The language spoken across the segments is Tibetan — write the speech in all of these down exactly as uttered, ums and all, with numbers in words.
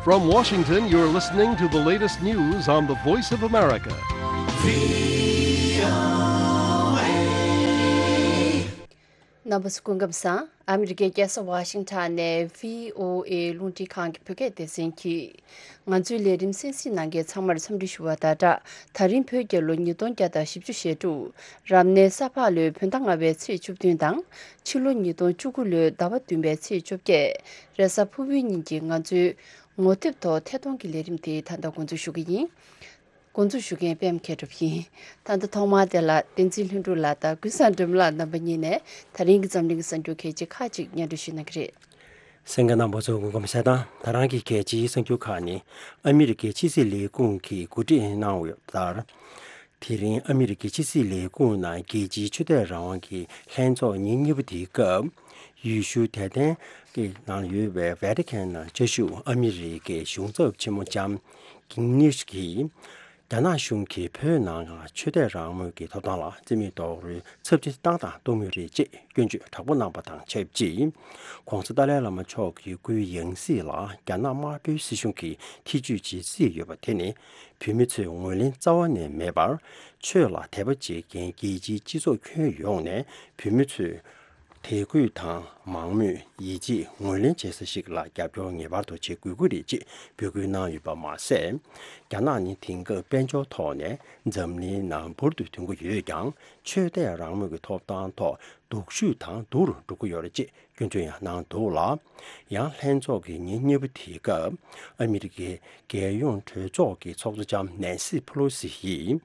From Washington, you're listening to the latest news on the Voice of America. རྣམ་པ་ཚོ་སྐུ་ཁམས་བཟང་། ཨ་མི་རི་ཀའི་རྒྱལ་ས་ཝ་ཤིང་ཊོན་ནས་བྷི་ཨོ་ཨེ་རླུང་འཕྲིན་ཁང་གི་བོད་སྐད་སྡེ་ཚན་གྱིས་ང་ཚོའི་ལས་རིམ་གསན་གཟིགས་གནང་མཁན་ཚང་མར་འཚམས་འདྲི་ཞུ་བ་དང་སྦྲགས། ད་རིང་བོད་རྒྱལ་ལོ་ཉིས་སྟོང་བརྒྱ་དང་བཞི་བཅུ་ཞེ་དྲུག་རབ་གནས་ས་ཕག་ལོའི་བོད་ཟླ་ལྔ་པའི་ཚེས་བཅུ་བདུན་དང་། ཕྱི་ལོ་ཉིས་སྟོང་བཅུ་དགུ་ལོའི་ཟླ་བ་བདུན་པའི་ཚེས་བཅོ་བརྒྱད། རེས་གཟའ་ཕུར་བུའི་ཉིན་གྱི་ང་ཚོའི་ངོ་དེབ་ཐོག་ཐད་གཏོང་གི་ལས་རིམ་དེ་ད་ལྟ་འགོ་འཛུགས་ཞུ་གི་ཡིན། འགོ་འཛུགས་ཞུ་མཁན་པད་མ་མཁས་གྲུབ་ཡིན། ད་ལྟ་ཐོག་མར་དེ་ལ་བསྟན་འཛིན་ལྷུན་གྲུབ་ལགས་དང་ཀུན་བཟང་སྒྲོལ་མ་ལགས་རྣམ་པ་གཉིས་ནས་ད་རིང་གི་འཛམ་གླིང་གི་གསར་འགྱུར་གལ་ཆེ་ཁག་ཅིག་སྙན་སྒྲོན་ཞུ་གནང་གི་རེད། གསན་མཁན་རྣམ་པ་ཚོ་སྐུ་ཁམས་བཟང་། ད་རང་གི་གལ་ཆེའི་གསར་འགྱུར་ཁག་ནི། ཨ་མི་རི་ཀའི་ཕྱི་སྲིད་ལས་ཁུངས་ཀྱིས་གོ་སྒྲིག་གནང་ཡོད་ལྟར། དེ་རིང་ཨ་མི་རི་ཀའི་ཕྱི་སྲིད་ལས་ཁུངས་ནང་རྒྱལ་སྤྱིའི་ཆོས་དད་རང་དབང་གི་ལྷན་ཚོགས་ཉིན་གཉིས་པ་དེའི་སྐབས། ཡུལ་ཤུལ་དད་ལྡན་གྱི་ནང་ཡོད་པའི་ཝེ་ཏི་ཁན་ནང་བཅའ་བཞུགས་ཨ་མི་རི་ཀའི་གཞུང་ཚབ་ཆེན་མོ་ལྕམ་ཀིང་ནིས་ཀྱིས། རྒྱ་ནག་གཞུང་གིས་བོད་ནང་ལ་ཆོས་དད་རང་མོས་ཀྱི་ཐོབ་ཐང་ལ་རྩིས་མེད་རྡོག་རོལ་ཚབས་ཆེ་བཏང་དང་གཏོང་མུས་རེད་ཅེས་སྐྱོན་བརྗོད་དྲག་པོ་གནང་པ་དང་ཆབས་ཅིག ༸གོང་ས་ཏཱ་ལའི་བླ་མ་མཆོག་གི་སྐུའི་ཡང་སྲིད་ལ་རྒྱ་ནག་དམར་པོའི་སྲིད་གཞུང་གིས་ཐེ་ཇུས་བྱེད་རྩིས་ཡོད་པ་དེ་ནི། བོད་མི་ཚོས་ངོས་ལེན་རྩ་བ་ནས་མེད་པར། ཆོས་ལ་དད་པ་བྱེད་མཁན་རྒྱལ་སྤྱིའི་སྤྱི་ཚོགས་ཁྱོན་ཡོངས་ནས་བོད་མི་ཚོས། དད་གུས་དང་མང་མོས་ཡིད་ཆེས་ངོས་ལེན་བྱེད་ས་ཞིག་ལ་རྒྱབ་སྐྱོར་ངེས་པར་དུ་བྱེད་དགོས་ཀྱི་རེད་ཅེས་འབོད་སྐུལ་གནང་ཡོད་པ་མ་ཟད། རྒྱ་ནག་ནི་དེང་སྐབས་དཔལ་འབྱོར་ཐོག་ནས་འཛམ་གླིང་ནང་འབུར་དུ་ཐོན་གྱི་ཡོད་ཀྱང་། ཆོས་དད་རང་མོས་ཀྱི་ཐོབ་ཐང་ཐོག་སྡུག་ཤོས་དང་སྡུག་རུ་འགྲོ་གི་ཡོད་རེད་ཅེས་སྐྱོན་བརྗོད་ཡང་གནང་འདུག་ལ། ཡང་ལྷན་ཚོགས་ཀྱི་ཉིན་གཉིས་པ་དེའི་སྐབས། ཨ་མི་རི་ཀའི་རྒྱལ་ཡོངས་གྲོས་ཚོགས་ཀྱི་ཚོགས་གཙོ་ལྕམ་ནན་སི་ཕེ་ལོ་སི་ཡིས།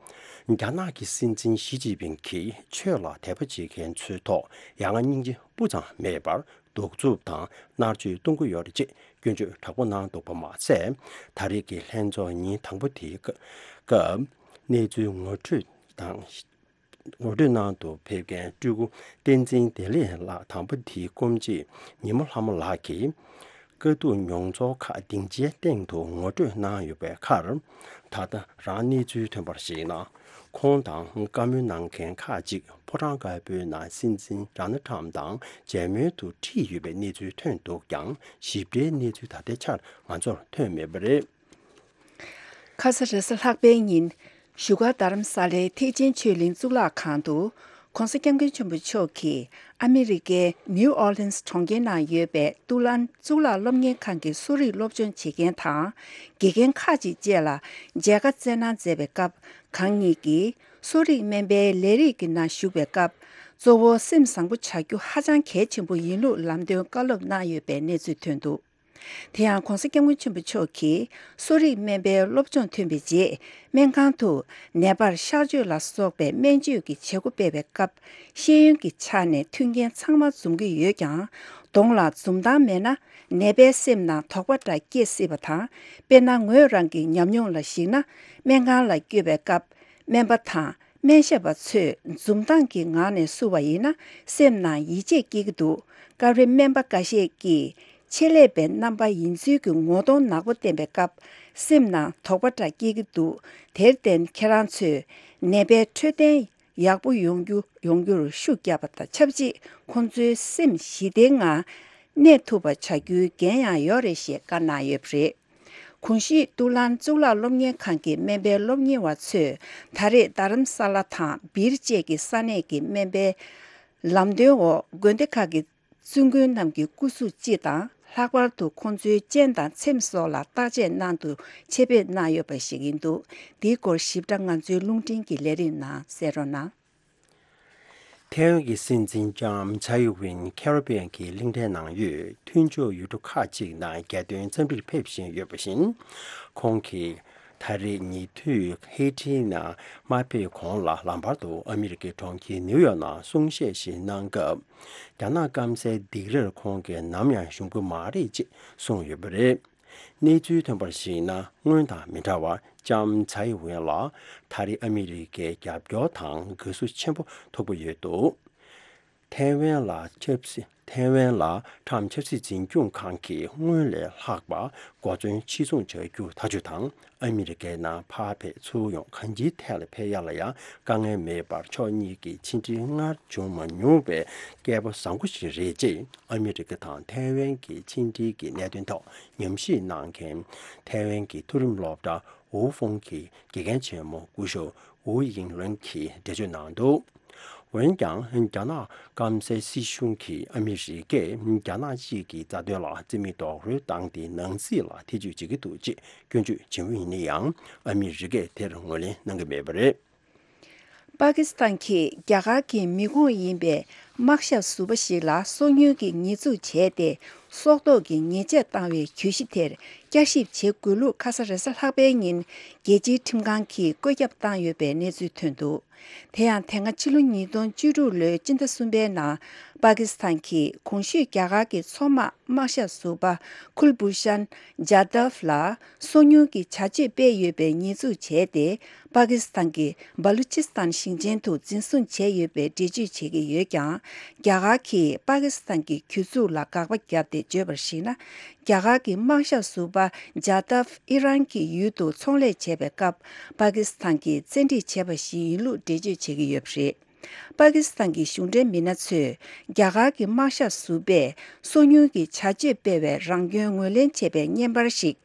རྒྱ་ནག་གི་སྲིད་འཛིན་ཞི་ཅིན་ཕིང་གིས་ཆོས་ལ་དད་པ་བྱེད་མཁན་ཚོའི་ཐོག་ཡ་ང་སྙིང་རྗེ་སྤུ་ཙམ་མེད་པར་གདུག་རྩུབ་དང་མནར་གཅོད་གཏོང་གི་ཡོད་རེད་ཅེས་སྐྱོན་བརྗོད་དྲག་པོ་གནང་འདུག་པ་མ་ཟད། ད་རེས་ཀྱི་ལྷན་ཚོགས་ཉིན་དང་པོ་དེའི་སྐབས། གནས་ཚུལ་ངོ་སྤྲོད་དང་། ངོ་སྤྲོད་གནང་དུ་ཕེབས་མཁན་སྤྲུལ་སྐུ་བསྟན་འཛིན་བདེ་ལེགས་ལགས་དང་པོ་དེའི་སྐུ་མཆེད་ཉི་མ་ལྷ་མོ་ལགས་ཀྱིས། དཀའ་སྡུག་མྱོང་ཚོར་ཁག་སྡིངས་ཆའི་སྟེང་དུ་ངོ་སྤྲོད་གནང་ཡོད་པའི་ཁར། ད་ལྟ་རང་གནས་ཚུལ་ཐོན་པར་གཞིགས་ན། ཁོང་དང་བཀའ་མོལ་གནང་མཁན་ཁག་ཅིག་ཕོ་བྲང་དཀར་པོའི་ནང་སྲིད་འཛིན་ཌོ་ནལ་ཊམ་དང་མཇལ་མོལ་དུ་ཁྲིད་ཡོད་པའི་གནས་ཚུལ་ཐོན་འདུག་ཀྱང་། ཞིབ་ཕྲའི་གནས་ཚུལ་ད་ལྟའི་ཆར་ང་ཚོར་ཐོན་མེད་པ་རེད། ཁ་ས་རེས་གཟའ་ལྷག་པའི་ཉིན། བཞུགས་སྒར་རྡ་རམ་ས་ལའི་ཐེག་ཆེན་ཆོས་གླིང་གཙུག་ལག་ཁང་དུ། ྋགོང་ས་ྋསྐྱབས་མགོན་ཆེན་པོ་མཆོག་གིས་ཨ་མི་རི་ཀའི་ནིའུ་ཨོར་ལིན་སི་གྲོང་ཁྱེར་ནང་ཡོད་པའི་ཏུ་ལན་གཙུག་ལག་སློབ་གཉེར་ཁང་གི་གསོ་རིག་སློབ་སྦྱོང་བྱེད་མཁན་དང་། དགེ་རྒན་ཁག་ཅིག་བཅས་ལ་མཇལ་ཁ་སྩལ་གནང་མཛད་པའི་སྐབས། གང་ཉིད་ཀྱིས་གསོ་རིག་སྨན་པའི་ལས་རིགས་ཀྱི་ནང་ཞུགས་པའི་སྐབས། གཙོ་བོ་སེམས་བཟང་པོ་བྱ་རྒྱུ་ཧ་ཅང་གལ་ཆེན་པོ་ཡིན་ལུགས་ལམ་སྟོན་བཀའ་སློབ་གནང་ཡོད་པའི་གནས་ཚུལ་ཐོན་འདུག་དེ་ཡང་ྋགོང་ས་ྋསྐྱབས་མགོན་ཆེན་པོ་མཆོག་གིས་གསོ་རིག་སྨན་པའི་སློབ་སྦྱོང་ཐོན་པའི་རྗེས། སྨན་ཁང་དུ་ནད་པར་གཤགས་བཅོས་ལ་སོགས་པའི་སྨན་བཅོས་ཀྱི་བྱེད་སྒོ་སྤེལ་བའི་སྐབས། ཤེས་ཡོན་གྱི་ཆ་ནས་མཐུན་རྐྱེན་ཚང་མ་འཛོམས་ཀྱི་ཡོད་ཀྱང་། གདོང་ལ་འཛུམ་མདངས་མེད་ན། ནད་པའི་སེམས་ནང་དོགས་པ་འདྲ་སྐྱེ་སྲིད་པ་དང་། དཔེར་ན། ངོས་རང་གི་ཉམས་མྱོང་ལ་གཞིགས་ན། སྨན་ཁང་ལ་བསྐྱོད་པའི་སྐབས། སྨན་པ་དང་སྨན་ཞབས་པ་ཚོས་འཛུམ་མདངས་ཀྱི་ངང་ནས་བསུ་བ་ཡིན་ན། སེམས་ནང་ཡིད་ཆེས་སྐྱེ་གི་འདུག་སྐབས་རེ་སྨན་པ་འགའ་ཤས་ཀྱིས་ཆེད་ལས་པའི་རྣམ་པ་ཡིན་ཚུལ་གྱི་ངོ་གདོང་ནག་པོ་བསྟན་པའི་སྐབས། སེམས་ནང་དོགས་པ་འདྲ་སྐྱེ་གི་འདུག་དེར་བརྟེན། ཁྱེད་རང་ཚོས་ནད་པའི་འཕྲོད་བསྟེན་ཡག་པོ་ཡོང་རྒྱུ་ཡོང་རྒྱུར་ཤུགས་བརྒྱབ་པ་དང་ཆབས་ཅིག་ཁོང་ཚོའི་སེམས་ཞི་བདེའི་ངང་གནས་ཐུབ་པ་བྱ་རྒྱུའི་འགན་ཡང་ཡོད་རེད་ཞེས་བཀའ་གནང་ཡོད་པ་རེད། གོང་ཞུས་ཏུ་ལན་གཙུག་ལག་སློབ་གཉེར་ཁང་གི་སྨན་པའི་སློབ་གཉེར་བ་ཚོས་ད་རེས་རྡ་རམ་ས་ལ་དང་སྦིར་བཅས་ཀྱི་ས་གནས་ཀྱི་སྨན་པའི་ལམ་སྟོན་འོག་དགོན་སྡེ་ཁག་གི་བཙུན་དགོན་རྣམས་ཀྱི་སྐུ་གཟུགས་སྤྱི་དང་། ལྷག་པར་དུ་ཁོང་ཚོའི་སྤྱན་དང་ཚེམས་སོགས་ལ་བརྟག་དཔྱད་གནང་དུ་ཆེད་ཕེབས་གནང་ཡོད་པ་ཞིག་ཡིན་འདུག་འདིའི་སྐོར་ཞིབ་ཕྲ་ང་ཚོའི་རླུང་འཕྲིན་གྱི་ལས་རིམ་ནང་གསན་རོགས་གནང་། ཐའེ་ཝན་གྱི་སྲིད་འཛིན་ལྕམ་ཚའེ་ཝེན་ཁེ་རི་བྷི་ཡན་གྱི་གླིང་ཕྲན་ནང་ཡོད་མཐུན་ཕྱོགས་ཡུལ་གྲུ་ཁག་ཅིག་ནང་རྒྱལ་དོན་འཚམས་འདྲིར་ཕེབས་བཞིན་ཡོད་པ་བཞིན། ཁོང་གིས་ད་རེས་ཉེ་དུས་ཧེ་ཊི་ནང་མ་ཕེབས་གོང་ལ་ལམ་བར་དུ་ཨ་མི་རི་ཀའི་གྲོང་ཁྱེར་ནིའུ་ཡོག་ནང་གསུང་བཤད་ཞིག་གནང་སྐབས། རྒྱ་ནག་སྐམ་སའི་སྡིགས་རར་ཁོང་གིས་ནམ་ཡང་ཞུམ་གྱི་མ་རེད་ཅེས་གསུངས་ཡོད་པ་རེད། གནས་ཚུལ་ཐོན་པར་གཞིགས་ན། སྔོན་དང་མི་འདྲ་བར་ལྕམ་ཚའེ་ཝེན་ལ་ད་རེས་ཨ་མི་རི་ཀའི་རྒྱབ་སྐྱོར་དང་དགའ་བསུ་ཆེན་པོ་ཐོབ་ཀྱི་ཡོད་འདུག་ཐའེ་ཝན་ལ་ཆབ་སྲིད་ ཐའེ་ཝན་ལ་ཁྲམ་ཆབ་སྲིད་འཛིན་སྐྱོང་ཁང་གིས་སྔོན་ལས་ལྷག་པ་གོ་མཚོན་ཕྱིར་ཚོང་བྱ་རྒྱུ་ཐག་གཅོད་དང་། ཨ་མི་རི་ཀའི་ནང་ཕར་ཕེབས་ཚུར་ཡོང་གང་ཅིའི་ཐད་ལ་ཕེབས་ཡ་ལ་ཡང་དཀའ་ངལ་མེད་པར་ཕྱོགས་གཉིས་ཀྱི་ཕྱི་འབྲེལ་སྔར་བྱུང་མ་མྱོང་བའི་སྐལ་པ་བཟང་པོ་ཞིག་རེད་ཅེས། ཨ་མི་རི་ཀ་དང་ཐའེ་ཝན་གྱི་ཕྱི་འབྲེལ་གྱི་གནད་དོན་ཐོག་ཉམས་ཞིབ་གནང་མཁན་ཐའེ་ཝན་གྱི་མཐོ་རིམ་སློབ་གྲྭ་ཝུའུ་ཧྥུང་གི་དགེ་རྒན་ཆེན་མོ་སྐུ་ཞབས་ཝུའུ་དབྱིང་ལོན་གྱིས་འགྲེལ་བརྗོད་གནང་འདུག་འོན་ཀྱང་རྒྱ་ནག་སྐམ་སའི་སྲིད་གཞུང་གིས་ཨ་མི་རི་ཀས་རྒྱ་ནག་གཅིག་གི་རྩ་དོན་ལ་རྩིས་མེད་རྡོག་རོལ་བཏང་སྟེ་ནང་སྲིད་ལ་ཐེ་ཇུས་བྱེད་ཀྱི་འདུག་ཅེས་སྐྱོན་བརྗོད་བྱེད་མུས་ཡིན་ན་ཡང་། ཨ་མི་རི་ཀས་དེར་ངོས་ལེན་གནང་གི་མེད་པ་རེད། པ་ཀི་སི་ཐན་གྱིས་རྒྱ་གར་གྱི་མི་ཁོངས་ཡིན་པའི་དམག་ཞབས་ཟུར་པ་ཞིག་ལ་སོ་ཉུལ་གྱི་ཉེས་འཛུགས་བྱས་ཏེ། སྲོག་ཐོག་གི་ཉེས་ཆད་བཏང་བའི་གྱོད་གཞི་དེར་བསྐྱར་ཞིབ་བྱེད་དགོས་ལུགས་ཁ་ས་རེས་གཟའ་ལྷག་པའི་ཉིན་རྒྱལ་སྤྱིའི་ཁྲིམས་ཁང་གིས་བཀོད་ཁྱབ་བཏང་ཡོད་པའི་གནས་ཚུལ་ཐོན་འདུག་དེ་ཡང་དེ་སྔ་ཕྱི་ལོ་ཉིས་སྟོང་བཅུ་དྲུག་ལོའི་སྤྱི་ཟླ་གསུམ་པའི་ནང་པ་ཀི་སི་ཐན་གྱིས་གོང་ཞུས་རྒྱ་གར་གྱི་མཚོ་དམག་དམག་ཞབས་ཟུར་པ་ཁུལ་བྷུ་ཤན་ཇཱ་དབ་ལ་སོ་ཉུལ་གྱི་བྱ་སྤྱོད་སྤེལ་ཡོད་པའི་ཉེས་འཛུགས་བྱས་ཏེ། པ་ཀི་སི་ཐན་གྱི་སྦ་ལུ་ཅི་སི་ཐན་ཞིང་ཆེན་དུ་འཛིན་བཟུང་བྱས་ཡོད་པའི་འགྲེལ་བརྗོད་བྱེད་ཀྱི་ཡོད་ཀྱང་། རྒྱ་གར་གྱིས་པ་ཀི་སི་ཐན་གྱི་གྱོད་འཛུགས་ལ་དགག་པ་བརྒྱབ་སྟེ་བརྗོད་པར་གཞིགས་ན། རྒྱ་གར་གྱི་དམག་ཞབས་ཟུར་པ་ཇཱ་དབ་ཨི་རན་གྱི་ཡུལ་དུ་ཚོང་ལས་བྱས་པའི་སྐབས། པ་ཀི་སི་ཐན་གྱིས་བཙན་ཁྲིད་བྱས་པ་ཞིག་ཡིན་ལུགས་འགྲེལ་བརྗོད་བྱེད་ཀྱི་ཡོད་པ་རེད། པ་ཀི་སི་ཐན་གྱི་གཞུང་འབྲེལ་མི་སྣ་ཚོས་རྒྱ་གར་གྱི་དམག་ཞབས་ཟུར་པས་སོ་ཉུལ་གྱི་བྱ་སྤྱོད་སྤེལ་བའི་རང་སྐྱོན་ངོས་ལེན་བྱས་པའི་བརྙན་པར་ཞིག་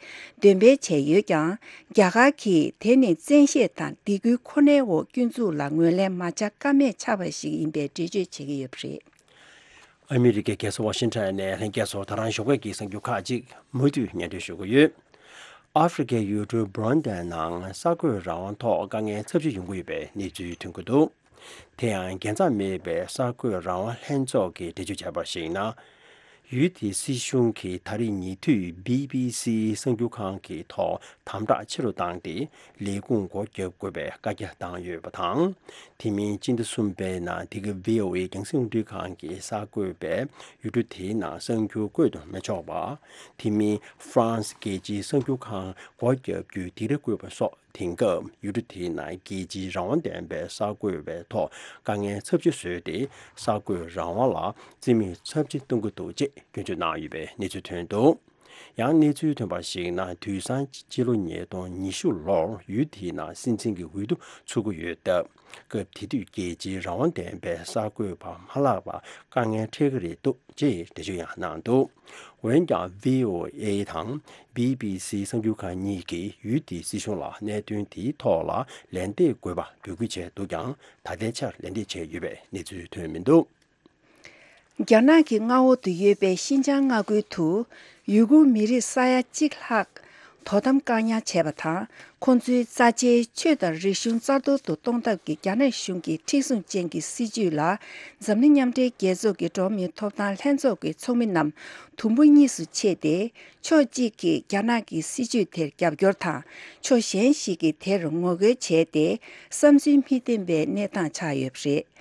འདོན་སྤེལ་བྱས་ཡོད་ཀྱང་། རྒྱ་གར་གྱིས་དེ་ནི་བཙན་ཤེད་དང་སྡིགས་སྐུལ་ཁོ་ནའི་འོག་སྐྱོན་འཛུགས་ལ་ངོས་ལེན་མ་བྱ་ཀ་མེད་ཆགས་པ་ཞིག་ཡིན་པའི་འགྲེལ་བརྗོད་བྱེད་ཀྱི་ཡོད་པ་རེད། ཨ་མི་རི་ཀའི་རྒྱལ་ས་ཝ་ཤིང་ཊོན་ནས་ལྷན་རྒྱས་ཚོ་ད་རང་ཞོགས་ཀས་ཀྱི་གསར་འགྱུར་ཁག་ཅིག་མུ་མཐུད་སྙན་སྒྲོན་ཞུ་གི་ཡོད། ཨ་ཧྥེ་རི་ཀའི་ཡུལ་གྲུ་བྷུ་རུན་དའི་ནང་གསར་འགོད་རང་དབང་ཐོག་དཀའ་ངལ་ཚབས་ཆེ་ཡོང་གི་ཡོད་པའི་གནས་ཚུལ་ཐོན་གྱི་འདུག་དེ་ཡང་རྒྱལ་མཚམས་མེད་པའི་གསར་འགོད་རང་དབང་ལྷན་ཚོགས་ཀྱིས་འགྲེལ་བརྗོད་བྱས་པར་གཞིགས་ན། ཡུལ་དེའི་སྲིད་གཞུང་གིས་ད་རེས་ཉེ་དུས་བི་བི་སི་གསར་འགྱུར་ཁང་གི་ཐོག་དམ་དྲག་ཆེ་རུ་བཏང་སྟེ། ལས་ཁུངས་སྒོ་བརྒྱབ་དགོས་པའི་བཀའ་རྒྱ་བཏང་ཡོད་པ་དང་། དེ་མིན་སྤྱི་ཟླ་གསུམ་པའི་ནང་དེ་གའི་ཝི་ཨོ་ཨེ་རྒྱང་སྲིང་རླུང་འཕྲིན་ཁང་གིས་གསར་འགོད་པས་ཡུལ་གྲུ་དེའི་ནང་གསར་འགྱུར་བཀོད་དུ་མི་ཆོག་པ། དེ་མིན་ཧྥ་རན་སི་རྒྱལ་སྤྱིའི་གསར་འགྱུར་ཁང་སྒོ་བརྒྱབ་རྒྱུའི་སྡིགས་ར་བཀོད་པ་སོགས། དེང་སྐབས་ཡུལ་གྲུ་དེའི་ནང་རྒྱལ་སྤྱིའི་རང་དབང་ལྡན་པའི་གསར་འགོད་པའི་ཐོག་དཀའ་ངལ་ཚབས་ཆེ་བཟོས་ཏེ། གསར་འགོད་རང་དབང་ལ་རྩིས་མེད་ཚབས་ཆེ་གཏོང་གི་འདུག་ཅེས་སྐྱོན་བརྗོད་གནང་ཡོད་པའི་གནས་ཚུལ་ཐོན་འདུག་ཡང་གནས་ཚུལ་ཐོན་པར་གཞིགས་ན། དུས་སང་སྤྱི་ལོ་ཉིས་སྟོང་ཉི་ཤུ་ལོར་ཡུལ་དེའི་ནང་སྲིད་འཛིན་གྱི་འོས་བསྡུ་ཚུགས་ཀྱི་ཡོད་སྟབས། སྐབས་དེ་དུས་རྒྱལ་སྤྱིའི་རང་དབང་ལྡན་པའི་གསར་འགོད་པ་མ་ལྷག་པར་དཀའ་ངལ་འཕྲད་ཀྱི་རེད་འདུག་ཅེས་འགྲེལ་བརྗོད་ཡང་གནང་འདུག་འོན་ཀྱང་ཝི་ཨོ་ཨེ་དང་བི་བི་སི་གསར་འགྱུར་ཁང་གཉིས་ཀྱིས་ཡུལ་དེའི་སྲིད་གཞུང་ལ་གནད་དོན་དེའི་ཐོག་ལ་ལན་འདེབས་དགོས་པ་འབོད་སྐུལ་བྱས་འདུག་ཀྱང་། ད་ལྟའི་ཆར་ལན་འདེབས་བྱས་ཡོད་པའི་གནས་ཚུལ་ཐོན་མི་འདུག་རྒྱ་ནག་གི་མངའ་འོག་ཏུ་ཡོད་པའི་ཤིན་ཅང་མངའ་ཁུལ་དུ་ཡུ་གུར་མི་རིགས་ས་ཡ་གཅིག་ལྷག་དོ་དམ་བཀག་ཉར་བྱས་པ་དང་། ཁོང་ཚོའི་རྩ་ཆེའི་ཆོས་དང་རིག་གཞུང་རྩ་གཏོར་དུ་གཏོང་ཐབས་ཀྱི་རྒྱ་ནག་གཞུང་གི་མཁྲེགས་བཟུང་ཅན་གྱི་སྲིད་བྱུས་ལ། འཛམ་གླིང་མཉམ་འབྲེལ་རྒྱལ་ཚོགས་ཀྱི་འགྲོ་བ་མིའི་ཐོབ་ཐང་ལྷན་ཚོགས་ཀྱི་ཚོགས་མི་རྣམས་དུམ་བུ་གཉིས་སུ་ཕྱེས་ཏེ། ཕྱོགས་གཅིག་གིས་རྒྱ་ནག་གི་སྲིད་བྱུས་དེར་རྒྱབ་སྐྱོར་དང་། ཕྱོགས་གཞན་ཞིག་གིས་དེར་ངོ་རྒོལ་བྱས་ཏེ། བསམ་ཚུལ་མི་མཐུན་པའི་གནས་སྟངས་ཆགས་ཡོད་པ་རེད།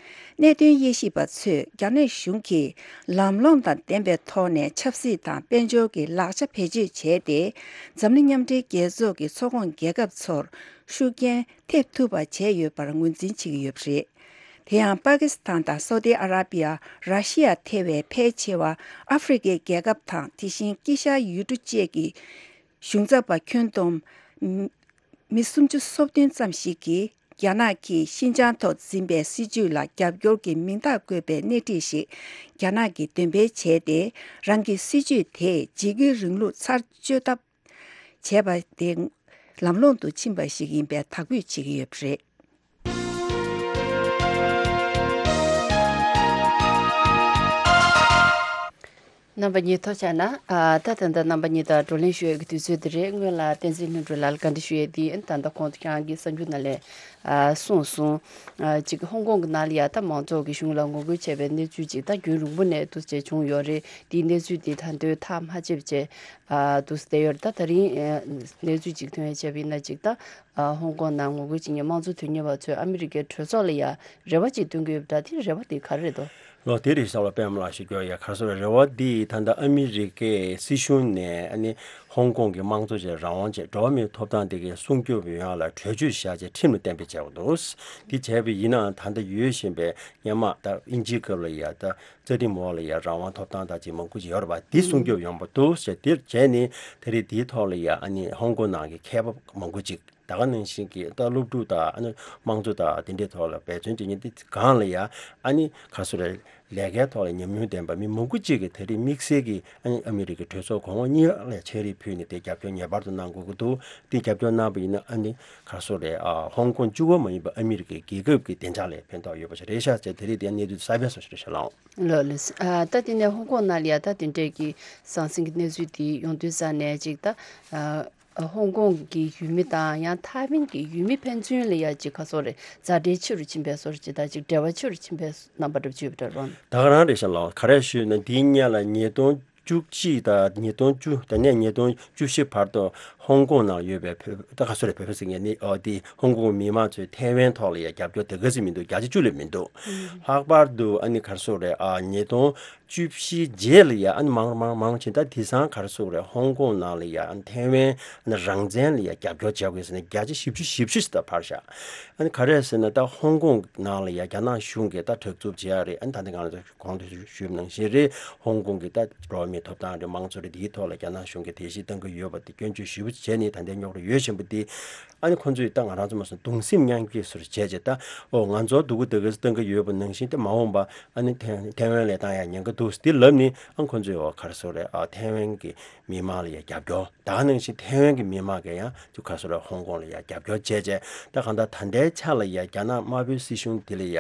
གནད་དོན་དབྱེ་ཞིབ་པ་ཚོས་རྒྱ་ནག་གཞུང་གིས་ལམ་ལྷོང་དང་ལྡན་པའི་ཐོག་ནས་ཆབ་སྲིད་དང་དཔལ་འབྱོར་གྱི་ལག་ཆ་བེད་སྤྱོད་བྱས་ཏེ། འཛམ་གླིང་མཉམ་འབྲེལ་རྒྱལ་ཚོགས་ཀྱི་ཚོགས་ཁོངས་རྒྱལ་ཁབ་ཚོར་ཤུགས་རྐྱེན་ཐེབས་ཐུབ་པ་བྱས་ཡོད་པར་ངོས་འཛིན་བྱེད་ཀྱི་ཡོད་པ་རེད། དེ་ཡང་པ་ཀི་སི་ཐན་དང་སའུ་ཏི་ཨ་ར་པི་ཡ། ར་ཤི་ཡ་ཐེ་བའི་ཕལ་ཆེ་བ་ཨ་ཧྥེ་རི་ཁའི་རྒྱལ་ཁབ་དང་། དེ་བཞིན་དཀྱིལ་ཤར་ཡུལ་གྲུ་བཅས་ཀྱི་གཞུང་ཚབ་པ་ཁྱོན་བསྡོམས་མི་སུམ་ཅུ་སོ་བདུན་ཙམ་ཞིག་གིས། རྒྱ་ནག་གིས་ཤིན་ཅང་ཐོག་འཛིན་པའི་སྲིད་བྱུས་ལ་རྒྱབ་སྐྱོར་གྱི་མིང་རྟགས་བཀོད་པའི་སྣེ་ཁྲིད་ཞིག་རྒྱ་ནག་གིས་འདོན་སྤེལ་བྱས་ཏེ། རང་གི་སྲིད་བྱུས་དེས་འཇིགས་སྐུལ་རིང་ལུགས་ཚར་གཅོད་ཐབས་བྱས་པ་དེ་ལམ་ལྷོང་དུ་ཕྱིན་པ་ཞིག་ཡིན་པའི་དག་འབུད་བྱེད་ཀྱི་ཡོད་པ་རེད། རྣམ་པ་གཉིས་ཐུགས་རྗེ་གནང་། ཨ། ད་ད་ལྟ་རྣམ་པ་གཉིས་དང་བགྲོ་གླེང་ཞུ་ཡས་ཀྱི་དུས་ཚོད་འདི་རེད། སྔོན་ལ་བསྟན་འཛིན་ལྷུན་གྲུབ་ལགས་ལ་བཀའ་འདྲི་ཞུ་ཡས་འདི་ད་ལྟ་ཁོང་ཁྱེད་རང་གི་གསར་འགྱུར་ནང་ལས་ཨ་གསུངས་སོང་། ཨ། ཅིག་ཧོང་ཀོང་གི་ནང་ལ་ཡ་ད་མང་ཚོགས་ཀྱི་གཞུང་ལ་ངོ་རྒོལ་བྱས་པའི་གནས་ཚུལ་ཅིག་ད་རྒྱུན་རིང་པོ་ནས་འདུག་ཅེས་བྱུང་ཡོད་རེད། དེའི་གནས་ཚུལ་འདི་ད་དུང་ཐག་མ་ཆོད་པ་བྱས་ཨ་འདུག་བསྡད་ཡོད་རེད། ད་ད་རིང་ཨ་གནས་ཚུལ་ཅིག་ཐོན་ཡས་བྱས་པ་ཡིན་ན། ཅིག་ད་ཨ་ཧོང་ཀོང་ནང་ངོ་རྒོལ་བྱེད་མཁན་དམངས་གཙོ་དོན་གཉེར་བ་ཚོས་ཨ་མི་རི་ཀའི་གྲོས་ཚོགས་ལ་ཡ་རེ་བ་ཅིག་བཏོན་གྱི་ཡོད་པ་འདྲ། དེ་རེ་བ་དེ་ག་རེ་རེད་དོ། ལོ་དེ་རེད་ཤག་ལོ། པད་མ་ལགས་ཞུ་རྒྱུ་ཡ། ག་རེ་ཟེར་རེད་བ། འདི་ད་ལྟ་ཨ་མི་རི་ཀའི་སྲིད་གཞུང་ནས་ཨ་ནི་ཧོང་ཀོང་གི་དམངས་གཙོ་བཅས་རང་དབང་བཅས་འགྲོ་བ་མིའི་ཐོབ་ཐང་དེ་གའི་སྲུང་སྐྱོབ་ཡོང་ཡ་ལ་གྲོས་ཆོད་བཞག་བྱས་ཁྲིམས་ལ་གཏན་འབེབས་བྱས་པ་འདུག། འདི་བྱས་པ་ཡིན་ནའང་ད་ལྟ་ཡོད་བཞིན་པའི་སྔོན་མ་ད་དབྱིན་ཇིའི་སྐབས་ལ་ཡ་ད་རྩ་ཁྲིམས་འོག་ལ་ཡ་རང་དབང་ཐོབ་ཐང་དང་ཅིག་མང་པོ་ཅིག་ཡོད་རེད་བ། འདི་སྲུང་སྐྱོབ་ཡོང་པ་འདུག་ཟེར། འདིར་བྱས་ནས་ད་རེས་འདིའི་ཐོག་ལ་ཡ་ཨ་ནི་ཧོང་ཀོང་ནང་གི་མཁས་པ་མང་པོ་ཅིག་ད་ག་ནང་བཞིན་གྱི་ད་སློབ་ཕྲུག་དང་ཨ་ནི་དམངས་གཙོ་དང་དེ་འདྲའི་ཐོག་ལ་འབད་བརྩོན་བྱེད་མཁན་དེ་སྒང་ལ་ཡ་ཨ་ནི་ག་རེ་ཟེར་རེད། ལས་ཀའི་ཐོག་ལ་ཉམས་མྱོང་ལྡན་པ་མི་མང་པོ་ཅིག་གིས་ད་རེས་དམིགས་བསལ་གྱི་ཨ་ནི་ཨ་མི་རི་ཀའི་གྲོས་ཚོགས་གོང་འོག་གཉིས་ལ་ཕྱག་བྲིས་ཕུལ་ནས་དེ་རྒྱབ་སྐྱོར་ངེས་པར་དུ་གནང་དགོས་ཀྱི་འདུག། དེ་རྒྱབ་སྐྱོར་གནང་བ་ཡིན་ན་ཨ་ནི་ག་རེ་ཟེར་རེད། ཨ་ཧོང་ཀོང་གཅིག་པོ་མ་ཡིན་པ་ཨ་མི་རི་ཀའི་རྒྱལ་ཁབ་ཀྱི་བདེ་འཇགས་ལ་ཕན་ཐོགས་ཡོད་པ་ཞིག་རེད་ཤག་ཟེར། ད་རེས་དེ་གནས་ཚུལ་གསར་པ་སོགས་ཤིག་རེད་ཤག་ལགས། ལགས་ལགས། ཨ་ད་དེ་ནས་ཧོང་ཀོང་ནང་ལ་ཡ་ད་དེ་འདྲས་ཀྱི་ཟང་ཟིང་གི་གནས་ཚུལ་དེ་ཡོང་དུས་ཙ་ནས་ཅིག་ད་ཨ་ཧོང་ཀོང་གི་ཡུལ་མི་དང་ཡང་ཐའེ་ཝན་གྱི་ཡུལ་མི་ཕན་ཚུན་ལ་ཡ་ཅིག་ག་རེ་ཟེར་རེད། མཛའ་འབྲེལ་ཆེ་རུ་ཕྱིན་པའི་བཟོ་འདྲ་ཅིག་དང་ཅིག་འབྲེལ་བ་ཆེ་རུ་ཕྱིན་པའི་རྣམ་པ་འདྲ་པོ་ཅིག་ཡོད་པ་འདྲ་རེད་བ། ད་ག་རང་རེད་ཤག་ལགས། ག་རེ་ཞུས་ན་འདིའི་སྔོན་ལ་ཉིས་སྟོང་བཅུ་གཅིག་དང་ཉིས་སྟོང་བཅུ། དེ་ནས་ཉིས་སྟོང་བཅུ་བཞི་བར་དུ་ཧོང་ཀོང་ནང་ཡོད་པའི་བོད། ད་ག་རེ་ཟེར་རེད། བོད་པ་ཟེར་མཁན་ནི་ཨོ་དེ་ཧོང་ཀོང་མི་མང་ཚོས་ཐའེ་ཝན་ཐོག་ལ་ཡ་རྒྱབ་སྐྱོར་དེ་ག་ཚོད་མི་འདུག། བརྒྱ་ཆ་བཅུ་ལས་མི་འདུག། ལྷག་པར་དུ་ཨ་ནི་ག་རེ་ཟེར་རེད། ཨ་ཉིས་སྟོང་བཅུ་བཞི་རྗེས་ལ་ཡ་ཨ་ནི་མང་མང་མང་ཕྱིན། ད་དེང་སང་ག་རེ་ཟེར་རེད། ཧོང་ཀོང་ནང་ལ་ཡ་ཨ་ནི་ཐའེ་ཝན་ཨ་ནི་རང་བཙན་ལ་ཡ་རྒྱབ་སྐྱོར་བྱེད་དགོས་ཟེར་ནས་བརྒྱ་ཆ་བཞི་བཅུ་ཞེ་བཞི་ཞིག་ད་འཕར་ཤག། ཨ་ནི་ག་རེ་ཟེར་ན་ད་ཧོང་ཀོང་ནང་ལ་ཡ་རྒྱ་ནག་གཞུང་གིས་ད་དྲག་རྩུབ་བྱེད་ཡ་རེད། ཨ་ནི་ད་ལྟ་ང་ཚོ་གོང་དུ་ཞུས་པ་ནང་བཞིན་རེད། ཧོང་ཀོང་གི་ད་འགྲོ་བ་མིའི་ཐོབ་ཐང་རེད། དམངས་གཙོ་རེད། འདིའི་ཐོག་ལ་རྒྱ་ནག་གཞུང་གིས་དེ་བཞིན་གཏང་གི་ཡོད་པ་དེ་སྐྱོན་བརྗོད་ཞེ་པོ་བྱས་ནས་ད་ལྟའི་རྙོག་དྲ་ཡོད་བཞིན་པ་དེ། ཨ་ནི་ཁོང་ཚོས་ད་ང་རང་ཚོ་མ་སོང་གདུང་སེམས་མཉམ་སྐྱེད་སོར་བྱས་བྱས་ད་ཨོ་ང་ཚོ་སྡུག་གུ་དེ་ག་ཚོད་གཏང་གི་ཡོད་པ་ནང་བཞིན་དེ་མ་འོངས་པ་ཨ་ནི་ཐའེ་ཐའེ་ཝན་ལ་གཏང་ཡ་ཉེན་ཁ་འདུག་འདི་ལབ་ནས། ཨ་ཁོང་ཚོས་ཨོ་ག་རེ་ཟེར་རེད། ཨ་ཐའེ་ཝན་གྱི་མི་མང་ལ་ཡ་རྒྱབ་སྐྱོར། ད་ག་ནང་བཞིན་ཐའེ་ཝན་གྱི་མི་མང་གིས་ཡང་ཅིག་ག་རེ་ཟེར་རེད། ཧོང་ཀོང་ལ་ཡ་རྒྱབ་སྐྱོར་བྱས་བྱས་ད་གང་ལྟར་ད་ལྟའི་ཆ་ལ་ཡ་རྒྱ་ནག་དམར་པོའི་སྲིད་གཞུང་འདི་ལ་ཡ་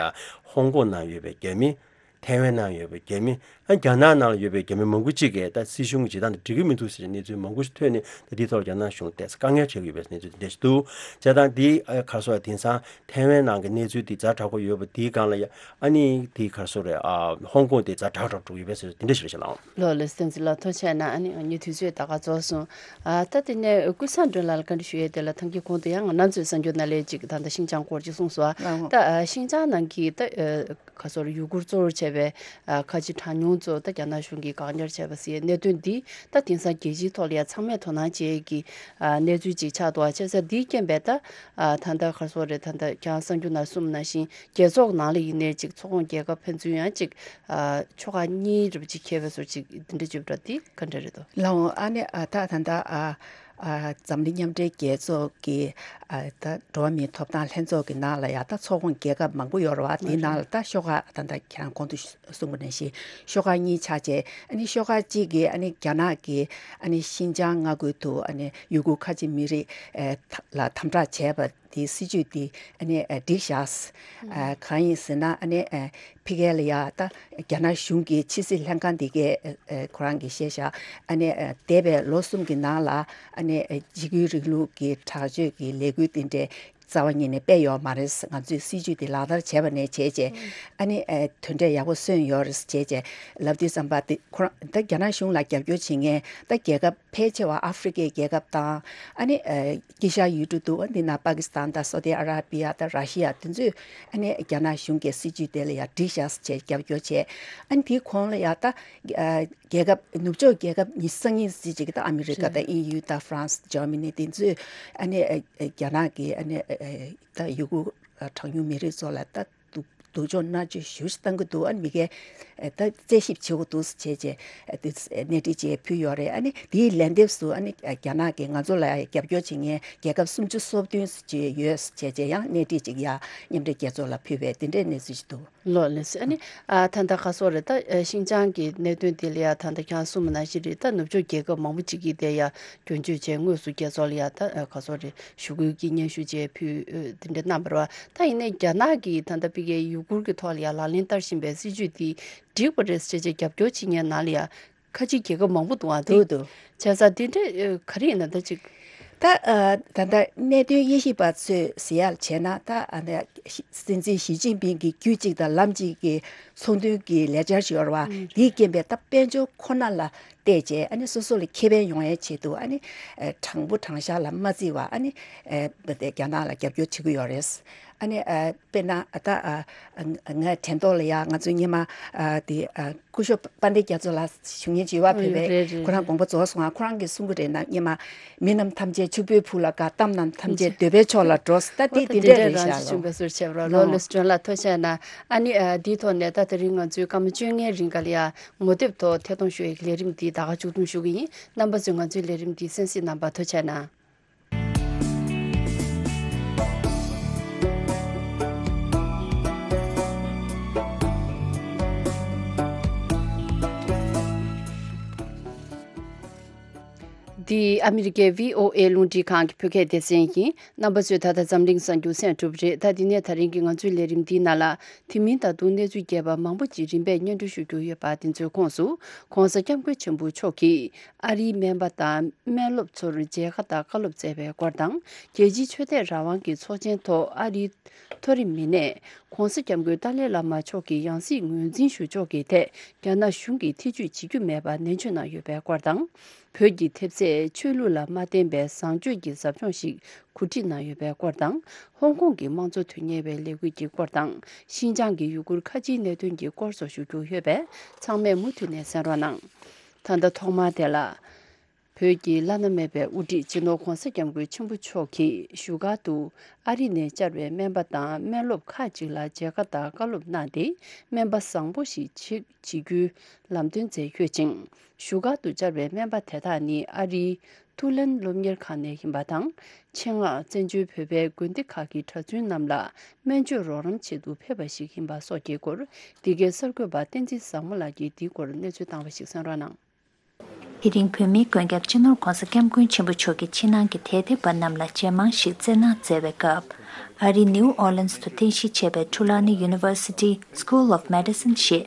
ཧོང་ཀོང་ནང་ཡོད་པའི་རྒྱ་མི། ཐའེ་ཝན་ནང་ཡོད་པའི་རྒྱ་མི། ཨ་རྒྱ་ནག་ནང་ལ་ཡོད་པའི་རྒྱ་མི་མང་པོ་གཅིག་གིས་ད་སྲིད་གཞུང་གི་བྱེད་སྟངས་དེ་འགྲིག་གི་མི་འདུག་ཟེར་གནས་ཚུལ་མང་པོ་ཞིག་ཐོན་ནས། ད་འདིའི་ཐོག་རྒྱ་ནག་གཞུང་ཏོག་ཙམ་དཀའ་ངལ་འཕྲད་ཀྱི་ཡོད་པའི་གནས་ཚུལ་འདི་འདྲ་ཞིག་འདུག། བྱས་ཙང་འདི་ཨ་ག་རེ་ཟེར་རེད། དེང་སང་ཐའེ་ཝན་ནང་གི་གནས་ཚུལ་འདི་ཛ་དྲག་པོ་ཡོད་པ་འདིའི་སྒང་ལ་ཡ་ཨ་ནི་འདི་ག་རེ་ཟེར་རེད། ཨ་ཧོང་ཀོང་དེ་ཛ་དྲག་དྲག་འགྲོ་གི་ཡོད་པའི་ཟེར་འདི་འདྲ་ཞིག་རེད་ཤག་ལགས། ལགས་ལགས། བསྟན་འཛིན་ལགས་ཐུགས་རྗེ་གནང་། ཨ་ནི་ངས་དུས་ཚོད་ད་ག་རྫོགས་སོང་། ཨ་ད་དེ་ནས་ཀུན་བཟང་སྒྲོན་ལགས་ལ་བཀའ་འདྲི་ཞུ་ཡས་དེ་ལ་ཐང་གི་གོང་དུ་ཡང་ང་རང་ཚོའི་གསར་འགྱུར་ནང་ལས་ཅིག་ད་ལྟ་ཤིན་ཅང་སྐོར་ཅིག་གསུངས་སོང་། ཨ་ད་ཨ་ཤིན་ཅང་ནང་གི་ད་ཨ་ག་རེ་ཟེར་ཡུ་གུར་གཙོ་བོར་བྱས་པའི་ཨ་ཁ་ཆེ་གྲངས་ཉུང་ཚོ་ད་རྒྱ་ནག་གཞུང་གིས་བཀག་ཉར་བྱས་པ་ཟེར་གནད་དོན་འདི་ད་དེང་སང་རྒྱལ་སྤྱིའི་ཐོག་ལ་ཡང་ཚང་མས་དོ་སྣང་བྱེད་ཀྱི་ཨ་གནས་ཚུལ་ཅིག་ཆགས་འདུག། ཨ་བྱས་ཙང་འདིའི་རྐྱེན་པས་ད་ཨ་ད་ལྟ་ག་རེ་ཟེར་རེད། ད་ལྟ་ཁྱེད་རང་གསར་འགྱུར་ནང་གསུངས་པ་ནང་བཞིན་རྒྱལ་ཚོགས་ནང་ལ་ཡིན་ནའི་ཅིག་ཚོགས་ཁོངས་རྒྱལ་ཁབ་ཕན་ཚུན་ཡང་ཅིག་ཨ་ཕྱོགས་ཁག་གཉིས་རེ་བ་ཅིག་འཁེལ་བའི་བཟོ་ཅིག་འདི་འདྲ་བརྗོད་པ་འདི་ག་འདྲ་རེད་དོ། ལགས་འོང་། ཨ་ནི་ཨ་ད་ད་ལྟ་ཨ་ཨ་འཛམ་གླིང་མཉམ་འབྲེལ་རྒྱལ་ཚོགས་ཀྱི་ཨ་ད་འགྲོ་བ་མིའི་ཐོབ་ཐང་ལྷན་ཚོགས་ཀྱི་ནང་ལ་ཡ་ད་ཚོགས་ཁོངས་རྒྱལ་ཁབ་མང་པོ་ཡོད་རེད་བ། དེའི་ནང་ལ་ད་ཤོག་ཁག་ད་ད་ཁྱེད་རང་གོང་དུ་གསུངས་པ་ནང་བཞིན་ཤོག་ཁག་གཉིས་ཆགས་བྱས། ཨ་ནི་ཤོག་ཁག་གཅིག་གིས་ཨ་ནི་རྒྱ་ནག་གིས་ཨ་ནི་ཤིན་ཅང་མངའ་ཁུལ་དུ་ཨ་ནི་ཡུ་གུར་ཁ་ཆེ་མི་རིགས་ཨ་ད་ལ་དམ་དྲག་བྱས་པ། དེའི་སྲིད་ཇུས་དེ་ཨ་ནི་ཨ་འགྲིག་བཞག། ཨ་གང་ཡིན་ཟེར་ན་ཨ་ནི་ཨ་ཕ་གི་ལ་ཡ་ད་རྒྱ་ནག་གཞུང་གི་ཕྱི་སྲིད་ལྷན་ཁང་དེ་གས་ཨ་ཨ་ཁོ་རང་གིས་བཤད་བཞག། ཨ་ནི་ཨ་འདས་པའི་ལོ་གསུམ་གྱི་ནང་ལ་ཨ་ནི་ཨ་འཇིགས་སྐུལ་རིང་ལུགས་ཀྱི་དྲག་སྤྱོད་ཀྱི་ལས་འགུལ་དེ་འདྲས་རྩ་བ་ཉིད་ནས་སྤེལ་ཡོད་མ་རེད། ང་ཚོས་སྲིད་ཇུས་དེ་ལག་བསྟར་བྱས་པ་ནས་བྱས་རྗེས་ཨ་ནི་ཨ་དོན་འབྲས་ཡག་པོ་སོན་ཡོད་རེད་བྱས་རྗེས་ལབ་དུས་ཙམ་པ་དེ་ཁོ་རང་ད་རྒྱ་ནག་གཞུང་ལ་རྒྱབ་སྐྱོར་བྱེད་མཁན་ད་རྒྱལ་ཁབ་ཕལ་ཆེ་བ་ཨ་ཧྥི་རི་ཀའི་རྒྱལ་ཁབ་དང་། ཨ་ནི་ཨ་དཀྱིལ་ཤར་ཡུལ་གྲུ་འདུག། འདི་ན་པ་ཀི་སི་ཐན་དང་སོ་ཏི་ཨ་ར་པི་ཡ་དང་ར་ཤི་ཡ་དེ་ཚོས་ཨ་ནི་རྒྱ་ནག་གཞུང་གི་སྲིད་ཇུས་དེ་ལ་ཡ་འགྲིག་བཞག་ཟེར་བྱས་རྒྱབ་སྐྱོར་བྱས། ཨ་ནི་དེའི་གོང་ལ་ཡ་ད་ཨ་རྒྱལ་ཁབ་ནུབ་ཕྱོགས་རྒྱལ་ཁབ་ཉི་ཤུ་རྩ་གཉིས་ཟེར་ཅིག་གི་ད་ཨ་མི་རི་ཀ་དང་ཨིན་ཡུལ་དང་ཧྥ་རན་སི་ཇར་མ་ནི་དེ་ཚོས་ཨ་ནི་ཨ་ཨ་རྒྱ་ནག་གི་ཨ་ནི་ཨ་ཨ་ད་ཡུ་གུར་ཨ་གྲངས་ཉུང་མི་རིགས་ཚོ་ལ་ད། སྡུག་སྡུག་སྦྱོང་མནར་གཅོད་ཞེ་པོ་ཞིག་བཏང་གི་འདུག། ཨ་ནི་མི་སྒེར་ཨེ་ད་རྩད་ཞིབ་བྱེད་དགོས་འདུག་ཟེར་བྱས་བྱས་ཨེ་དེ་གནས་འདྲི་བྱས་ཕུལ་ཡོད་རེད། ཨ་ནི་དེའི་ལན་འདེབས་སུ་ཨ་ནི་ཨེ་རྒྱ་ནག་གིས་ང་ཚོ་ལ་རྒྱབ་སྐྱོར་བྱེད་མཁན་རྒྱལ་ཁབ་སུམ་ཅུ་སོ་བདུན་ཟེར་བྱས་ཡོད་ཟེར་བྱས་བྱས་ཡང་གནས་འདྲི་ཅིག་ཡ་མཉམ་འབྲེལ་རྒྱལ་ཚོགས་ལ་ཕུལ་བའི་དེ་འདྲའི་གནས་ཚུལ་ཞིག་འདུག། ལགས་ལགས་སོ། ཨ་ནི་ཨ་ད་ལྟ་ག་རེ་ཟེར་རེད། ད་ཨེ་ཤིན་ཅང་གི་གནད་དོན་དེ་ལ་ཡ་ད་ལྟ་ཁྱེད་རང་གསུངས་པ་ནང་བཞིན་རེད། ད་ནུབ་ཕྱོགས་རྒྱལ་ཁབ་མང་པོ་ཅིག་གིས་དེ་ཡ་སྐྱོན་བརྗོད་བྱས། དངོས་སུ་རྒྱལ་ཚོགས་ལ་ཡ་ད་ཨེ་ག་རེ་ཟེར་རེད། ཞུ་སྐུལ་གྱི་སྙན་ཞུ་བཅས་ཕུལ་ཨེ་དེ་འདྲ་གནང་བ་རེད་བ། ད་ཡིན་ནའི་རྒྱ་ནག་གིས་ད་ལྟ་ཕ་གིའི་ཡུ་གུར་གྱི་ཐོག་ལ་ཡ་ལག་ལེན་བསྟར་བཞིན་པའི་སྲིད་ཇུས་དེ་འགྲིག་པ་རེད་ཟེར་བྱས་རྒྱབ་སྐྱོར་བྱེད་མཁན་ནང་ལ་ཡ་ཁ་ཆེའི་རྒྱལ་ཁབ་མང་པོ་འདུག་ཨ། དེ་འདུག་འདུག། བྱས་ཙང་དེ་འདྲ་ཨེ་ག་རེ་ཡིན་ན་ད་ཅིག། ད་ཨ་ད་ལྟ་གནད་དོན་དབྱེ་ཞིབ་པ་ཚོས་ཟེར་ཡག་བྱས་ན་ད་ཨ་ནི་སྲིད་འཛིན་ཞི་ཅིན་ཕིང་གི་རྒྱུད་གཅིག་དང་ལམ་གཅིག་གི་ཚོགས་འདུའི་གི་ལས་འཆར་ཞིག་ཡོད་རེད་བ། ཨང་། དེའི་རྐྱེན་པས་ད་དཔལ་འབྱོར་ཁོ་ན་ལ་བལྟས་བྱས་ཨ་ནི་སོ་སོ་ལ་ཁེ་ཕན་ཡོང་ཡའི་ཆེད་དུ་ཨ་ནི་ཨེ་དྲང་པོ་དྲང་བཞག་ལ་མ་བརྩི་བ་ཨ་ནི་ཨེ་རྒྱ་ནག་ལ་རྒྱབ་སྐྱོར་བྱེད་ཀྱི་ཡོད་རེད། ཨ་ནི་ཨ་དཔེར་ན་ཨ་ད་ཨ་ཨ་ང་དྲན་ཐོག་ལ་ཡ་ང་ཚོའི་སྔོན་མ་ཨ་དེ་ཨ་སྐུ་ཞབས་དཔལ་ལྡན་རྒྱ་མཚོ་ལགས་བཞུགས་མཁན་ཅིག་ཡོད་པ། ཨོ་བོད་པའི་རེད་རེད་ཁོ་རང་རེད། དགོངས་པ་རྫོགས་སོང་ང་། ཁོ་རང་གིས་གསུང་གི་རེད་ན། སྔོན་མ་མི་རྣམས་ཐམས་ཅད་ཕྱུག་པོའི་ཕུག་ལ་དགའ། གཏམ་རྣམས་ཐམས་ཅད་འདོད་པའི་མཆོག་ལ་འགྲོ། ད་དེ་དེ་འདྲ་རང་རེད་ཤག་ལོ། ཞུ་འབད་སོར་བྱས་པ་རོ། ལོ་ལོ་སི་ཀྲོན་ལ་ཐུགས་རྗེ་གནང་། ཨ་ནི་ཨ་དེའི་ཐོག་ནས་ད་དེ་རིང་ང་ཚོའི་སྐར་མ་བཅོ་ལྔའི་རིང་ག་ལ་ཡ་ངོ་དེབ་ཐོག་ཐད་གཏོང་ཞུ་ཡའི་ལས་རིམ་འདི་ད་ག་མཇུག་བསྡོམས་ཞུ་གི་ཡིན། རྣམ་པ་ཚོས་ང་ཚོའི་ལས་རིམ་འདི་གསན་གཟིགས་གནང་བར་ཐུགས་རྗེ་གནང་། འདི་ཨ་མི་རི་ཀའི་བྷི་ཨོ་ཨེ་རླུང་འཕྲིན་ཁང་གི་བོད་སྐད་སྡེ་ཚན་ཡིན། རྣམ་པ་ཚོས་ད་ལྟ་འཛམ་གླིང་གསར་འགྱུར་གསན་གྲུབ་རེད། ད་འདི་ནས་ད་རིང་གི་ང་ཚོའི་ལས་རིམ་འདིའི་ནང་ལ། དེ་མིན་ད་དུང་གནས་ཚུལ་རྒྱས་པ་མང་པོ་ཅིག་རིམ་པས་སྙན་སྒྲོན་ཞུ་རྒྱུ་ཡོད་པ། དེ་ཚོའི་ཁོངས་སུ་༸གོང་ས་༸སྐྱབས་མགོན་ཆེན་པོ་མཆོག་གིས་ཨ་རིའི་སྨན་པ་དང་སྨན་སློབ་ཚོར་མཇལ་ཁ་དང་བཀའ་སློབ་སྩལ་བའི་སྐོར་དང་། རྒྱལ་སྤྱིའི་ཆོས་དད་རང་དབང་གི་ཚོགས་ཆེན་ཐོག་ཨ་རིའི་མཐོ་རིམ་མི་སྣས་༸གོང་ས་༸སྐྱབས་མགོན་ཏཱ་ལའི་བླ་མ་མཆོག་གི་ཡང་སྲིད་ངོས་འཛིན་ཞུ་ཕྱོགས་ཀྱི་ཐད་རྒྱ་ནག་གཞུང་གིས་ཐེ་བྱུས་བྱེད་རྒྱུ་མེད་པ་ནན་བརྗོད་གནང་ཡོད་པའི་སྐོར་དང་། བོད་ཀྱི་ཐེབས་རྩས་ཆོས་ལུགས་ལ་མ་བརྟེན་པའི་བཟང་སྤྱོད་ཀྱི་ཟབ་སྦྱོང་ཞིག་གོ་སྒྲིག་གནང་ཡོད་པའི་སྐོར་དང་། ཧོང་ཀོང་གི་དམངས་གཙོ་དོན་གཉེར་བའི་ལས་འགུལ་གྱི་སྐོར་དང་། ཤིན་ཅང་གི་ཡུ་གུར་ཁ་ཆེའི་གནད་དོན་གྱི་སྐོར་སོགས་ཞུ་རྒྱུ་ཡོད་པས། ཚང་མས་མུ་མཐུད་ནས་གསན་རོགས་གནང་། ད་ལྟ་ཐོག་མར་དེ་ལ། བོད་ཀྱི་བླ་ན་མེད་པའི་དབུ་ཁྲིད་སྤྱི་ནོར་༸གོང་ས་༸སྐྱབས་མགོན་ཆེན་པོ་མཆོག་གིས་བཞུགས་སྒར་དུ་ཨ་རི་ནས་བཅར་བའི་སྨན་པ་དང་སྨན་སློབ་ཁག་ཅིག་ལ་མཇལ་ཁ་དང་བཀའ་སློབ་གནང་སྟེ། སྨན་པ་བཟང་པོ་ཞིག་ཆགས་བྱེད་རྒྱུའི་ལམ་སྟོན་མཛད་ཡོད་ཅིང་། བཞུགས་སྒར་དུ་བཅར་བའི་སྨན་པ་དེ་དག་ནི་ཨ་རིའི་ཐུ་ལན་སློབ་གཉེར་ཁང་ནས་ཡིན་པ་དང་། ཆེད་མངགས་བཙན་བྱོལ་བོད་པའི་དགོན་སྡེ་ཁག་གི་གྲྭ་བཙུན་རྣམས་ལ་སྨན་བཅོས་རོགས་རམ་ཆེད་དུ་ཕེབས་པ་ཞིག་ཡིན་པ་སོགས་ཀྱི་སྐོར། འདི་གའི་གསར་འགོད་པ་བསྟན་འཛིན་བཟང་མོ་ལགས་ཀྱིས་འདིའི་སྐོར་གནས་ཚུལ་བཏང་བ་ཞིག་གསན་རོགས་གནང་། དེ་རིང་བོད་མིའི་མགོན་སྐྱབས་སྤྱི་ནོར་༸གོང་ས་༸སྐྱབས་མགོན་ཆེན་པོ་མཆོག་གིས་ཕྱི་ནང་གི་དད་ལྡན་པ་རྣམས་ལ་མཇལ་མང་ཞིག་བསྩལ་གནང་མཛད་པའི་སྐབས། ཨ་རིའི་ནིའུ་ཨོ་ལིན་སི་དུ་རྟེན་གཞི་བྱས་པའི་Trulani University School of Medicine ཞེས་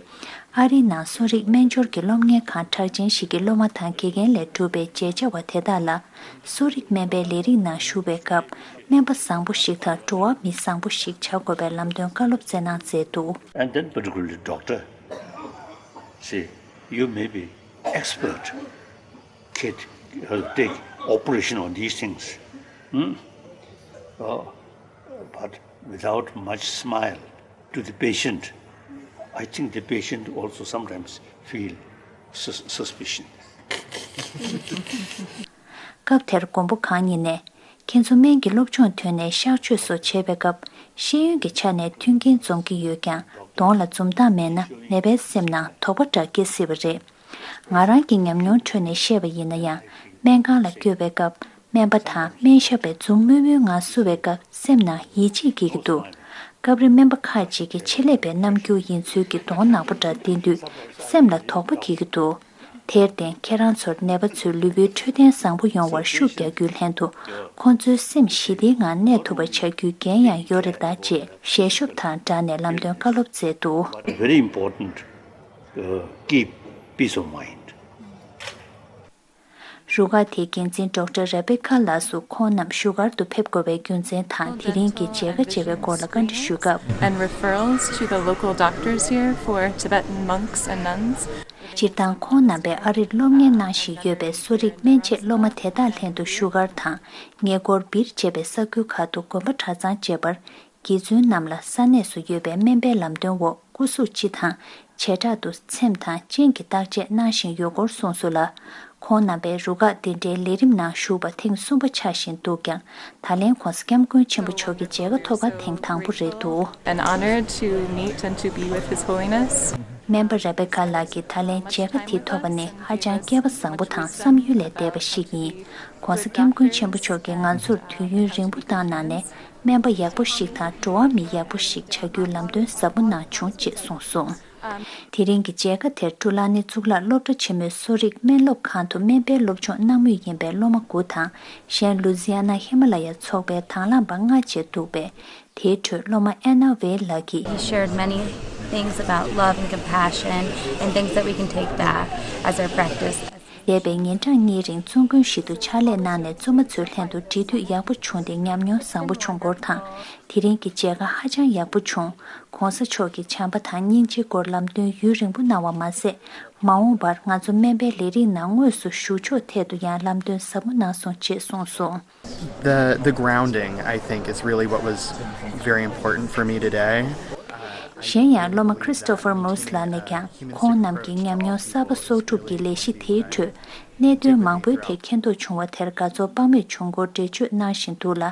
ཨ་རིའི་ནང་གསོ་རིག་སྨན་སྦྱོར་གྱི་སློབ་གཉེར་ཁང་གྲགས་ཅན་ཞིག་གི་སློབ་མ་དང་དགེ་རྒན་ལས་གྲུབ་པའི་མཇལ་བཅར་བ་དེ་དག་ལ། གསོ་རིག་སྨན་པའི་ལས་རིགས་ནང་ཞུགས་པའི་སྐབས། སྨན་པ་བཟང་པོ་ཞིག་དང་འགྲོ་བ་མི་བཟང་པོ་ཞིག་བྱ་དགོས་པའི་ལམ་སྟོན་བཀའ་སློབ་སྩལ་གནང་མཛད་འདུག And then particularly doctor, see, you may be expert, kid, uh, take operation on these things. Hmm? Uh, but without much smile to the patient, I think the patient also sometimes feel sus- suspicion. སྐབས་དེར་མགོན་པོ་གང་ཉིད་ནས། ཁྱེད་ཚོ་སྨན་གྱི་སློབ་སྦྱོང་ཐོན་ནས་གཤག་བཅོས་སོགས་བྱེད་པའི་སྐབས། ཤེས་ཡོན་གྱི་ཆ་ནས་མཐུན་རྐྱེན་འཛོམས་ཀྱི་ཡོད་ཀྱང་། གདོང་ལ་འཛུམ་མདངས་མེད་ན། ནད་པའི་སེམས་ནང་དོགས་པ་འདྲ་སྐྱེ་སྲིད་པ་རེད། ང་རང་གི་ཉམས་མྱོང་ཁྲོད་ནས་བཤད་པ་ཡིན་ན་ཡང་། སྨན་ཁང་ལ་བསྐྱོད་པའི་སྐབས། སྨན་པ་དང་སྨན་ཞབས་པས་འཛུམ་དམུལ་དམུལ་ངང་བསུ་བའི་སྐབས། སེམས་ནང་ཡིད་ཆེས་སྐྱེ་གི་འདུག་སྐབས་རེ་སྨན་པ་ཁག་ཅིག་གིས་ཆེད་ལས་པའི་རྣམ་འགྱུར་ཡིན་ཚུལ་གྱི་གདོང་ནག་པོ་འདྲ་བསྟན་དུས། སེམས་ལ་དོགས་པ་སྐྱེ་གི་འདུག་དེར་བརྟེན། ཁྱེད་རང་ཚོར་ནད་པ་ཚོའི་ལུས་པོའི་འཕྲོད་བསྟེན་བཟང་པོ་ཡོང་བར་ཤུགས་རྒྱག་རྒྱུའི་ལྷན་དུ། ཁོང་ཚོའི་སེམས་ཞི་བདེའི་ངང་གནས་ཐུབ་པ་བྱ་རྒྱུའི་འགན་ཡང་ཡོད་རེད་ད། ཅེས་ཞལ་ཤོབ་དང་སྦྲགས་ནས་ལམ་སྟོན་བཀའ་སློབ་སྩལ་འདུག Very important, uh, keep peace of mind. རུ་ཁག་དེའི་འགན་འཛིན་ཌོག་ཊར་རེ་བེ་ཁ་ལགས་སུ་ཁོང་རྣམས་བཞུགས་སྒར་དུ་ཕེབས་དགོས་པའི་རྒྱུ་མཚན་དང་། དེ་རིང་གི་མཇལ་ཁ་བྱེད་པའི་སྐོར་ལ་བཀའ་འདྲི་ཞུས་སྐབས། And referrals to the local doctors here for Tibetan monks and nuns. སྤྱིར་བཏང་ཁོང་རྣམ་པས་ཨ་རིར་སློབ་གཉེར་གནང་བཞིན་ཡོད་པའི་གསོ་རིག་སྨན་དཔྱད་སློབ་མ་དེ་དག་ལྷན་དུ་བཞུགས་སྒར་དང་། ཉེ་འཁོར་སྦིར་བཅས་པའི་ས་ཁུལ་ཁག་ཏུ་དགོན་པ་གྲྭ་ཚང་བཅས་པར། དགེ་བཙུན་རྣམས་ལ་ས་གནས་སུ་ཡོད་པའི་སྨན་པའི་ལམ་སྟོན་འོག་སྐུ་གཟུགས་སྤྱི་དང་། བྱེ་བྲག་ཏུ་ཚེམས་དང་སྤྱན་གྱི་བརྟག་དཔྱད་གནང་བཞིན་ཡོད་སྐོར་གསུངས་སོང་ལ། ཁོང་རྣམ་པས་རུ་ཁག་འདི་འདྲའི་ལས་རིམ་ནང་ཞུགས་པ་ཐེངས་གསུམ་པ་ཆགས་བཞིན་འདུག་ཀྱང་། ད་ལན་༸གོང་ས་༸སྐྱབས་མགོན་ཆེན་པོ་མཆོག་གི་མཇལ་ཁ་ཐོབ་པ་ཐེངས་དང་པོ་རེད་འདུག And honored to meet and to be with His Holiness. སྨན་པ་རེ་བེ་ཀ་ལགས་ཀྱིས་ད་ལན་མཇལ་ཁ་དེ་ཐོབ་པ་ནི་ཧ་ཅང་སྐལ་བ་བཟང་པོ་དང་བསམ་ཡུལ་ལས་འདས་པ་ཞིག་ཡིན། ༸གོང་ས་༸སྐྱབས་མགོན་ཆེན་པོ་མཆོག་གིས་ང་ཚོར་དུས་ཡུན་རིང་པོ་བཏང་གནང་ནས། སྨན་པ་ཡག་པོ་ཞིག་དང་འགྲོ་བ་མི་ཡག་པོ་ཞིག་བྱ་རྒྱུའི་ལམ་སྟོན་ཟབ་པོ་གནང་བྱུང་ཅེས་གསུངས་སོང་། དེ་རིང་གི་མཇལ་ཁ་དེར་ཀྲུ་ལ་ནི་གཙུག་ལག་སློབ་གྲྭ་ཆེན་མོའི་གསོ་རིག་སྨན་སློབ་ཁང་དུ་སྨན་པའི་སློབ་སྦྱོང་གནང་མུས་ཡིན་པའི་སློབ་མ་དགུ་དང་། གཞན་ལུ་ཛི་ཡ་ན་ཧི་མ་ལ་ཡ་ཚོགས་པའི་དང་བླངས་པ་ལྔ་བཅས་འདུག་པས། དེའི་ཁྲོད་སློབ་མ་ཨེ་ན་ཝེ་ལགས་ཀྱིས། He shared many things about love and compassion and things that we can take back as our practice. འདས་པའི་ཉིན་གྲངས་གཉིས་རིང་བཙུན་དགོན་ཞིག་ཏུ་ཕྱག་ལས་གནང་ནས་བཙུན་མ་ཚོའི་ལྷན་དུ་འབྲེལ་མཐུད་ཡག་པོ་བྱུང་སྟེ་ཉམས་མྱོང་བཟང་པོ་བྱུང་སྐོར་དང་། དེ་རིང་གི་མཇལ་ཁ་ཧ་ཅང་ཡག་པོ་བྱུང་། ༸གོང་ས་མཆོག་གི་བྱམས་པ་དང་སྙིང་རྗེའི་སྐོར་ལམ་སྟོན་ཡུན་རིང་པོ་གནང་བ་མ་ཟད། མ་འོངས་པར་ང་ཚོ་སྨན་པའི་ལས་རིགས་ནང་དངོས་སུ་ཞུགས་ཕྱོགས་ཐད་དུ་ཡང་ལམ་སྟོན་ཟབ་མོ་གནང་སོང་ཅེས་གསུངས་སོང་། The the grounding, I think, is really what was very important for me today. གཞན་ཡང་སློབ་མ་Christopher Moose ལགས་ནས་ཀྱང་ཁོང་རྣམས་ཀྱི་ཉམས་མྱོང་གསར་པ་གསོག་སྒྲུབ་ཀྱི་ལས་གཞི་དེའི་ཁྲོད་གནད་དོན་མང་པོའི་ཐད་མཁྱེན་རྟོགས་བྱུང་བ་དེར་དགའ་ཚོར་དཔག་མེད་བྱུང་སྐོར་འགྲེལ་བརྗོད་གནང་བཞིན་འདུག་ལ།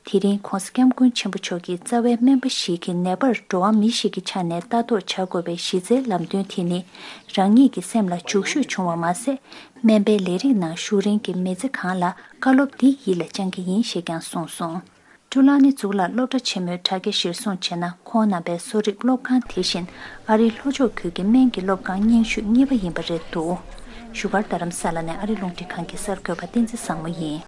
དེ་རིང་ྋགོང་ས་ྋསྐྱབས་མགོན་ཆེན་པོ་མཆོག་གིས་རྩ་བའི་སྨན་པ་ཞིག་གི་ནད་པར་འགྲོ་བ་མི་ཞིག་གི་ཆ་ནས་ལྟ་རྟོག་བྱ་དགོས་པའི་གཞི་རྩའི་ལམ་སྟོན་དེ་ནི་རང་ཉིད་ཀྱི་སེམས་ལ་འཇུག་ཤུགས་བྱུང་བ་མ་ཟད། སྨན་པའི་ལས་རིགས་ནང་ཞུགས་རིང་གི་མི་ཚེ་གང་ལ་བཀའ་སློབ་འདི་ཡིད་ལ་བཅངས་ཀྱི་ཡིན་ཞེས་ཀྱང་གསུངས་སོང་། ཀྲུ་ལ་ནི་གཙུག་ལག་སློབ་གྲྭ་ཆེན་མོའི་དྲ་རྒྱ་གཞིར་བཟུང་བྱས་ན། ཁོང་རྣམ་པའི་གསོ་རིག་སློབ་ཁང་དེ་བཞིན་ཨ་རིའི་ལྷོ་ཕྱོགས་ཁུལ་གྱི་སྨན་གྱི་སློབ་ཁང་རྙིང་ཤོས་གཉིས་པ་ཡིན་པ་རེད་འདུག་བཞུགས་སྒར་རྡ་རམ་ས་ལ་ནས་ཨ་རི་རླུང་འཕྲིན་ཁང་གི་གསར་འགོད་པ་བསྟན་འཛིན་བཟང་མོ་ཡིན།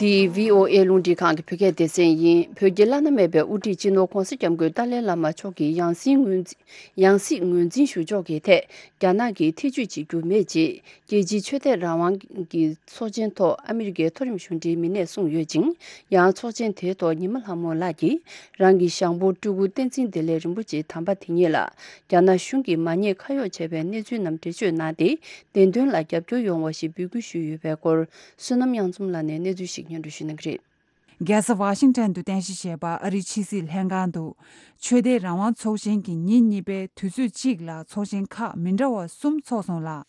འདི་བྷི་ཨོ་ཨེ་རླུང་འཕྲིན་ཁང་གི་བོད་སྐད་སྡེ་ཚན་ཡིན། བོད་ཀྱི་བླ་ན་མེད་པའི་དབུ་ཁྲིད་སྤྱི་ནོར་ྋགོང་ས་ྋསྐྱབས་མགོན་ཏཱ་ལའི་བླ་མ་མཆོག་གི་ཡང་སྲིད་ངོས་འཛིན་ཡང་སྲིད་ངོས་འཛིན་ཞུ་ཕྱོགས་ཀྱི་ཐད་རྒྱ་ནག་གིས་ཐེ་བྱུས་བྱེད་རྒྱུ་མེད་ཅེས། རྒྱལ་སྤྱིའི་ཆོས་དད་རང་དབང་གི་ཚོགས་ཆེན་ཐོག་ཨ་མི་རི་ཀའི་མཐོ་རིམ་གཞུང་འབྲེལ་མི་སྣས་གསུངས་ཡོད་ཅིང་། ཡང་ཚོགས་ཆེན་དེའི་ཐོག་ཉི་མ་ལྷ་མོ་ལགས་ཀྱིས་རང་གི་ཞང་པོ་སྤྲུལ་སྐུ་བསྟན་འཛིན་བདེ་ལེགས་རིན་པོ་ཆེ་དམ་པ་དེ་ཉིད་ལ་རྒྱ་ནག་གཞུང་གིས་མ་ཉེས་ཁ་གཡོགས་བྱས་པའི་གནས་ཚུལ་རྣམས་འགྲེལ་བརྗོད་གནང་སྟེ། བདེན་དོན་ལ་རྒྱབ་སྐྱོར་ཡོང་བ་ཞིག་འབོད་སྐུལ་ཞུས་ཡོད་པའི་སྐོར། བསོད་ནམས་དབྱངས་འཛོམས་ལགས་ནས་གནས་ཚུལ་ཞིག་སྙན་སྒྲོན་ཞུ་གནང་གི་རེད། རྒྱལ་ས་ཝ་ཤིང་ཊོན་དུ་རྟེན་གཞི་བྱས་པ་ཨ་རིའི་ཕྱི་སྲིད་ལྷན་ཁང་དུ་ཆོས་དད་རང་དབང་ཚོགས་ཆེན་གྱི་ཉིན་གཉིས་པའི་དུས་ཚོད་གཅིག་ལ་ཚོགས་ཆེན་ཁག་མི་འདྲ་བ་གསུམ་ཚོགས་སོང་ལ།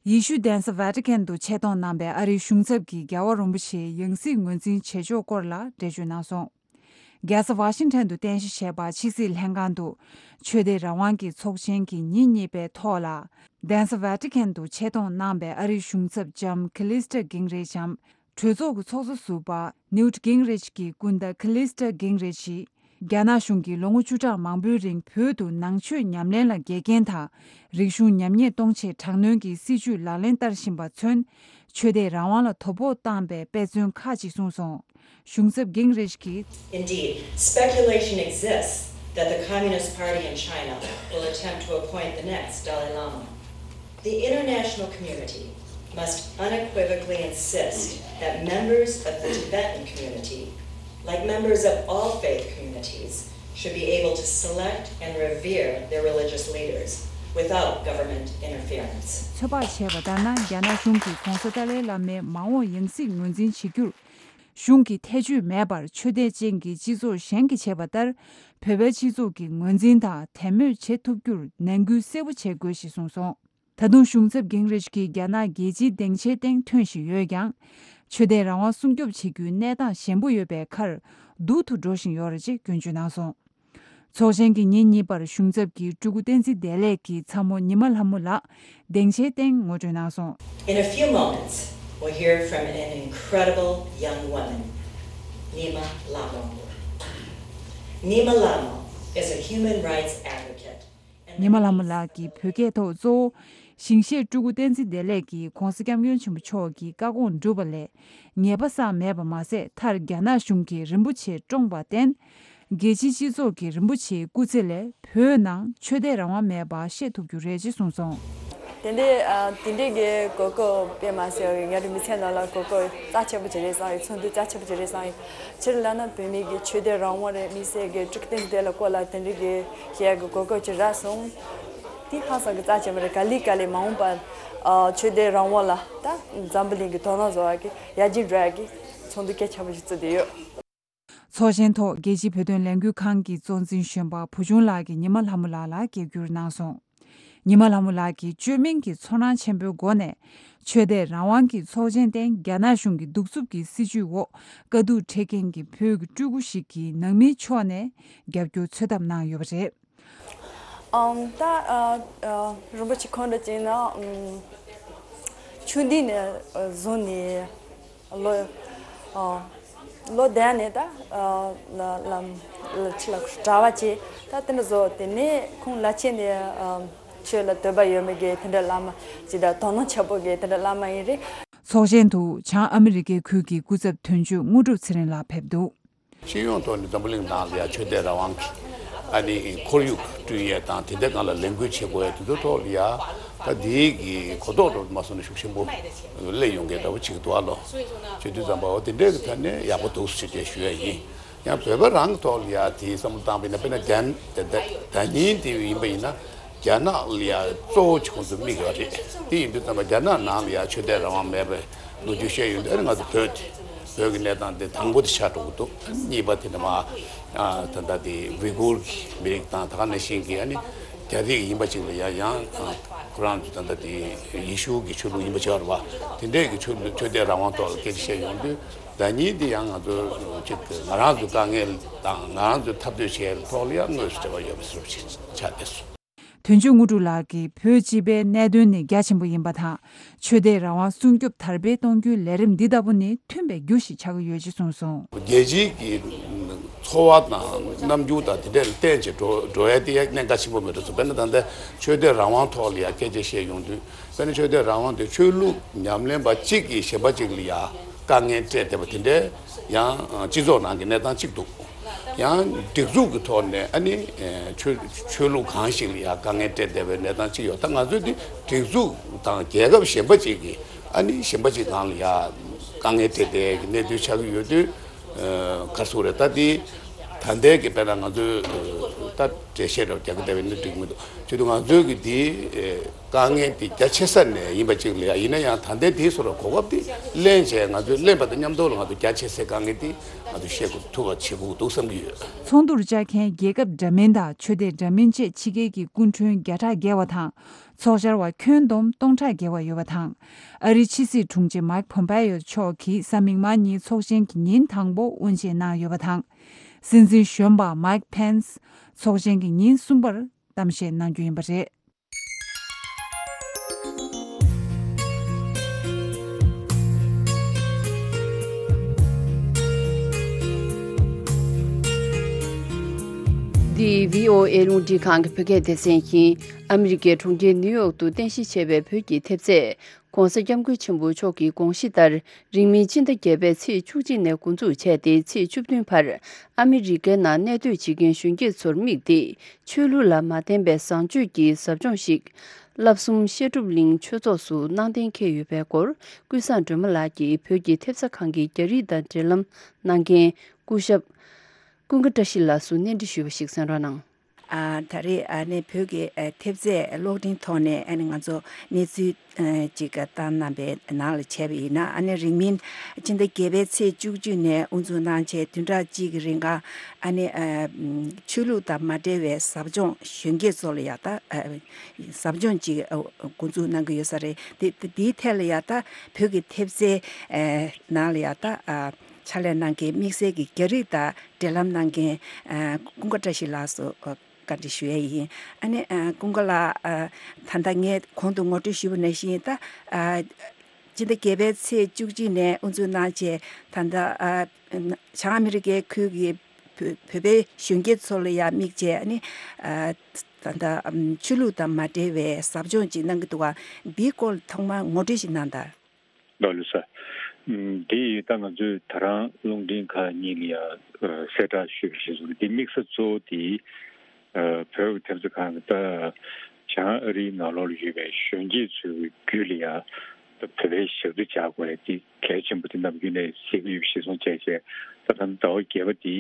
ཡེ་ཤུ་གདན་ས་ཝེ་ཏི་ཀན་དུ་ཆེད་གཏོང་གནང་པའི་ཨ་རིའི་གཞུང་ཚབ་ཀྱིས་རྒྱལ་བ་རིན་པོ་ཆེའི་ཡང་སྲིད་ངོས་འཛིན་བྱེད་ཕྱོགས་སྐོར་ལ་འགྲེལ་བརྗོད་གནང་སོང་། རྒྱལ་ས་ཝ་ཤིང་ཊོན་དུ་རྟེན་གཞི་བྱས་པ་ཕྱི་སྲིད་ལྷན་ཁང་དུ་ཆོས་དད་རང་དབང་གི་ཚོགས་ཆེན་གྱི་ཉིན་གཉིས་པའི་ཐོག་ལ། གདན་ས་ཝེ་ཏི་ཀན་དུ་ཆེད་གཏོང་གནང་པའི་ཨ་རིའི་གཞུང་ཚབ་ལྕམ་ཁི་ལིས་ཏྲ་གིང་རེཆ་འམ། གྲོས་ཚོགས་ཀྱི་ཚོགས་གཙོ་ཟུར་པ་ནིའུ་ཊི་གིང་རེཆ་གི་སྐུ་ཟླ་ཁི་ལིས་ཏྲ་གིང་རེཆ་ཡིས། རྒྱ་ནག་གཞུང་གིས་ལོ་ངོ་བཅུ་ཕྲག་མང་པོའི་རིང་བོད་དུ་ནང་ཆོས་ཉམས་ལེན་ལ་འགལ་རྐྱེན་དང་། རིག་གཞུང་ཉམས་ཉེས་གཏོང་ཆེད་དྲག་གནོན་གྱི་སྲིད་བྱུས་ལག་ལེན་བསྟར་བཞིན་པ་མཚོན། ཆོས་དད་རང་དབང་ལ་དོ་ཕོག་བཏང་པའི་དཔེ་མཚོན་ཁག་ཅིག་གསུངས་སོང་། གཞུང་ཚབ་གིང་རེཆ་གིས། Indeed, speculation exists that the Communist Party in China will attempt to appoint the next Dalai Lama. The international community must unequivocally insist that members of the Tibetan community, like members of all faith communities, should be able to select and revere their religious leaders without government interference. ཚོད་དཔག་བྱས་པ་ལྟར་ན། རྒྱ་ནག་གཞུང་གིས་ྋགོང་ས་ཏཱ་ལའི་བླ་མའི་མ་འོངས་ཡང་སྲིད་ངོས་འཛིན་བྱེད་རྒྱུར། གཞུང་གིས་ཐེ་བྱུས་མེད་པར་ཆོས་དད་ཅན་གྱི་སྤྱི་ཚོགས་གཞན་གྱིས་བྱས་པ་ལྟར། བོད་པའི་སྤྱི་ཚོགས་ཀྱི་ངོས་འཛིན་དང་དད་མོས་བྱེད་ཐུབ་རྒྱུར་ནན་སྐུལ་གསལ་པོ་བྱེད་དགོས་ཞེས་གསུངས་སོང་། ད་དུང་གཞུང་ཚབ་གིང་རེཆ་གིས་རྒྱ་ནག་རྒྱལ་སྤྱིའི་སྡིངས་ཆའི་སྟེང་ཐོན་བཞིན་ཡོད་ཀྱང་། ཆོས་དད་རང་དབང་སྲུང་སྐྱོབ་བྱེད་རྒྱུའི་གནས་སྟངས་ཞན་པོ་ཡོད་པའི་ཁར། སྡུག་ཏུ་འགྲོ་བཞིན་ཡོད་རེད་ཅེས་སྐྱོན་བརྗོད་གནང་སོང་། ཚོགས་ཆེན་གྱི་ཉིན་གཉིས་པར་གཞུང་ཚབ་ཀྱི་སྤྲུལ་སྐུ་བསྟན་འཛིན་བདེ་ལེགས་ཀྱི་ཚ་མོ་ཉི་མ་ལྷ་མོ་ལགས་སྡིངས་ཆའི་སྟེང་ངོ་སྤྲོད་གནང་སོང་། In a few moments, we'll hear from an incredible young woman, Nyima Lhamo. Nyima Lhamo is a human rights advocate. ཉི་མ་ལྷ་མོ་ལགས་ཀྱིས་བོད་སྐད་ཐོག་གཙོ་བོ་ཞིང་གཤེགས་སྤྲུལ་སྐུ་བསྟན་འཛིན་བདེ་ལེགས་ཀྱིས་ྋགོང་ས་ྋསྐྱབས་མགོན་ཆེན་པོ་མཆོག་གི་བཀའ་དགོངས་བསྒྲུབས་པ་ལས་ཉེས་པ་བསགས་མེད་པ་མ་ཟད། མཐར་རྒྱ་ནག་གཞུང་གིས་རིན་པོ་ཆེ་བཀྲོངས་པར་བརྟེན། རྒྱལ་སྤྱིའི་སྤྱི་ཚོགས་ཀྱིས་རིན་པོ་ཆེའི་སྐུ་ཚེ་ལས་བོད་ནང་ཆོས་དད་རང་དབང་མེད་པ་ཤེས་ཐུབ་རྒྱུ་རེད་ཅེས་གསུངས་སོང་། དེ་འདྲའི་ཨ་དེ་འདྲའི་གི་གོ་སྐབས་དཔེ་མ་སྲིད་ང་རང་མི་ཚེ་ནང་ལ་གོ་སྐབས་རྩ་ཆེན་པོ་ཅིག་རེད་བསམ་ཡོད། ཚོགས་འདུ་རྩ་ཆེན་པོ་ཅིག་རེད་བསམ་ཡོད། སྤྱིར་ལབ་ན་བོད་མི་གི་ཆོས་དད་རང་དབང་རེད། དམིགས་བསལ་གྱི་སྤྲུལ་སྐུ་བསྟན་འཛིན་བདེ་ལེགས་སྐོར་ལ་དེ་འདྲའི་གི་བཤད་ཡག་གི་གོ་སྐབས་ཅིག་རག་སོང་། དེ་ཧ་ཅང་གི་རྩ་ཆེན་པོ་རེད། ག་ལེ་ག་ལེ་མ་འོངས་པར་ཨ་ཆོས་དད་རང་དབང་ལ་ད་འཛམ་བུ་གླིང་གི་དོ་སྣང་བཟོ་ཡག་གི་ཡར་རྒྱས་འགྲོ་ཡག་གི་ཚོགས་འདུ་གལ་ཆེན་པོ་ཞིག་བཙུགས་བསྡད་ཡོད། ཚོགས་ཆེན་ཐོག་རྒྱལ་སྤྱིའི་བོད་དོན་ལས་འགུལ་ཁང་གི་གཙོ་འཛིན་གཞོན་པ་བུ་ཆུང་ལགས་ཀྱིས་ཉི་མ་ལྷ་མོ་ལགས་ལ་རྒྱབ་སྐྱོར་གནང་སོང་། ཉི་མ་ལྷ་མོ་ལགས་ཀྱིས་བཅོས་མིན་གྱི་ཚོར་སྣང་ཆེན་པོའི་སྒོ་ནས། ཆོས་དད་རང་དབང་གི་ཚོགས་ཆེན་སྟེང་རྒྱ་ནག་གཞུང་གི་གདུག་རྩུབ་ཀྱི་སྲིད་བྱུས་འོག་དཀའ་སྡུག་འཕྲད་མཁན་གྱི་བོད་ཀྱི་སྤྲུལ་སྐུ་ཞིག་གིས་ནང་མིའི་ཕྱོགས་ནས་རྒྱབ་སྐྱོར་འཚོལ་ཐབས་གནང་ཡོད་པ་རེད། ཨང་། ད་ཨ་ཨ་རིན་པོ་ཆེ་ཁོང་འདྲ་བྱས་ན་ཨང་ཆུང་དུས་ནས་ཨ་བཟུང་ནས་ལོ་ཨ་ ལོ་བསྡད་ནས་ད་ལམ་ཕྱི་ལ་གྲྭ་བ་བྱས། ད་དེ་འདྲ་བཟོ། དེ་ནས་ཁོང་ལ་ཆེ་ནས་ཆོས་ལ་འདོད་པ་ཡོད་མེད་ཀྱི་དེ་འདྲ་བླ་མ་ཅིག་དང་དོ་སྣང་ཆེན་པོ་གི་དེ་འདྲ་བླ་མ་ཡིན་རེད། ཚོགས་ཆེན་དུ་བྱང་ཨ་མི་རི་ཀའི་ཁུལ་གྱི་སྐུ་ཚབ་དོན་གཅོད་དངོས་གྲུབ་ཚེ་རིང་ལགས་ཕེབས་འདུག། སྤྱི་ཡོངས་ཐོག་ནས་འཛམ་བུ་གླིང་ནང་ལ་ཡང་ཆོས་དད་རང་དབང་གི་ཨ་ནི་ཁོར་ཡུག་བསྐྲུན་ཡས་དང་། དེ་འདྲའི་སྒང་ལ་ལས་འགུལ་བྱེད་དགོས་ཡས་དེ་ཚོའི་ཐོག་ལ་ཡ་ད་དེའི་གི་གོ་རྟོགས་འགྲོ་མ་སོང་ན་ཤུགས་ཆེན་པོ་སླེབས་ཡོང་གི་འདྲ་བོ་ཅིག་འདུག་ཨ་ལོ། བྱེད་དུས་ཙམ་པ་འོ་དེ་འདྲའི་གི་ཐད་ནས་ཡག་པོ་འདུག་ཟེར་ཏེ་ཞུ་ཡས་ཡིན། ཡང་བོད་པ་རང་གི་ཐོག་ལ་ཡ་དེའི་བསམ་བློ་བཏང་བ་ཡིན་ན། དཔེར་ན་རྒྱ་ད་ད་ཉིན་དེ་ཡིན་པ་ཡིན་ན། རྒྱ་ནག་ལ་ཡ་གཙོ་བོ་བྱེད་ཁོང་ཚོ་དམིགས་ཡོད་རེད། དེ་ཡིན་དུས་ཙམ་པ་རྒྱ་ནག་ནང་ལ་ཡ་ཆོས་དད་རང་དབང་མེད་པའི་ལོ་རྒྱུས་བཤད་ཡོང་དུས། ཨ་ནི་ང་ཚོ་བོད་དེ་བོད་ཀྱི་གནས་སྟངས་དེ་དང་པོ་དེ་ཆགས་འགྲོ་གི་འདུག། གཉིས་པ་དེ་ནི་མ་ཨ་ད་ལྟ་དེ་ཝི་གུར་གྱི་མི་རིགས་དང་། ད་ག་ནང་བཞིན་གྱི་ཨ་ནི་རྒྱ་རིགས་ཡིན་པ་ཅིག་ལ་ཡ་ཡང་ཁོ་རང་ཚོ་ད་ལྟ་དེ་ཡེ་ཤུ་གི་ཆོས་ལུགས་ཡིན་པ་ཅིག་རེད་པ། དེ་འདྲས་ཀྱི་ཆོས་ལུགས་ཆོས་དད་རང་དབང་ཐོག་ལ་སྐད་ཆ་བཤད་ཡོང་དུས། ཟླ་ཉིན་དེ་ཡང་ང་ཚོ་ཅིག་ང་རང་ཚོའི་དཀའ་ངལ་དང་ང་རང་ཚོའི་འཐབ་རྩོད་བྱེད་ཡག་ཐོག་ལ་ཡང་དངོས་སུ་འབྲེལ་བ་ཡོད་པ་བཟོ་འདྲ་ཅིག་ཆགས་བསྡད་སོང་། དོན་གཅོད་དངོས་གྲུབ་ལགས་ཀྱིས་བོད་སྤྱི་པའི་གནད་དོན་ནི་རྒྱ་ཆེན་པོ་ཡིན་པ་དང་། ཆོས་དད་རང་དབང་སྲུང་སྐྱོབ་དར་སྤེལ་གཏོང་རྒྱུའི་ལས་རིམ་འདི་ལྟ་བུ་ནི་མཐུན་པའི་རྒྱུ་ཞིག་ཆགས་ཀྱི་ཡོད་ཅེས་གསུངས་སོང་། རྒྱལ་སྤྱིའི་གི་འཚོ་བ་དང་རྣམ་འགྱུར་དང་དེ་འདྲ་ལ་བརྟེན་བྱས་འགྲོ་འགྲོ་ཡ་དེ་ཡ་གནད་འགག་ཆེན་པོ་མེད་འགྲོ་སོང་། དཔེར་ན་ད་ལྟ་ཆོས་དད་རང་དབང་ཐོག་ལ་ཡ་སྐད་ཆ་བཤད་ཡོང་དུས། དཔེར་ན་ཆོས་དད་རང་དབང་དེ་ཆོས་ལུགས་ཉམས་ལེན་པ་གཅིག་གིས་གཞན་པ་གཅིག་ལ་ཡ་དཀའ་ངལ་སྤྲད་བསྡད་པ་དེ་འདྲའི་ཡང་སྤྱི་ཚོགས་ནང་གི་གནས་སྟངས་གཅིག་འདུག། ཡང་སྒྲིག་འཛུགས་ཀྱི་ཐོག་ནས་ཨ་ནི་ཆོས་ཆོས་ལུགས་གང་ཞིག་ལ་ཡང་དཀའ་ངལ་སྤྲད་བསྡད་པའི་གནས་སྟངས་གཅིག་ཡོད། ད་ང་ཚོས་འདི་སྒྲིག་འཛུགས་དང་རྒྱལ་ཁབ་གཞན་པ་ཅིག་གིས་ཨ་ནི་གཞན་པ་ཅིག་སྒང་ལ་ཡང་དཀའ་ངལ་སྤྲད་བསྡད་ཀྱི་གནས་ཚུལ་ཆགས་ཀྱི་ཡོད་དུས། ག་རེ་ཟེར་དགོས་རེད། ད་འདི་ད་ལྟའི་གི་དཔེར་ན་ང་ཚོས་ད་འགྲེལ་བཤད་འདྲ་བོ་རྒྱག་གི་བསྡད་པ་ཡིན་ན་འགྲིག་གི་མི་འདུག། བྱས་དུས་ང་ཚོས་གི་འདི། དཀའ་ངལ་དེ་རྒྱ་ཆེ་ས་ནས་ཡིན་པ་ཅིག་ལ་ཡ། ཡིན་ན་ཡང་ད་ལྟའི་དེའི་བཟོ་འདྲ་གོ་སྐབས་དེ་ལེན་བྱས། ང་ཚོས་ལེན་པ་དང་མཉམ་དུ་ལ་ང་ཚོ་རྒྱ་ཆེ་སའི་དཀའ་ངལ་དེ་ང་ཚོས་བཤད་དགོས་ཐུབ་པ་བྱེད་དགོས་འདུག་བསམ་གྱི་ཡོད། ཚོགས་འདུར་བཅར་མཁན་རྒྱལ་ཁབ་འདྲ་མིན་དང་ཆོས་དད་འདྲ་མིན་བཅས་ཕྱི་རྒྱལ་གྱི་སྐུ་མགྲོན་བརྒྱ་ཕྲག་བརྒལ་བ་དང་། ཚོགས་བཅར་བ་ཁྱོན་བསྡོམས་སྟོང་ཕྲག་བརྒལ་བ་ཡོད་པ་དང་། ཨ་རིའི་ཕྱི་སྲིད་དྲུང་ཆེ་མའིག་ཕོམ་པེ་ཡོ་མཆོག་གིས་གཟའ་མིག་དམར་ཉིན་ཚོགས་ཆེན་གྱི་ཉིན་དང་པོ་དབུ་འབྱེད་གནང་ཡོད་པ་དང་། སྲིད་འཛིན་གཞོན་པ་མའིག་ཕེན་སི་ཚོགས་ཆེན་གྱི་ཉིན་གསུམ་པར་གཏམ་བཤད་གནང་རྒྱུ་ཡིན་པ་རེད། འདི་བྷི་ཨོ་ཨེ་རླུང་འཕྲིན་ཁང་གི་བོད་སྐད་སྡེ་ཚན་ཡིན། ཨ་མི་རི་ཀའི་གྲོང་ཁྱེར་ནིའུ་ཡོག་ཏུ་རྟེན་གཞི་བྱས་པའི་བོད་ཀྱི་ཐེབས་རྩས། ༸གོང་ས་༸སྐྱབས་མགོན་ཆེན་པོ་མཆོག་གི་དགོངས་གཞི་ལྟར། རིང་མིན་སྤྱི་ཟླ་བརྒྱད་པའི་ཚེས་བཅུ་གཅིག་ནས་འགོ་འཛུགས་བྱས་ཏེ། ཚེས་བཅུ་བདུན་བར་ཨ་མི་རི་ཀའི་ནང་གནས་སྡོད་བྱེད་མཁན་གཞོན་སྐྱེས་ཚོར་དམིགས་ཏེ། ཆོས་ལུགས་ལ་མ་བརྟེན་པའི་བཟང་སྤྱོད་ཀྱི་ཟབ་སྦྱོང་ཞིག་བསླབ་གསུམ་བཤད་སྒྲུབ་གླིང་ཆོས་ཚོགས་སུ་གནང་གཏན་འཁེལ་ཡོད་པའི་སྐོར། ཀུན་བཟང་སྒྲོལ་མ་ལགས་ཀྱིས་བོད་ཀྱི་ཐེབས་རྩ་ཁང་གི་རྒྱ་རིགས་དང་འབྲེལ་ལམ་གནང་མཁན་སྐུ་ཞབས་ཀུན་དགའ་བཀྲ་ཤིས་ལགས་སུ་གནས་འདྲི་ཞུས་པ་ཞིག་གསན་རོགས་གནང་། ཨ། ད་རེས་ཨ་ནི་བོད་ཀྱི་ཨ་ཐེབས་རྩས་གློག་འཕྲིན་ཐོག་ནས་ཨ་ནི་ང་ཚོ་གནས་ཚུལ་ཨ་ཅིག་བཏང་གནང་པའི་ནང་ལ་བྱས་པ་ཡིན་ན། ཨ་ནི་རིང་མིན་སྤྱི་ཟླ་བརྒྱད་པའི་ཚེས་བཅུ་གཅིག་ནས་དབུ་འཛུགས་གནང་བྱས་བདུན་ཕྲག་གཅིག་གི་རིང་ག་ཨ་ནི་ཨ་ཆོས་ལུགས་དང་མ་འབྲེལ་བའི་ཟབ་སྦྱོང་གཞོན་སྐྱེས་ཚོ་ལ་ཡ་ད་ཨ་ཟབ་སྦྱོང་ཅིག་ཨ་འགོ་འཛུགས་གནང་གི་ཡོད་ས་རེད། དེ་དེའི་ཐད་ལ་ཡ་ད་བོད་ཀྱི་ཐེབས་རྩའི་ཨ་ནང་ལ་ཡ་ད་ཨ། ཕྱག་ལས་གནང་མཁན་དམིགས་བསལ་གྱི་རྒྱ་རིགས་དང་འབྲེལ་ལམ་གནང་མཁན་ཨ་ཀུན་དགའ་བཀྲ་ཤིས་ལགས་སུ་ཨ་བཀའ་འདྲི་ཞུ་ཡས་ཡིན། ཨ་ནི་ཨ་ཀུན་དགའ་ལགས། ཨ་ད་ལྟ་ངས་གོང་དུ་ངོ་སྤྲོད་ཞུས་པ་ནང་བཞིན། ད་ཨ་སྤྱི་ཟླ་བརྒྱད་པའི་ཚེས་བཅུ་གཅིག་ནས་དབུ་འཛུགས་གནང་བྱས། ད་ལྟ་ཨ་བྱང་ཨ་མི་རི་ཀའི་ཁུལ་གྱི་བོད་བོད་པའི་གཞོན་སྐྱེས་ཚོ་ལ་ཡང་དམིགས་བྱས། ཨ་ནི་ཨ་ད་ལྟ་ཨམ་ཆོས་ལུགས་དང་མ་འབྲེལ་བའི་ཟབ་སྦྱོང་ཅིག་གནང་གི་འདུག་ག་འདིའི་སྐོར་ཐོག་མར་ངོ་སྤྲོད་ཞིག་གནང་དང་། ལགས་ལགས་སོ། ཨམ་འདི་ཡིས་ད་ང་ཚོས་ད་རང་རླུང་འཕྲིན་ཁང་གཉིས་ལ་ཡང་ཨ་གསལ་བསྒྲགས་ཞུས་པ་ཞིག་སོང་། འདི་དམིགས་ས་གཙོ་བོ་དེ་ཨ་བོད་ཀྱི་ཐེབས་རྩ་ཁང་གི་ད་བྱང་ཨ་རིའི་ནང་ལོགས་ལ་ཡོད་པའི་གཞོན་སྐྱེས་ཚོའི་རྒྱུད་ལ་ཡང་ད་བོད་པའི་ཞབས་ཕྱི་བྱ་དགོས་ཡ་དེ་གལ་ཆེན་པོ་དེ་ནམ་རྒྱུན་ནས་གཟིགས་ཀྱི་ཡོད་པ་ཞིག་སོང་བྱས་བྱས། ད་ད་ཟླ་བ་བརྒྱད་པ་དེ་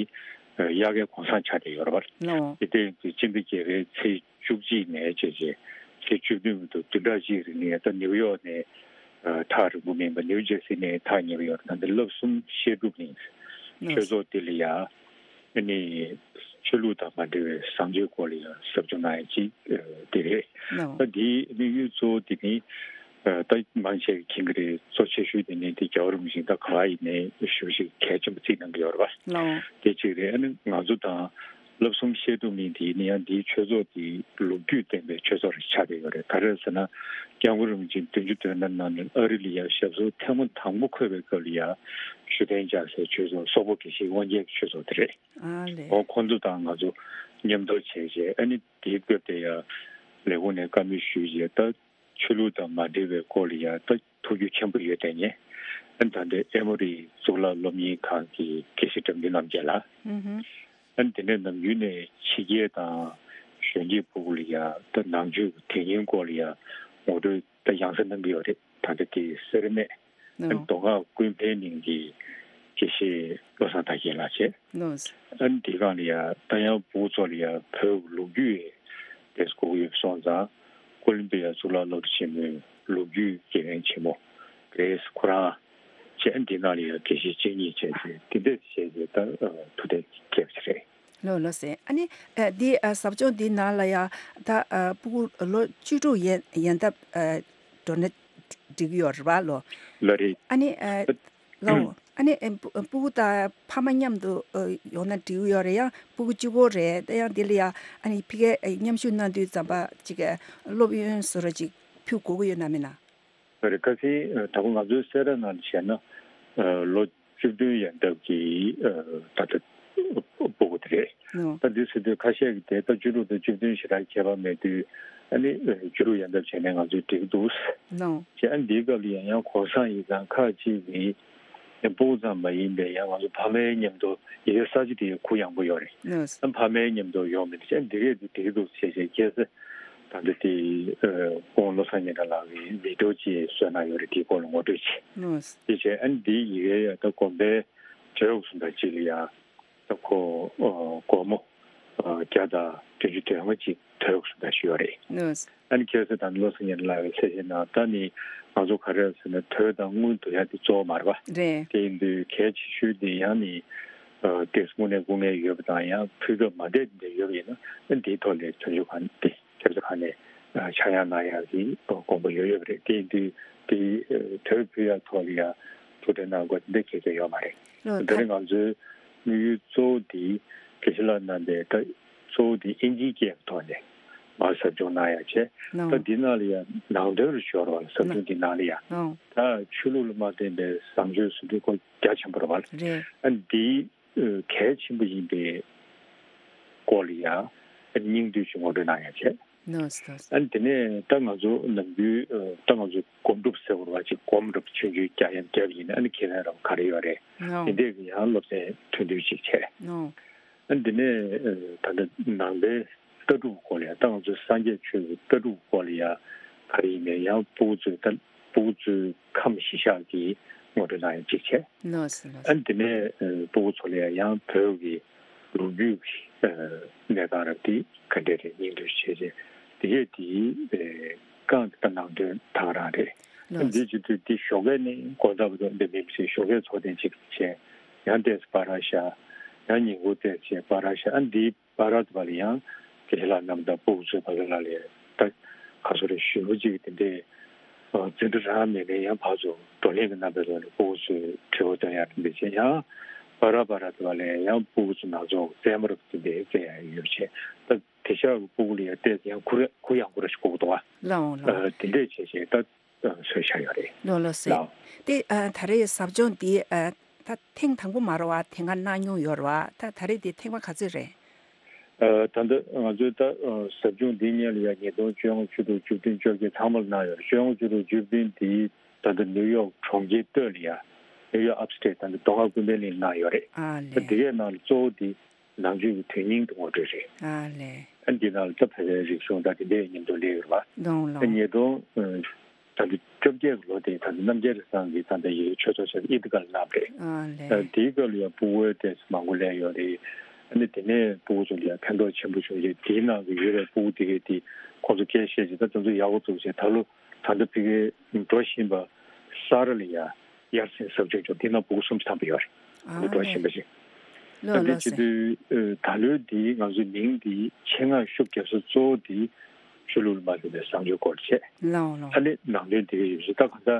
ཨ་དབྱར་ཁའི་གུང་སེང་ཆགས་བསྡད་ཡོད་རེད་པ། ལགས། དེ་སྟེང་དུ་སྤྱི་ཟླ་བརྒྱད་པའི་ཚེས་བཅུ་གཅིག་ནས་བྱས་རྗེས་ཚེས་བཅུ་བདུན་བར་དུ་བདུན་ཕྲག་གཅིག་རིང་ལ་ད་ནིའུ་ཡོག་ནས་ཨ་ཐག་རིང་པོ་མིན་པ། ནིའུ་ཇར་སི་ནས་ཐག་ཉེ་པོ་ཡོད་རེད། ད་ལྟ་བསླབ་གསུམ་བཤད་སྒྲུབ་གླིང་། ལགས། ཆོས་ཚོགས་དེ་ལ་ཡང་ཨ་ནི་ཆོས་ལུགས་དང་མ་འབྲེལ་བའི་བཟང་སྤྱོད་སྐོར་ལ་ཡང་ཟབ་སྦྱོང་གནང་ཡ་ཅིག་ཨ་དེ་རེད། ལགས། ད་འདིའི་དམིགས་ཡུལ་གཙོ་བོ་དེ་ནི་ཨ་ད་མང་ཆེ་གིས་མཁྱེན་གྱི་རེད། གཙོ་ཆེ་ཤོས་དེ་ནི་དེ་རྒྱལ་བ་རིན་པོ་ཆེ་ད་ག་པར་ཡིན་ནའི་ཞུ་ཞིག་གལ་ཆེན་པོ་བརྩིས་གནང་གི་ཡོད་རེད་པ། ལགས། དེ་གཅིག་རེད། ཨ་ནི་ང་ཚོ་དང་ བསླབ་གསུམ་བཤད་སྒྲུབ་གཉིས་དེ་ནི་ཡང་འདིའི་ཆོས་ཚོགས་དེ་ལོ་རྒྱུས་ལྡན་པའི་ཆོས་ཚོགས་རེ་ཆགས་བསྡད་ཡོད་རེད། ག་རེ་ཟེར་ན། སྐྱབས་མགོན་རིན་པོ་ཆེ་བདུན་ཅུ་དོན་ཐོབ་གནང་ནས་ཨ་རི་ལ་ཡང་ཞབས་སོར་ཐེངས་མ་དང་པོ་འཁོད་པའི་སྐབས་ལ་ཡང་ཞུ་རྟེན་བཅག་སའི་ཆོས་ཚོགས་སོག་པོ་དགེ་བཤེས་དབང་རྒྱལ་གྱི་ཆོས་ཚོགས་དེ་རེད། ཨ་ལས། འོ་ཁོང་ཚོ་དང་ང་ཚོ་མཉམ་དུ་བྱས་རྗེས་ཨ་ནི་དེའི་སྐབས་དེ་ཡང་ལས་ཁུངས་ནས་བཀའ་མོལ་ཞུས་རྗེས་ད། ཆོས་ལུགས་དང་མ་འབྲེལ་བའི་སྐོར་ལ་ཡང་ད་ཐུགས་རྒྱུས་ཆེན་པོ་ཡོད་དེ་ངས་ཨ་ད་ལྟའི་ཨེ་མོ་རི་གཙུག་ལག་སློབ་གཉེར་ཁང་གི་དགེ་བཤེས་དགྲ་འདུལ་རྣམ་རྒྱལ་ལགས། ཨ་དེ་ནས་ནམ་རྒྱུན་ནས་ཕྱི་རྒྱལ་དང་གཞོན་སྐྱེས་ཕྲུ་གུ་ལ་ཡང་ད་ནང་ཆོས་ཀྱི་དོན་སྙིང་སྐོར་ལ་ཡང་ངོ་སྤྲོད་ད་ཡང་སེ་གནང་གི་ཡོད་རེད། ད་ལྟ་དེ་སེར་སྨད་ཨ་མདོ་སྔགས་ཀུན་ཕན་གླིང་གི་དགེ་བཤེས་བློ་བཟང་དར་རྒྱས་ལགས་བྱས། ལགས། ཨ་ནི་དེ་སྒང་ལ་ཡང་ད་ཡང་ཕྲུ་གུ་ཚོ་ལ་ཡང་བོད་ཀྱི་ལོ་རྒྱུས་དེ་གོ་གི་ཡོད་སོང་ཙང་། ཀོ་ལོམ་བི་ཡ་གཙུག་ལག་སློབ་གྲྭ་ཆེན་མོའི་ལོ་རྒྱུས་དགེ་རྒན་ཆེན་མོ་ག་རེ་ཁོ་རང་བྱས། ཨ་ནི་དེ་ནང་ལ་ཡང་དགེ་བཤེས་གཅིག་གཉིས་བྱས་ཏེ་དེ་འདྲས་བྱས་ཏེ་ད་ཐུགས་གཏན་འཁེལ་བ་ཞིག་རེད། ལགས་ལགས་སེ། ཨ་ནི་ཨ་འདི་ཨ་ཟབ་སྦྱོང་འདི་ནང་ལ་ཡང་ད་ཨ་ཕྲུ་གུ་ལོ་བཅུ་དྲུག་ཡན་ཡན་འདབ་ཨ་འགྲོ་ན་འགྲིག་གི་ཡོད་རེད་པ་ལོ། ལགས་རེད། ཨ་ནི་ཨ་ལགས་འོ། ཨ་ནི་ཨ་ཕྲུ་གུ་དང་ཕ་མ་མཉམ་དུ་ཨ་ཡོང་ན་འགྲིག་གི་ཡོད་རེད། ཡང་ཕྲུ་གུ་གཅིག་པོ་རེད། ད་ཡང་འདི་ལ་ཡང་ཨ་ནི་ཕ་གིར་མཉམ་ཞུགས་གནང་དུས་ཙམ་པ་ཅིག་སློབ་ཡོན་བཟོ་འདྲ་ཅིག་ཕུལ་དགོས་ཀྱི་ཡོད་ན་མིན་ན། ལགས་རེད། ཁ་སང་ཨ་ད་ག་ང་ཚོའི་སེ་ར་ནང་བྱས་ན་ཨ་ལོ་བཅུ་བདུན་ཡན་འདབ་ཀྱི་ཨ་ད་ལྟ་ཕྲུ་གུ་དེ་རེད། ལགས། ད་འདི་ཟེར་དུས་ཁ་ཤས་ཀྱིས་དེ་ལྟ་བཅུ་དྲུག་དང་བཅུ་བདུན་ཞེ་དྲག་ཁྱད་པར་མེད་དུས་ཨ་ནི་བཅུ་དྲུག་ཡན་འདབ་བྱས་ནས་ང་ཚོས་འགྲིག་འདུག་ལགས། ཅེས་ཨ་ནི་འདིའི་སྐབས་ལ་ཡང་ཡང་གོང་སང་ཡིག་ཚང་ཁག་ཅིག་གིས་ཡང་ཕྲུ་གུ་ཙམ་མ་ཡིན་པའི་ཡང་ང་ཚོ་ཕ་མའི་མཉམ་དུ་ཡི་གེ་གསར་བརྗེ་དེ་གུ་ཡངས་པོ་ཡོད་རེད། ལགས། ཨ་ཕ་མའི་མཉམ་དུ་ཡོང་མི་འདུག་ཅེས་ཨ་ནི་འདི་གས་དེ་འགྲིག་འདུག་ཅེས་བྱས་ཁྱེད་ཚོས་ད་ལྟ་དེ་ཨ་སྐུ་ངོ་བློ་བཟང་སྙན་གྲགས་ལགས་ཀྱིས་བི་ཌི་ཡོ་ཅིག་བཟོས་གནང་ཡོད་རེད། དེའི་སྐོར་ལ་ངོ་སྤྲོད་བྱས། ལགས། དེ་བྱས་ཨ་ནི་འདིའི་ཡི་གེ་ཡང་ད་དགོན་པའི་གྲྭ་གཞུང་དང་གཅིག་ལ་ཡང་ད་ཁོ་ཨ་སྒོར་མོ་ཨ་བརྒྱ་དང་བདུན་ཅུ་དོན་ལྔ་ཅིག་གྲྭ་གཞུང་དང་ཞུ་ཡོད་རེད། ལགས། ཨ་ནི་ཁྱེད་ཚོ་ད་ནི་བློ་བཟང་སྙན་གྲགས་ལགས་ཀྱིས་གསལ་བཤད་གནང་། ད་ནི་ང་ཚོ་ག་རེ་ཟེར་ན་དོས་དང་དངུལ་བསྡུ་ཡ་དེ་གཙོ་བོ་མ་རེད་པ། རེད། དེ་ཡིན་དུས་གལ་ཆེ་ཤོས་དེ་ཡང་ནི་ཨ་ཏོག་ཙམ་དངོས་གནས་སྐུ་ངལ་ཡོད་པ་དང་ཡང་ཕུལ་སྐབས་མ་བསྡད་དེ་འདྲ་ཡོད་པ་ཡིན་ན་ཨ་འདིའི་ཐོག་ལ་བྱང་ཆུབ་ཁང་དེ། སྐྱབས་རྗེ་ཁང་ནས་ཨ་ཆག་ཡང་གནང་ཡག་གི་དགོངས་པ་ཡོད་ཡོད་པ་རེད། དེ་ཡིན་དུས་དེ་ཨ་དོས་ཕུལ་ཡག་ཐོག་ལ་ཡང་ཐུགས་ཁྲལ་གནང་དགོས་དེ་འདྲ་གལ་ཆེ་ཡོད་མ་རེད། ལགས། ད་རེས་ད་ང་ཚོའི་དམིགས་ཡུལ་གཙོ་བོ་དེ་དགེ་བཤེས་ལགས་རྣམ་པས་ད་གཙོ་བོ་དེ་ཨིན་ཇིའི་སྐད་ཀྱི་ཐོག་ནས་མར་ཟབ་སྦྱོང་གནང་ཡག་བྱས། ལགས། ད་འདི་ནང་ལ་ཡང་ནང་དོན་རེ་ཞུ་བ་ལ་ཟབ་སྦྱོང་འདི་ནང་ལ་ཡང་ལགས། ད་ཆོས་ལུགས་ལ་མ་བརྟེན་པའི་བཟང་སྤྱོད་ཟེར་དུས་ཁོ་རྒྱ་ཆེན་པོ་རེད་པ། རེད། ཨ་འདི་གལ་ཆེན་པོ་ཡིན་པའི་སྐོར་ལ་ཡང་སྙིང་བསྡུས་ཤིག་ངོ་སྤྲོད་གནང་ཡག་བྱས། ལགས་སོ། ཨ་ནི་དེ་ནས་ད་ང་ཚོ་ནམ་རྒྱུན་ད་ང་ཚོ་སྒོམ་སྒྲུབ་ཟེར་བ་ཅིག་སྒོམ་རབ་ཆུང་ཆུང་རྒྱ་ཡན་རྒྱབ་ཡིན་ན་ཨ་ནི་ཁས་ལེན་རབ་ག་རེ་ཡོད་རེད། ལགས། དེ་འདྲས་ཀྱི་ཡང་སློབ་ཚན་ཐུང་ཐུང་ཅིག་བྱས། ལགས། ཨ་ནི་དེ་ནས་ད་ལྟ་ནང་པའི་ལྟ་གྲུབ་སྐོར་ལ་ཡང་ད་ང་ཚོ་སངས་རྒྱས་ཆོས་ཀྱི་ལྟ་གྲུབ་སྐོར་ལ་ཡང་ག་རེ་ཡིན་ནའི་ཡང་ཕྲུ་གུ་ཚོས་ད་ཕྲུ་གུ་ཚོའི་ཁམས་གཞི་བཞག་གི་ངོ་སྤྲོད་གནང་ཡག་ཅིག་བྱས། ལགས་སོ་ལགས་སོ། ཨ་ནི་དེ་ནས་ཕྲུ་གུ་ཚོ་ལ་ཡང་བོད་ཀྱི་ལོ་རྒྱུས་ཀྱི་གནས་སྟངས་རབ་དེ་ག་འདྲས་རེད་སྙིང་བསྡུས་བྱས་རྗེས་དེ་གས་དེ་རྐང་དེ་ད་ནང་དོན་ད་ག་རང་རེད། ཨ་ནི་འདི་བྱེད་དུས་འདི་ཞོགས་ཀས་ནས་དགོང་དག་བར་དུ་འདི་མིན་ཞིག་ཞོགས་ཀས་ཚོགས་ཐེངས་གཅིག་བྱས། ཡང་ཏོག་ཙམ་བར་བཞག་ཡང་ཉིན་གུང་ཏོག་ཙམ་བར་བཞག་ཨ་ནི་འདིའི་བར་དུ་བ་ལ་ཡང་དགེ་བཤེས་ལགས་རྣམས་དང་ཕྲུ་གུ་ཚོའི་བར་ལ་ལས་ད་ག་ཚོད་རེ་ཞུ་བ་ཅིག་དེ་འདྲའི་འཛིན་གྲྭ་རང་མེད་ནས་ཡང་ཕར་ཚུར་བགྲོ་གླེང་གི་རྣམ་པའི་ཐོག་ནས་ཕྲུ་གུ་ཚོའི་དྲི་བ་འདོན་ཡག་དེ་འདྲ་བྱས། ཡང་བར་བར་དུ་བ་ལ་ཡང་ཕྲུ་གུ་ཚོ་ནང་ཚོགས་རྩེད་མོ་རབ་དེ་འདྲའི་རྩེ་ཡག་ཡོད་བྱས། ད་དེང་སང་གི་ཕྲུ་གུ་ལ་ཡང་ཏོག་ཙམ་ཡང་གུ་རེ་གུ་ཡངས་པོ་རེ་ཞིག་དགོས་ཀྱི་འདུག་བ། ལགས་འོང་ལགས་འོང་། དེ་འདྲས་བྱས་བྱས་ད། བཟོས་བཞག་ཡོད་རེད། ལགས་ལགས་སེ། ལགས། དེ་ཨ་ད་རེས་ཟབ་སྦྱོང་འདི་ཨ་ད་ཐེངས་དང་པོ་མ་རེད་བ། དེ་སྔ་གནང་མྱོང་ཡོད་རེད་བ། ད་ད་རེས་འདི་ཐེངས་མ་ག་ཚོད་རེད། ཨ་ད་ལྟ་ང་ཚོའི་ད་ཨ་ཟབ་སྦྱོང་འདི་སྔོན་ལ་ཡང་ཉིས་སྟོང་བཅོ་ལྔ་བཅུ་དྲུག་བཅུ་བདུན་བཅོ་བརྒྱད་ཚང་མ་ལ་གནང་ཡོད་རེད། བཅོ་ལྔ་བཅུ་དྲུག་བཅུ་བདུན་འདི་ད་ལྟ་ནིའུ་ཡོག་གྲོང་ཁྱེར་སྟོད་ལ་ཡ་ནིའུ་ཡོག་ཨབ་སི་ཊེཊ་ད་ལྟ་མདོ་སྔགས་ཀུན་ཕན་གླིང་ལ་གནང་ཡོད་རེད། ཨ་ད་ལས། འདི་གའི་ནང་ལ་གཙོ་བོ་འདི་ནང་ཆོས་ཀྱི་དོན་སྙིང་དུ་ངོ་སྤྲོད་རེད། ཨ་ལས། ཨ་འདི་ནང་ལ་ད་བོད་པའི་རིག་གཞུང་དང་དེ་འདྲའི་མཉམ་དུ་སླེབས་ཡོད་རེད་བ། ལོང་ལོང་། ཉིས་སྟོང་ད་ལྟ་བཅོ་བརྒྱད་ཀྱི་ལོ་དེ་ད་ལྟ་རྣམ་རྒྱལ་རེ་ཚང་གིས་ད་ལྟ་ཡི་གེ་ཆོས་ཚོགས་ཆེན་ཨི་ཏི་ཀ་ལ་གནང་བ་རེད། ཨ་ལས། ཨ་དེའི་སྐབས་ལ་ཡང་ཕྲུ་གུ་ཏོག་ཙམ་མང་པོ་སླེབས་ཡོད་རེད། ཨ་ནི་དེ་ནས་ཕྲུ་གུ་ཚོ་ལ་ཡང་ཕན་ཐོགས་ཆེན་པོ་བྱུང་རྗེས་དེའི་ནང་གི་ཡོད་པའི་ཕྲུ་གུ་དེ་གས་དེ་ཁོང་ཚོ་སྐད་བཤད་རྗེས་ད་དེ་ཚོ་ཡག་པོ་འདུག་ཟེར། ད་ལོ་ད་ལྟ་ཕ་གིར་འགྲོ་བཞིན་པ་ས་ར་ལ་ཡ་དབྱར་གསེང་ཟབ་སྦྱོང་ཅོག་འདི་ན་ཕྲུ་གུ་སུམ་ཅུ་ཐམ་པ་ཡོད་རེད། ཨ་འདི་འགྲོ་ལས། བཞིན་པ་ཞིག་ལོ་ད་འདི་ལོ་བྱེད་སེ། དུས་ཨ་ད་ལོའི་འདི་ང་ཚོའི་མིང་འདི་ཆེད་མངགས་ཤུགས་རྒྱབ་ས་གཙོ་བོ་འདི་ཆོས་ལུགས་ལ་མ་ལྟོས་པའི་བཟང་སྤྱོད་སྐོར་བྱས། ལོ་ལོ། ཨ་ནི་ནང་དོན་དེ་ག་ཡོད་ཞིག་ད་གང་ལྟར་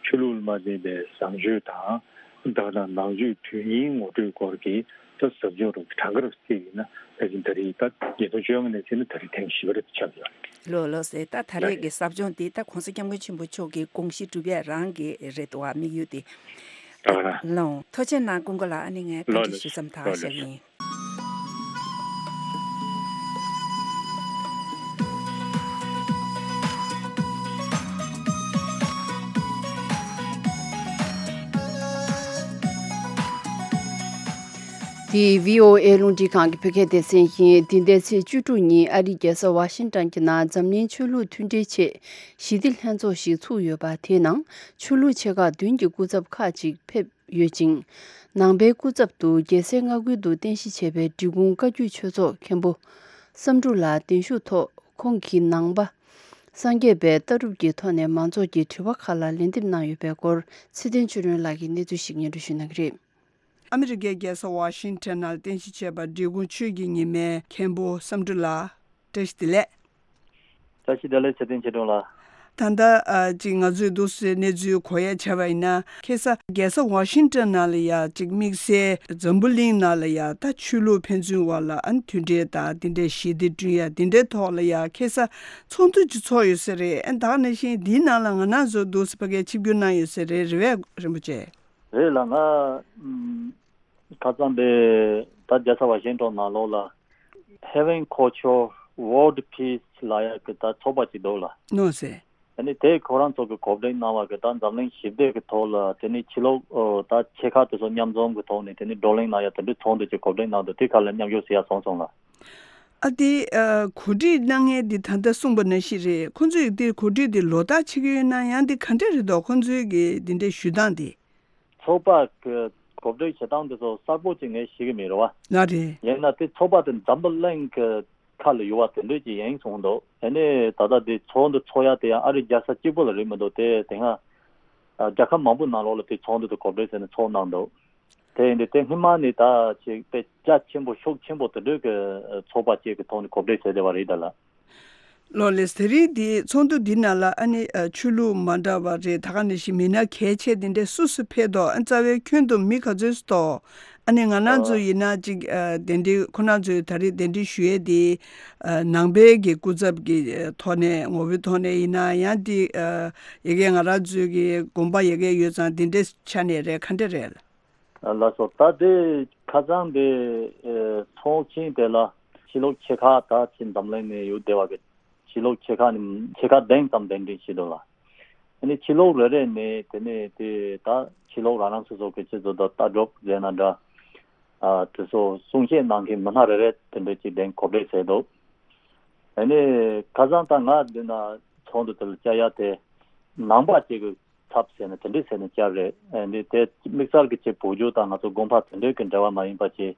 ཆོས་ལུགས་ལ་མ་ལྟོས་པའི་བཟང་སྤྱོད་དང་ད་ག་ནང་ཆོས་དོན་སྙིང་ངོ་སྤྲོད་སྐོར་གྱི་ད་ ད་ཟབ་སྦྱོང་རུ་གྲངས་ཀ་རུ་བརྩིས་ཡིན་ན་ཕལ་ཆེར་ད་རེས་ད་ཉིས་སྟོང་བཅོ་ལྔ་ནས་བརྩིས་ན་ད་རེས་ཐེངས་བཞི་པ་རེད་ཆགས་ཡོད་རེད། ལོ་ལོ་ཟེར་ད་ད་རེས་ཀྱི་ཟབ་སྦྱོང་འདི་ད་༸གོང་ས་༸སྐྱབས་མགོན་ཆེན་པོ་མཆོག་གི་དགོངས་གཞི་སྒྲུབ་ཡས་རང་གི་རེད་འདུག་བ། དམིགས་ཡུལ་དེ། ཨ། ལོ། ཐུགས་རྗེ་གནང་། སྐུ་མགོ་ལགས། ཨ་ནི་ངས་བཀའ་ལོ་འདྲི་ཞུ་ལོ་མཚམས་ཐག་ལོ་ལོ་བཞག་ཡིན། འདི་བྷི་ཨོ་ཨེ་རླུང་འཕྲིན་ཁང་གི་བོད་སྐད་སྡེ་ཚན་ཡིན། འདི་ཟླའི་ཚེས་བཅུ་དྲུག་ཉིན་ཨ་རིའི་རྒྱལ་ས་ཝ་ཤིང་ཊོན་གྱི་ནང་འཛམ་གླིང་ཆོས་ལུགས་མཐུན་སྒྲིལ་ཆེད་ཞི་བདེ་ལྷན་ཚོགས་ཤིག་ཚུགས་ཡོད་པ། དེའི་ནང་ཆོས་ལུགས་ཆེ་ཁག་བདུན་གྱི་སྐུ་ཚབ་ཁག་ཅིག་ཕེབས་ཡོད་ཅིང་། ནང་པའི་སྐུ་ཚབ་ཏུ་རྒྱལ་སའི་མངའ་ཁུལ་དུ་རྟེན་གཞི་བྱས་པའི་འབྲི་གུང་བཀའ་བརྒྱུད་ཆོས་ཚོགས་མཁན་པོ་བསམ་འགྲུབ་ལགས་གདན་ཞུ་ཐོག་ཁོང་གིས་ནང་པ་སངས་རྒྱས་པའི་ལྟ་གྲུབ་ཀྱི་ཐོག་ནས་མང་ཚོགས་ཀྱི་དྲི་བ་ཁག་ལ་ལན་འདེབས་གནང་ཡོད་པའི་སྐོར་ཚེ་བརྟན་ཆོས་སྒྲོན་ལགས་ཀྱིས་གནས་ཚུལ་ཞིག་སྙན་སྒྲོན་ཞུ་གནང་གི་རེད། ཨ་མི་རི་ཀའི་རྒྱལ་ས་ཝ་ཤིང་ཊོན་ནང་རྟེན་གཞི་བྱས་པ་འབྲི་གུང་ཆོས་ཀྱི་ཉི་མའི་མཁན་པོ་བསམ་འགྲུབ་ལགས། བཀྲ་ཤིས་བདེ་ལེགས། བཀྲ་ཤིས་བདེ་ལེགས། ཚེ་བརྟན་ཆོས་སྒྲོན་ལགས། ད་ལྟ་ཨ་ཅིག་ང་ཚོས་འདུག་སེ་གནས་ཚུལ་གོ་ཡ་བྱས་པ་ཡིན་ན། ཁ་སང་རྒྱལ་ས་ཝ་ཤིང་ཊོན་ནང་ལ་ཡ་ཅིག་དམིགས་བསལ་འཛམ་བུ་གླིང་ནང་ལ་ཡ་ད་ཆོས་ལུགས་ཕན་ཚུན་བར་ལ་ཨ་མཐུན་འབྲེལ་དང་དེ་འདྲའི་ཞི་བདེ་བསྐྲུན་ཡ་དེ་འདྲའི་ཐོག་ལ་ཡ་ཁ་སང་ཚོགས་འདུ་ཅིག་ཚོགས་ཡོད་ས་རེད། ཨ་ད་ག་ནང་བཞིན་འདིའི་ནང་ལ་ང་རང་ཚོ་འདུག་སེ་ཕ་གིར་ཆིབས་བསྒྱུར་གནང་ཡོད་ས་རེད། རེད་པས་རིན་པོ་ཆེ། རེད་ལགས། ང་ཨམ་ཁ་སང་དེ་ད་རྒྱལ་ས་ཝ་ཤིང་ཊོན་ནང་ལོགས་ལ་Having Culture World Peace ལབ་ཡག་གི་ད་ཚོགས་པ་ཅིག་འདུག་ལགས། ནོ་སེ། ཨ་ནི་དེ་ཁོ་རང་ཚོ་གི་གོ་སྒྲིག་གནང་བ་གི་ད་འཛམ་གླིང་ཞི་བདེ་གི་ཐོག་ལ་དེ་ནི་ཕྱི་ལོགས་ཨོ་ད་ཆེ་ཁག་དེ་ཚོ་མཉམ་འཛོམས་གི་ཐོག་ནས་དེ་ནི་བགྲོ་གླེང་གནང་ཡ་དེ་འདྲའི་ཚོགས་འདུ་ཅིག་གོ་སྒྲིག་གནང་འདུག་དེ་ཁ་ལ་མཉམ་ཞུགས་ཟེར་ཡ་སོང་སོང་ལགས། ཨ་དེ་ཨ་གོ་སྒྲིག་གནང་མཁན་དེ་ད་ལྟ་གསུངས་པ་ནང་བཞིན་རེད། ཁོང་ཚོས་དེ་གོ་སྒྲིག་དེ་ལོ་ལྟར་བྱེད་ཀྱི་ཡོད་ན། ཡང་དེ་ག་འདྲ་རེད་འདུག་ཁོང་ཚོའི་གི་དེ་འདྲའི་ཞུ་སྟངས་དེ། ཚོགས་པ་གི་གོ་སྒྲིག་བྱེད་སྟངས་དེ་ཚོ་གསལ་པོ་ཅིག་ངས་ཤེས་ཀྱི་མེད་རེད་བ། ང་རེད། ཡིན་ན་དེ་ཚོགས་པ་དེ་འཛམ་བུ་གླིང་གི་ཁ་ལ་ཡོད་པ་དེ་འདྲས་ཅིག་ཡིན་གསུངས་འདུག་ཨ་ནི་ད་ལྟ་དེ་ཚོགས་འདུ་ཚོགས་ཡ་དེ་ཡང་ཨ་རི་རྒྱལ་ས་གཅིག་པུ་ལ་རེད་མི་འདུག་དེ་དེ་སྔ་ཨ་རྒྱལ་ཁབ་མང་པོའི་ནང་ལོགས་ལ་དེ་ཚོགས་འདུ་དེ་གོ་སྒྲིག་བྱས་ནས་ཚོགས་གནང་འདུག་དེ་ཡིན་དུས་དེ་སྔོན་མ་ནས་ད་ཅིག་དཔེ་རྒྱ་ཆེན་པོ་ཤུགས་ཆེན་པོ་དེ་འདྲས་ཀྱི་ཚོགས་པ་ཅིག་གི་ཐོག་ནས་གོ་སྒྲིག་བྱས་བསྡད་པ་རེད་ད་ལགས། ལོ་ལེགས། དེ་རིང་འདི་ཚོགས་འདུ་འདི་ནང་ལ་ཨ་ནི་ཨ་ཆོས་ལུགས་མ་འདྲ་བ་རེད། ད་ག་ནང་བཞིན་མི་སྣ་གལ་ཆེ་དེ་འདྲས་སུ་སུ་ཕེབས་འདུག་ཨ་རྩ་བའི་ཁྱོན་བསྡོམས་མི་ག་ཚོད་ཙམ་འདུག་ཨ་ནི་ང་རང་ཚོ་ཡིན་ན་ཅིག་ཨ་གདན་འདྲེན་ཁོ་རང་ཚོས་ད་རེས་གདན་འདྲེན་ཞུ་ཡས་དེ་ཨ་ནང་པའི་གི་སྐུ་ཚབ་ཀྱི་ཨ་ཐོག་ནས་ངོ་བོའི་ཐོག་ནས་ཡིན་ན། ཡང་དེ་ཨ་ཡ་གི་ང་རང་ཚོའི་གི་དགོན་པ་ཡ་གི་ཡོད་ཙང་དེ་འདྲས་ཆ་ནས་རེད། ག་འདྲས་རེད། ལགས་སོ། ད་དེ་ཁ་སང་དེ་ཨེ་ཚོགས་ཆེན་དེ་ལ་ཕྱི་ལོགས་ཆེ་ཁག་ད་ཕྱི་འཛམ་གླིང་ནས་ཡོད་བསྡད་པ་གི་ཕྱི་ལོགས་ཆེ་ཁག་ནས་ཆེ་ཁག་བདུན་ཙམ་གདན་འདྲེན་བྱས་འདུག་ལགས། ཨ་ནི་ཕྱི་ལོགས་རེ་རེ་ནས་དེ་ནས་དེ་ད་ཕྱི་ལོགས་རང་རང་སོ་སོ་གི་ཆེད་དུ་ད་ལྟ་གྲུབ་ཟེར་ན་འདྲ། ཨ་དེ་ཚོ་གསུང་བཤད་གནང་མཁན་མི་སྣ་རེ་རེ་དེ་འདྲ་ཅིག་གདན་གོ་སྒྲིག་བྱས་འདུག་ཨ་ནི་ཁ་སང་ད་ང་འདི་ན་ཚོགས་འདུ་དེ་ལ་བཅར་ཡ་དེ་ནང་པ་ཅིག་གི་ཚབ་ཟེར་ནས་དེ་འདྲས་ཟེར་ནས་བཅར་རེད། ཨ་ནི་དེ་དམིགས་བསལ་གྱི་ཆེད་བོད་བརྒྱུད་དང་ང་ཚོ་དགོན་པ་དེ་འདྲས་ཀྱི་འབྲེལ་བ་མ་ཡིན་པ་བྱས།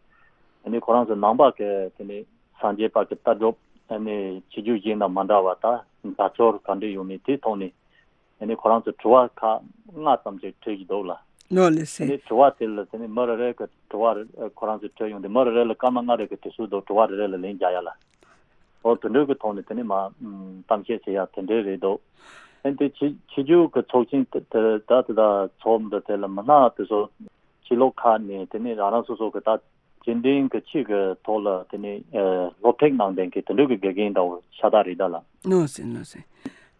ཨ་ནི་ཁོ་རང་ཚོ་ནང་པ་གི་དེ་ནས་སངས་རྒྱས་པ་གི་ལྟ་གྲུབ་ཨ་ནི་ཆོས་བརྒྱུད་གཞན་དང་མ་འདྲ་བ་ད་དགའ་ཚོར་ག་འདྲས་ཡོད་མེད་དེའི་ཐོག་ནས་ཨ་ནི་ཁོ་རང་ཚོ་དྲི་བ་ཁག་ལྔ་ཙམ་ཞིག་དྲིས་ཀྱི་འདུག་ལ། ནོ་ལེ་ཨ་སེ། ནི་དྲི་བ་དེ་ལ་དེ་ནས་མི་རེ་རེ་གི་དྲི་བ་རེ་ཁོ་རང་ཚོས་དྲིས་ཡོང་དུས་མི་རེ་རེ་ལ་སྐར་མ་ལྔ་རེ་གི་དུས་ཚོད་འདུག་དྲི་བ་རེ་རེ་ལ་ལན་རྒྱག་ཡ་ལ། འོ་དེ་འདྲའི་གི་ཐོག་ནས་དེ་ནས་མ་ཨམ་གཏམ་བཤད་བྱེད་ཡ་དེ་འདྲའི་རེད་འདུག་ཨ་ནི་དེ་ཕྱི་ཕྱི་རྒྱལ་གི་ཚོགས་ཆེན་དེ་དེ་ད་དེ་ད་ཚོགས་འདུ་དེ་ལ་མི་སྣ་དེ་ཚོ་ཕྱི་ལོགས་ཁག་ནས་དེ་ནས་རང་རང་སོ་སོ་གི་ད་སྤྱི་འཐུས་གི་ཕྱི་གི་ཐོག་ལ་དེ་ནས་ཨ་སློབ་ཁྲིད་གནང་མཁན་གི་དེ་འདྲའི་གི་དགེ་རྒན་འདྲ་བོ་ཤ་སྟག་རེད་ད་ལ། ནོ་སེ་ནོ་སེ།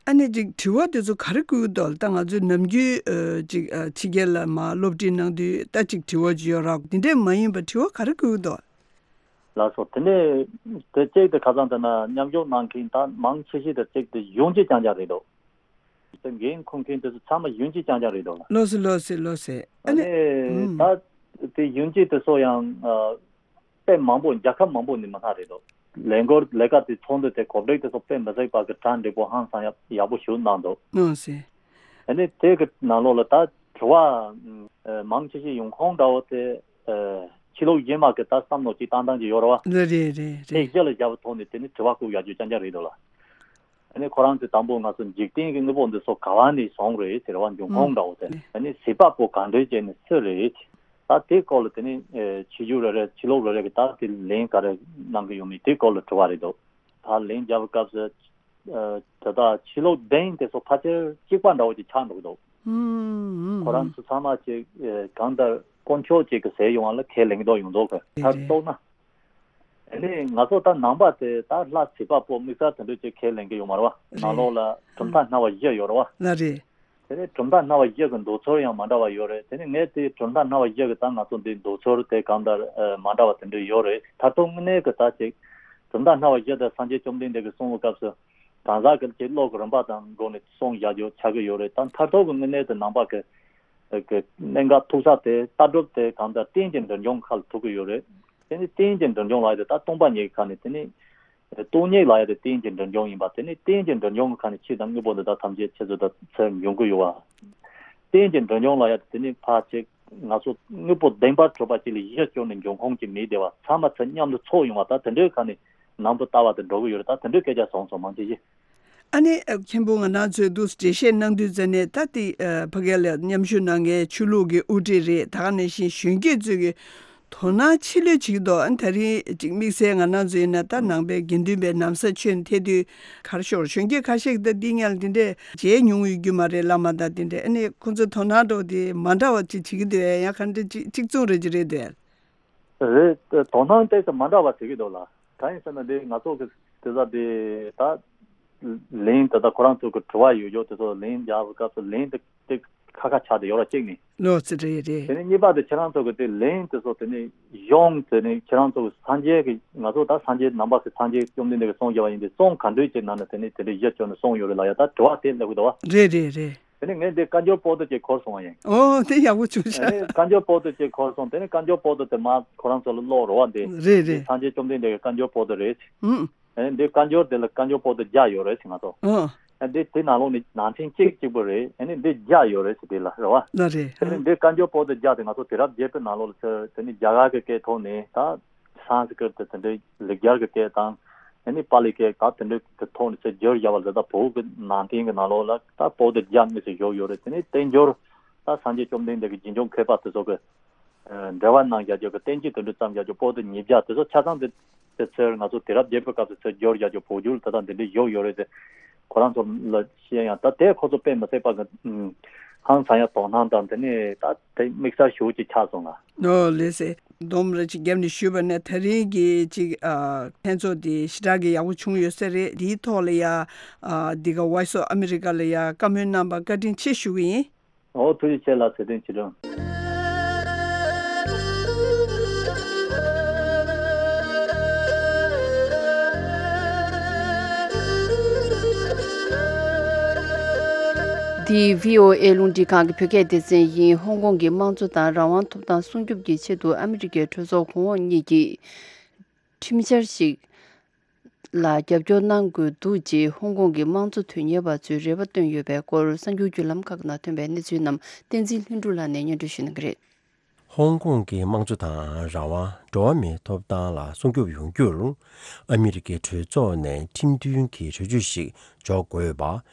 ཨ་ནི་ཅིག་དྲི་བ་དེ་ཚོ་ག་རེ་བཀོད་འདུག་ད་ང་ཚོའི་ནམ་རྒྱུན་ཨ་ཅིག་ཨ་ཕྱི་རྒྱལ་ལ་མ་སློབ་ཁྲིད་གནང་དུས་ད་ཅིག་དྲི་བ་ཅིག་ཡོད་ར། དེ་འདྲས་མ་ཡིན་པ་དྲི་བ་ག་རེ་བཀོད་འདུག་ལགས་སོ། དེ་ནས་དེ་གཅིག་དེ་ཁ་སང་དེ་ན་མཉམ་ཞུགས་གནང་མཁན་ད་མང་ཆེ་ཤོས་དེ་གཅིག་དེ་གཞོན་སྐྱེས་རྐྱང་རྐྱང་རེད་འདུག་དེ་འགན་འཁུར་མཁན་དེ་ཚོ་ཚང་མ་གཞོན་སྐྱེས་རྐྱང་རྐྱང་རེད་འདུག་ལ། ལོ་སི་ལོ་སི་ལོ་སི། ཨ་ཨ་ནི་ནི་ཨུམ། ད་དེ་གཞོན་སྐྱེས་དེ་ཚོ་ཡང་ཨ་དཔེ་མང་པོ་རྒྱལ་ཁབ་མང་པོ་ནས་མི་སྣ་རེད་འདུག་ལས་འགུལ་ལས་ཀ་དེ་ཚོགས་འདུ་དེ་གོ་སྒྲིག་དེ་ཚོ་དཔེ་མི་སྲིད་པ་གི་གྲ་འགྲིག་པོ་ཧང་སང་ཡག་ཡག་པོ་ཞིག་གནང་འདུག་ལོ་སི། ཨ་ནི་དེ་གི་ནང་ལོགས་ལ་ད་དྲི་བ་ཨ་མང་ཆེ་ཤོས་ཡོང་ཁུངས་འདྲ་བོ་དེ་ཨ་ཕྱི་ལོགས་གཞན་མ་གི་ད་བསམ་བློ་ཅིག་བཏང་སྟངས་ཅིག་ཡོད་རེད་བ། རེད་རེད་རེད་དེ་རེད། གཞི་ལ་བཞག་པའི་ཐོག་ནས་དེ་ནི་དྲི་བ་བཀོད་ཡག་རྒྱུ་རྐྱང་རྐྱང་རེད་འདུག་ལ། ཨ་ནི་ཁོ་རང་ཚོས་དང་པོ་ང་ཚོ་འཇིག་རྟེན་གྱི་དངོས་པོ་འདི་ཚོ་ག་བ་ནས་བྱུང་རེད་ཟེར་བ་འབྱུང་ཁུངས་འདྲ་བོ་དེ། ཨ་ནི་བྱེད་པ་པོ་གང་འདྲས་བྱས་ནས་སུ་རེད། ད་དེ་སྐོར་ལ་དེ་ནི་ཨེ་ཕྱི་རྒྱལ་རེ་རེ་ཕྱི་ལོགས་རེ་རེ་གི་ད་དེ་ལན་ག་རེ་གནང་གི་ཡོད་མེད་དེ་སྐོར་ལ་དྲི་བ་རེད་འདུག་ད་ལན་རྒྱབ་སྐབས་སུ་ཨེ་ད་ལྟ་ཕྱི་ལོགས་གདན་དེ་ཚོ་ཕལ་ཆེར་གཅིག་པ་འདྲ་བོ་ཅིག་ཆགས་འགྲོ་གི་འདུག་ཧུམ་ཧུམ། ཁོ་རང་ཚོ་ཚང་མ་ཅིག་ཨེ་གང་ལྟར་ དཀོན་མཆོག་ཅིག་གི་ཟེར་ཡོང་བ་ལ་ཁས་ལེན་གྱི་འདུག་ཡོངས་རྫོགས་ཀྱི། རེད་མཐར་རེད། གཏུགས་ན། ཨ་ནི་ང་ཚོ་ད་ནང་པ་དེ་ད་ལྷ་བྱིས་པ་པོ་དམིགས་བསལ་དེ་འདྲ་ཅིག་ཁས་ལེན་གྱི་ཡོད་མ་རེད་བ། ནང་ལོགས་ལ་གྲུབ་མཐའ་སྣ་བ་བཞི་ཡོད་རེད་བ། ལ་རེད། དེ་ནས་གྲུབ་མཐའ་སྣ་བ་བཞི་གི་འདོད་ཚུལ་ཡང་མ་འདྲ་བ་ཡོད་རེད། དེ་ནས་ངས་དེ་གྲུབ་མཐའ་སྣ་བ་བཞི་གི་ད་ང་ཚོ་འདི་འདོད་ཚུལ་དེ་གང་ལྟར་ཨ་མ་འདྲ་བ་དེ་འདྲ་ཡོད་རེད། མཐར་ཐུག་དངོས་གནས་ཀྱི་ད་ཅིག་གྲུབ་མཐའ་སྣ་བ་བཞི་དེ་སངས་རྒྱས་བཅོམ་ལྡན་འདས་ཀྱིས་གསུངས་པའི་སྐབས་སུ་གང་ཟག་གི་ཅིག་བློ་གི་རིམ་པ་དང་སྒོ་ནས་གསུངས་བཞག་རྒྱུ་ཆགས་ཀྱི་ཡོད་རེད། ད་མཐར་ཐུག་གི་དངོས་གནས་དེ་ནང་པ་གི་གི་གནད་འགག་ཐུག་ས་དེ་ལྟ་གྲུབ་དེ་གང་ལྟར་རྟེན་གྱི་འབྲིང་ཆུང་ཁ་ལ་ཐུག་གི་ཡོད་རེད། དེ་ནི་རྟེན་གྱི་འབྲིང་ཆུང་ལབ་ཡ་དེ་ད་སྟོང་པ་ཉིད་ཀྱི་ཁ་ནས། དེ་ནི་སྟོང་ཉིད་ལབ་ཡ་དེ་རྟེན་གྱི་འབྲིང་ཆུང་ཡིན་པ། དེ་ནི་རྟེན་གྱི་འབྲིང་ཆུང་གི་ཁ་ནས་ཕྱི་དང་དངོས་པོ་འདི་དག་ཐམས་ཅད་ཆེད་དུ་ད་ཚེ་འབྱུང་གི་ཡོད་བ། རྟེན་གྱི་འབྲིང་ཆུང་ལབ་ཡ་དེ་ནི་ཕར་ཅིག་ང་ཚོ་དངོས་པོ་བདེན་པར་གྲུབ་པ་ཅིག་ལ་གཞི་བཅོལ་ནས་འབྱུང་ཁུངས་ཀྱི་མི་བདེ་བ་ཚང་མ་ཚེ་མཉམ་དུ་ཚོགས་ཡོང་བ། ད་དེ་འདྲའི་ཁ་ནས་ནང་དུ་ལྟ་བ་དེ་འགྲོ་གི་ཡོད་རེད། ད་དེ་འདྲའི་སྐད་ཆ་སོང་སོང་མང་ཆེ་ཡིན། ཨ་ནི་ཨ་མཁན་པོ་ང་རང་ཚོས་འདུག་འགྲེལ་བཤད་གནང་དུས་ཙ་ནས་ད་དེ་ཨ་ཕ་གི་ལ་མཉམ་ཞུགས་གནང་མཁན་ཆོས་ལུགས་ཀྱི་དབུ་ཁྲིད་རེད། ད་ག་ནང་བཞིན་གཞོན་སྐྱེས་ཚོས་ཀྱི་དོ་སྣང་ཆེ་ལོས་བྱེད་ཀྱི་འདུག་ཨ་ནི་དེ་རིང་ཅིག་དམིགས་བསལ་ང་རང་ཚོ་ཡིན་ན་ད་ནང་པའི་དགེ་འདུན་པའི་ན་བཟའ་ཆོས་ཐད་དུས་ག་རེ་ཤོར། གཞོན་སྐྱེས་ཁ་ཤས་ཀྱིས་ད་འདི་སྔོན་ལ་འདི་འདྲས་མཇལ་མྱོང་ཡོད་རྒྱུ་མ་རེད། བླ་མ་དང་འདི་འདྲས། ཨ་ནི་ཁོང་ཚོའི་དོ་སྣང་འདྲ་བོ་དེ་མ་འདྲ་བ་ཅིག་བྱེད་ཀྱི་འདུག་ཨ། ཡང་ག་འདྲ་ཅིག་གཅིག་མཚུངས་རེད་ཀྱི་རེད་འདུག་ཨ། རེད། དོ་སྣང་ཏོག་ཙམ་མ་འདྲ་བ་བྱེད་ཀྱི་འདུག་ལ། གང་ཡིན་ཟེར་ན་འདི་ང་ཚོ་གི་དེ་ཚོ་དེ་ད་ལན་དེ་ད་ཁོ་རང་ཚོ་གི་དྲི་བ་ཡོད་ཡོད་དེ་ཚོ་ལན་རྒྱག་པའི་སྐབས་སུ་ལན་དེ་དེ་ཁ་ཁ་ཆགས་དེ་ཡོད་ར་གཅིག་ནི། ལོ་ཙི་རེད་རེད། དེ་ནས་གཉིས་པ་དེ་ཁྱེད་རང་ཚོ་གི་དེ་ལན་དེ་ཚོ་དེ་ནས་ཡོང་དེ་ནས་ཁྱེད་རང་ཚོ་གི་སངས་རྒྱས་ཀྱི་ང་ཚོ་ད་སངས་རྒྱས་ནང་པ་གི་སངས་རྒྱས་བཅོམ་ལྡན་འདས་ཀྱི་གསུང་བརྒྱབ་པ་ཡིན་དེ་གསུང་ག་འདྲ་ཅིག་ནང་ནས་དེ་ནས་དེ་འདྲ་གཞི་བཅོལ་ནས་གསུང་ཡོད་རེད་ལ། ཡ་ད་དྲི་བ་དེ་སླེབས་ཀྱི་འདུག་བ། རེད་རེད་རེད། དེ་ནས་ངས་འདི་བཀའ་འགྱུར་པོ་ཏོ་ཅིག་འཁུར་སོང་བ་ཡིན། ཨོ་དེ་ཡག་པོ་བྱུང་ཤག་ཨ་ནི་བཀའ་འགྱུར་པོ་ཏོ་ཅིག་འཁུར་སོང་། དེ་ནས་བཀའ་འགྱུར་པོ་ཏོ་དེ་མ་ཁོ་རང་ཚོ་ལ་ཀློག་རོགས་བ། འདི་རེད་འདི་རེད། སངས་རྒྱས་བཅོམ་ལྡན་འདས་ཀྱི་བཀའ་འགྱུར་པོ་ཏོ་རེད། ཨུམ། ཨ་ནི་འདི་བཀའ་འགྱུར་དེ་ལ་བཀའ་འགྱུར་པོ་ཏོ་བརྒྱ་ཡོད་རེད་ཟེར་ང་ཚོ། ཨོ། ཨ་འདི་དེ་ནང་ལོགས་ནས་ནང་ཚན་གཅིག་གཅིག་པོ་རེད། ཨ་ནི་འདི་བརྒྱ་ཡོད་རེད་ཟེར་དེ་ལ་རེད་བ། ལ་རེད། དེ་ནས་འདི་བཀའ་འགྱུར་པོ་ཏོ་བརྒྱ་དེ་ང་ཚོ་དུས་རབས་བརྒྱད་པའི་ནང་ལོགས་ལ་ཚུར་དེ་ནི་རྒྱ་གར་གྱི་སྐད་ཐོག་ནས་ད། སཾ་སྐྲྀ་ཏ་དེ་འདྲའི་ལེགས་སྦྱར་གྱི་སྐད་དང་། ཨ་ནི་པཱ་ལི་སྐད་ད་དེ་འདྲའི་གི་ཐོག་ནས་ཚུར་བསྒྱུར་བཞག་པ་ལ་ད་བོད་ཀྱི་ནང་བསྟན་གྱི་ནང་ལོགས་ལ་ད་པོ་ཏི་བརྒྱ་དངོས་སུ་བཞུགས་ཡོད་རེད། དེ་ནས་བསྟན་འགྱུར་ད་སངས་རྒྱས་བཅོམ་ལྡན་འདས་ཀྱི་རྗེས་འཇུག་མཁས་པ་དེ་ཚོ་གི་འགྲེལ་པ་གནང་བཞག་རྒྱུ་གི་བསྟན་བཅོས་དེ་འདྲ་བརྩམས་བཞག་རྒྱུ་པོ་ཏི་ཉིས་བརྒྱ་དེ་ཚོ་ཆ་ཚང་དེ་དེ་ཚོར་ང་ཚོ་དུས་རབས་བརྒྱད་པའི་སྐབས་སུ་ཚུར་བསྒྱུར་བཞག་རྒྱུ་བོད་བསྒྱུར་དེ་དང་དེ་འདྲ་བཞུགས་ཡོད་རེད་དེ། ཁོ་རང་ཚོ་ལ་བཤད་ཡང་ད་དེ་ཁོ་ཚོ་དཔེ་མི་སྲིད་པ་གི་ཧང་སང་ཡ་དོ་སྣང་དང་དེ་ནས་ད་དེ་དམིགས་བསལ་ཞེ་པོ་ཅིག་ཆགས་སོང་ལ། ཨོ་ལགས་སེ། སྡོམ་ར་ཅིག་བརྒྱབ་ནས་ཞུས་པ་ནས་ད་རིང་གི་ཅིག་ཨ་ལྷན་ཚོགས་འདི་ཞེ་དྲག་གི་ཡག་པོ་བྱུང་ཡོད་ས་རེད། འདིའི་ཐོག་ལ་ཡ་ཨ་འདི་ག་Voice of America ལ་ཡ་བཀའ་མོལ་གནང་བར་བཀའ་དྲིན་ཆེ་ཞུ་གི་ཡིན། ཨོ་ཐུགས་རྗེ་ཆེ་ལགས། ཚེ་བརྟན་ཆོས་སྒྲོན། འདི་བྷི་ཨོ་ཨེ་རླུང་འཕྲིན་ཁང་གི་བོད་སྐད་སྡེ་ཚན་ཡིན། ཧོང་ཀོང་གི་དམངས་གཙོ་དང་རང་དབང་ཐོབ་ཐང་སྲུང་སྐྱོབ་ཀྱི་ཆེད་དུ་ཨ་མི་རི་ཀའི་གྲོས་ཚོགས་གོང་འོག་གཉིས་ཀྱིས་ཁྲིམས་འཆར་ཞིག་ལ་རྒྱབ་སྐྱོར་གནང་དགོས་འདུག་ཅེས་ཧོང་ཀོང་གི་དམངས་གཙོ་དོན་གཉེར་བ་ཚོས་རེ་བ་བཏོན་ཡོད་པའི་སྐོར་གསར་འགྱུར་བརྒྱུད་ལམ་ཁག་ནང་ཐོན་པའི་གནས་ཚུལ་རྣམས་བསྟན་འཛིན་ལྷུན་གྲུབ་ལགས་ནས་སྙན་སྒྲོན་ཞུ་གནང་གི་རེད། ཧོང་ཀོང་གི་དམངས་གཙོ་དང་རང་དབང་། འགྲོ་བ་མིའི་ཐོབ་ཐང་ལ་སྲུང་སྐྱོབ་ཡོང་རྒྱུར་ཨ་མི་རི་ཀའི་གྲོས་ཚོགས་ནས་ཁྲིམས་མཐུན་གྱི་གྲོས་ཆོད་ཞིག་འཇོག་དགོས་པ།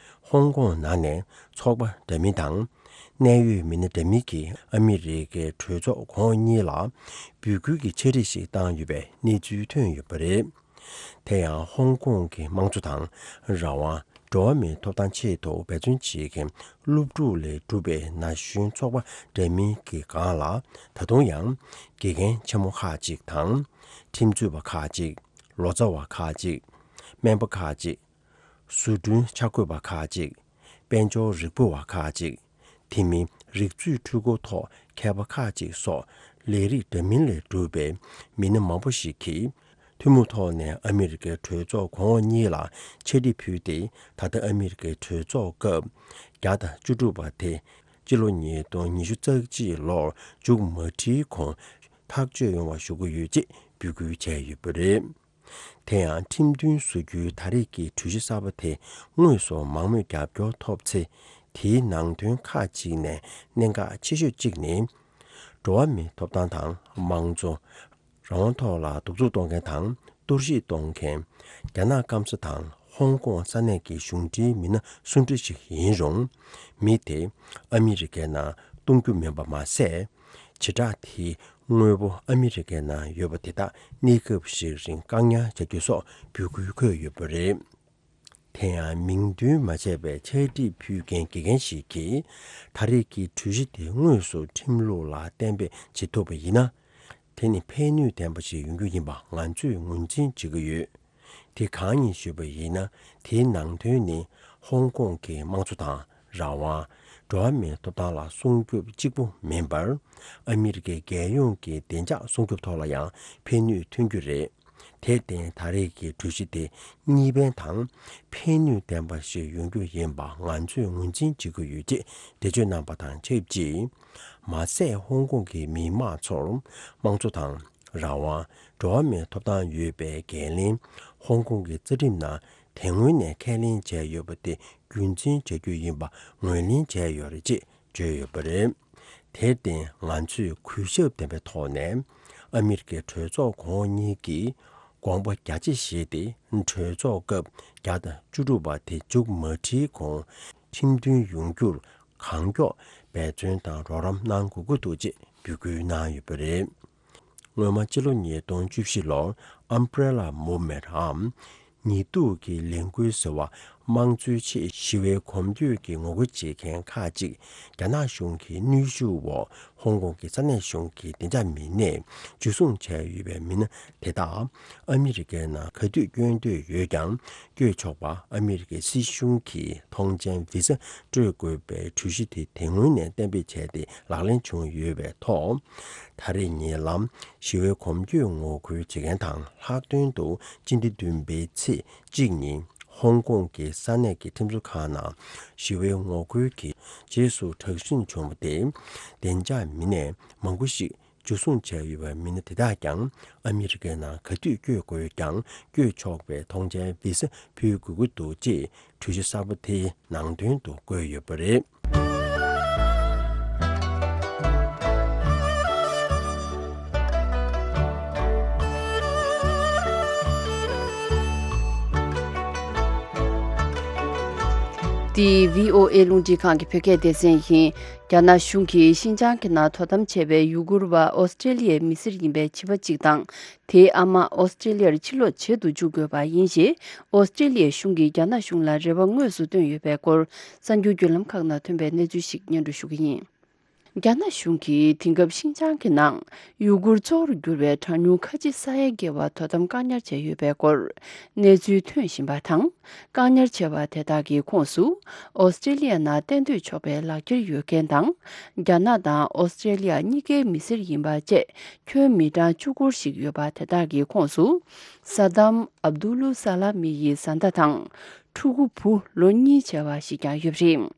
ཧོང་ཀོང་ནང་ནས་ཚོགས་པ་འདྲ་མིན་དང་གནད་ཡོད་མི་སྣ་འདྲ་མིན་གྱིས་ཨ་མི་རི་ཀའི་གྲོས་ཚོགས་གོང་འོག་གཉིས་ལ་འབོད་སྐུལ་གྱི་འཆར་གཞི་ཞིག་བཏང་ཡོད་པའི་གནས་ཚུལ་ཐོན་ཡོད་པ་རེད། དེ་ཡང་ཧོང་ཀོང་གི་དམངས་གཙོ་དང་རང་དབང་། འགྲོ་བ་མིའི་ཐོབ་ཐང་ཆེད་དུ་འབད་བརྩོན་བྱེད་མཁན་སློབ་ཕྲུག་ལས་གྲུབ་པའི་ན་གཞོན་ཚོགས་པ་འདྲ་མིན་གྱི་སྒང་ལ་ད་དུང་ཡང་དགེ་རྒན་ཆེན་མོ་ཁག་ཅིག་དང་། ཁྲིམས་རྩོད་པ་ཁག་ཅིག་ལོ་ཙཱ་བ་ཁག་ཅིག་སྨན་པ་ཁག་ཅིག་བཟོ་སྐྲུན་འཆར་འགོད་པ་ཁག་ཅིག་དཔལ་འབྱོར་རིག་པ་བ་ཁག་ཅིག་དེ་མིན་རིག་མཛོད་འཕྲུལ་འཁོར་ཐོག་མཁས་པ་ཁག་ཅིག་སོགས་ལས་རིགས་འདྲ་མིན་ལས་གྲུབ་པའི་མི་སྣ་མང་པོ་ཞིག་གིས། ཐུན་མོང་ཐོག་ནས་ཨ་མི་རི་ཀའི་གྲོས་ཚོགས་གོང་འོག་གཉིས་ལ་ཕྱག་བྲིས་ཕུལ་ཏེ། ད་ལྟ་ཨ་མི་རི་ཀའི་གྲོས་ཚོགས་སྐབས་བརྒྱ་དང་བཅུ་དྲུག་པ་དེ་སྤྱི་ལོ་ཉིས་སྟོང་ཉི་ཤུ་རྩ་གཅིག་ལོར་མཇུག་མ་སྒྲིལ་གོང་ཐག་གཅོད་ཡོང་བ་ཞུ་གི་ཡོད་ཅེས་འབོད་སྐུལ་བྱས་ཡོད་པ་རེད། དེ་ཡང་ཁྲིམས་མཐུན་བཟོ་རྒྱུའི་ད་རེས་ཀྱི་གྲོས་གཞི་གསར་པ་དེ་དངོས་སུ་མང་མོས་རྒྱབ་སྐྱོར་ཐོབ་ཚེ། དེའི་ནང་དོན་ཁག་ཅིག་ནས་གནད་འགག་ཆེ་ཤོས་གཅིག་ནི། འགྲོ་བ་མིའི་ཐོབ་ཐང་དང་དམངས་གཙོ། རང་དབང་ཐོག་ལ་གདུག་རྩུབ་གཏོང་མཁན་དང་གཏོར་བཤིག་གཏོང་མཁན། རྒྱ་ནག་སྐམ་ས་དང་ཧོང་ཀོང་ས་གནས་ཀྱི་གཞུང་འབྲེལ་མི་སྣ་སུ་འདྲ་ཞིག་ཡིན་རུང་། མི་དེ་ཨ་མི་རི་ཀའི་ནང་གཏོང་རྒྱུ་མིན་པ་མ་ཟད། བྱེ་བྲག་དེའི་དངོས་པོ་ཨ་མི་རི་ཀའི་ནང་ཡོད་པ་དེ་དག་གནས་སྐབས་ཤིག་རིང་བཀག་ཉར་བྱ་རྒྱུ་སོགས་འབོད་སྐུལ་འཁོད་ཡོད་པ་རེད། དེ་ཡང་མིང་འདོན་མ་བྱས་པའི་ཕྱག་བྲིས་ཕུལ་མཁན་དགེ་རྒན་ཞིག་གིས། ད་རེས་ཀྱི་གྲོས་གཞི་དེ་དངོས་སུ་ཁྲིམས་ལུགས་ལ་གཏན་འབེབས་བྱེད་ཐུབ་པ་ཡིན་ན། དེ་ནི་ཕན་ནུས་ལྡན་པ་ཞིག་ཡོང་རྒྱུ་ཡིན་པ་ང་ཚོས་ངོས་འཛིན་བྱེད་ཀྱི་ཡོད། དེ་གང་ཡིན་ཞུས་པ་ཡིན་ན། དེའི་ནང་དོན་ནི་ཧོང་ཀོང་གི་དམངས་གཙོ་དང་། རང་དབང་། འགྲོ་བ་མིའི་ཐོབ་ཐང་ལ་སྲུང་སྐྱོབ་གཅིག་པུ་མིན་པར། ཨ་མི་རི་ཀའི་རྒྱལ་ཡོངས་ཀྱི་བདེ་འཇགས་སྲུང་སྐྱོབ་ཐོག་ལ་ཡང་ཕན་ནུས་ཐོན་རྒྱུ་རེད། དེར་བརྟེན། ད་རེས་ཀྱི་གྲོས་གཞི་དེ་གཉིས་ཕན་དང་ཕན་ནུས་ལྡན་པ་ཞིག་ཡོང་རྒྱུ་ཡིན་པ་ང་ཚོས་ངོས་འཛིན་བྱེད་ཀྱི་ཡོད་ཅེས་འགྲེལ་བརྗོད་གནང་བ་དང་ཆབས་ཅིག་མ་ཟད། ཧོང་ཀོང་གི་མི་དམངས་ཚོར་དམངས་གཙོ་དང་། རང་དབང་། འགྲོ་བ་མིའི་ཐོབ་ཐང་ཡོད་པའི་འགན་ལེན། ཧོང་ཀོང་གི་རྩ་ཁྲིམས་ནང་དེ་སྔོན་ནས་ཁས་ལེན་བྱས་ཡོད་པ་དེ་རྒྱུན་འཛིན་བྱ་རྒྱུ་ཡིན་པ་ངོས་ལེན་བྱས་ཡོད་རེད་ཅེས་བརྗོད་ཡོད་པ་རེད། དེར་བརྟེན། ང་ཚོས་གུས་ཞབས་ལྡན་པའི་ཐོག་ནས་ཨ་མི་རི་ཀའི་གྲོས་ཚོགས་གོང་འོག་གཉིས་ཀྱིས་དགོངས་པ་རྒྱ་ཆེ་བཞེས་ཏེ། གྲོས་ཚོགས་སྐབས་བརྒྱ་དང་བཅུ་དྲུག་པ་དེ་མཇུག་མ་སྒྲིལ་གོང་ཁྲིམས་མཐུན་ཡོང་རྒྱུར་གང་མགྱོགས་འབད་བརྩོན་དང་རོགས་རམ་གནང་དགོས་ཀྱི་འདུག་ཅེས་འབོད་སྐུལ་གནང་ཡོད་པ་རེད། སྔོན་མ་སྤྱི་ལོ་ཉིས་སྟོང་བཅུ་བཞི་ལོར་Umbrella Movement འམ་ཉི་གདུགས་ཀྱི་ལས་འགུལ་ཟེར་བ་དམངས་གཙོའི་ཆེད་ཞི་བའི་གོམ་བགྲོད་ཀྱི་ངོ་རྒོལ་བྱེད་མཁན་ཁག་ཅིག་རྒྱ་ནག་གཞུང་གི་གནོན་ཤུགས་འོག་ཧོང་ཀོང་གི་ས་གནས་གཞུང་གི་བདེ་འཇགས་མི་སྣས་འཇུ་བཟུང་བྱས་ཡོད་པའི་མི་སྣ་དེ་དག་ཨ་མི་རི་ཀའི་ནང་ག་དུས་བསྐྱོད་འདོད་ཡོད་ཀྱང་། བསྐྱོད་ཆོག་པ་ཨ་མི་རི་ཀའི་སྲིད་གཞུང་གིས་ཐོངས་མཆན་བི་ས་སྤྲོད་དགོས་པའི་གྲོས་གཞི་དེ་དེ་སྔོན་ནས་གཏན་འབེབས་བྱས་ཏེ་ལག་ལེན་བྱུང་ཡོད་པའི་ཐོག་ད་རེས་ཉེ་ལམ་ཞི་བའི་གོམ་བགྲོད་ངོ་རྒོལ་བྱེད་མཁན་དང་། ལྷག་དོན་དུ་སྤྱི་ཟླ་བདུན་པའི་ཚེས་གཅིག་ཉིན་ཧོང་ཀོང་གི་ས་གནས་ཀྱི་ཁྲིམས་བཟོ་ཁང་ནང་ཞི་བའི་ངོ་རྒོལ་གྱི་རྗེས་སུ་དྲག་ཟིང་བྱུང་བ་དེ། བདེ་འཇགས་མི་སྣས་མང་པོ་ཞིག་འཇུ་བཟུང་བྱས་ཡོད་པའི་མི་སྣ་དེ་དག་ཀྱང་ཨ་མི་རི་ཀའི་ནང་ག་དུས་བསྐྱོད་དགོས་ཀྱང་བསྐྱོད་ཆོག་པའི་ཐོངས་མཆན་བི་ས་ཕུལ་དགོས་ཀྱི་འདུག་ཅེས་གྲོས་གཞི་གསར་པ་དེའི་ནང་དོན་དུ་བཀོད་ཡོད་པ་རེད། འདི་བྷི་ཨོ་ཨེ་རླུང་འཕྲིན་ཁང་གི་བོད་སྐད་སྡེ་ཚན་ཡིན། རྒྱ་ནག་གཞུང་གིས་ཤིན་ཅང་གི་ནང་དོ་དམ་བྱས་པའི་ཡུ་གུར་བ་ཨོ་སི་ཀྲེ་ལི་ཡའི་མི་སེར་ཡིན་པའི་བྱིས་པ་གཅིག་དང་། དེའི་ཨ་མ་ཨོ་སི་ཀྲེ་ལི་ཡར་ཕྱིར་ལོག་བྱེད་དུ་འཇུག་དགོས་པ་ཡིན་ཞེས། ཨོ་སི་ཀྲེ་ལི་ཡའི་གཞུང་གིས་རྒྱ་ནག་གཞུང་ལ་རེ་བ་དངོས་སུ་བཏོན་ཡོད་པའི་སྐོར། གསར་འགྱུར་བརྒྱུད་ལམ་ཁག་ནང་ཐོན་པའི་གནས་ཚུལ་ཞིག་སྙན་སྒྲོན་ཞུ་གི་ཡིན། རྒྱ་ནག་གཞུང་གིས་དེང་སྐབས་ཤིན་ཅང་གི་ནང་ཡུ་གུར་གཙོ་བོར་གྱུར་པའི་གྲངས་ཉུང་ཁ་ཆེ་ས་ཡ་བརྒལ་བ་དོ་དམ་བཀག་ཉར་བྱས་ཡོད་པའི་སྐོར་གནས་ཚུལ་ཐོན་བཞིན་པ་དང་། བཀག་ཉར་བྱས་པ་དེ་དག་གི་ཁོངས་སུ་ཨོ་སི་ཀྲེ་ལི་ཡ་ནང་གཏན་སྡོད་ཆོག་པའི་ལག་འཁྱེར་ཡོད་མཁན་དང་། རྒྱ་ནག་དང་ཨོ་སི་ཀྲེ་ལི་ཡ་གཉིས་ཀའི་མི་སེར་ཡིན་པ་བཅས་ཁྱོན་མི་གྲངས་བཅུ་སྐོར་ཞིག་ཡོད་པ་དེ་དག་གི་ཁོངས་སུ། ས་དམ་ཨབ་དུ་ལུ་ས་ལ་མི་ཡི་བཟའ་ཟླ་དང་། ཕྲུ་གུ་བུ་ལོ་གཉིས་བྱས་པ་ཞིག་ཀྱང་ཡོད་པ་རེད།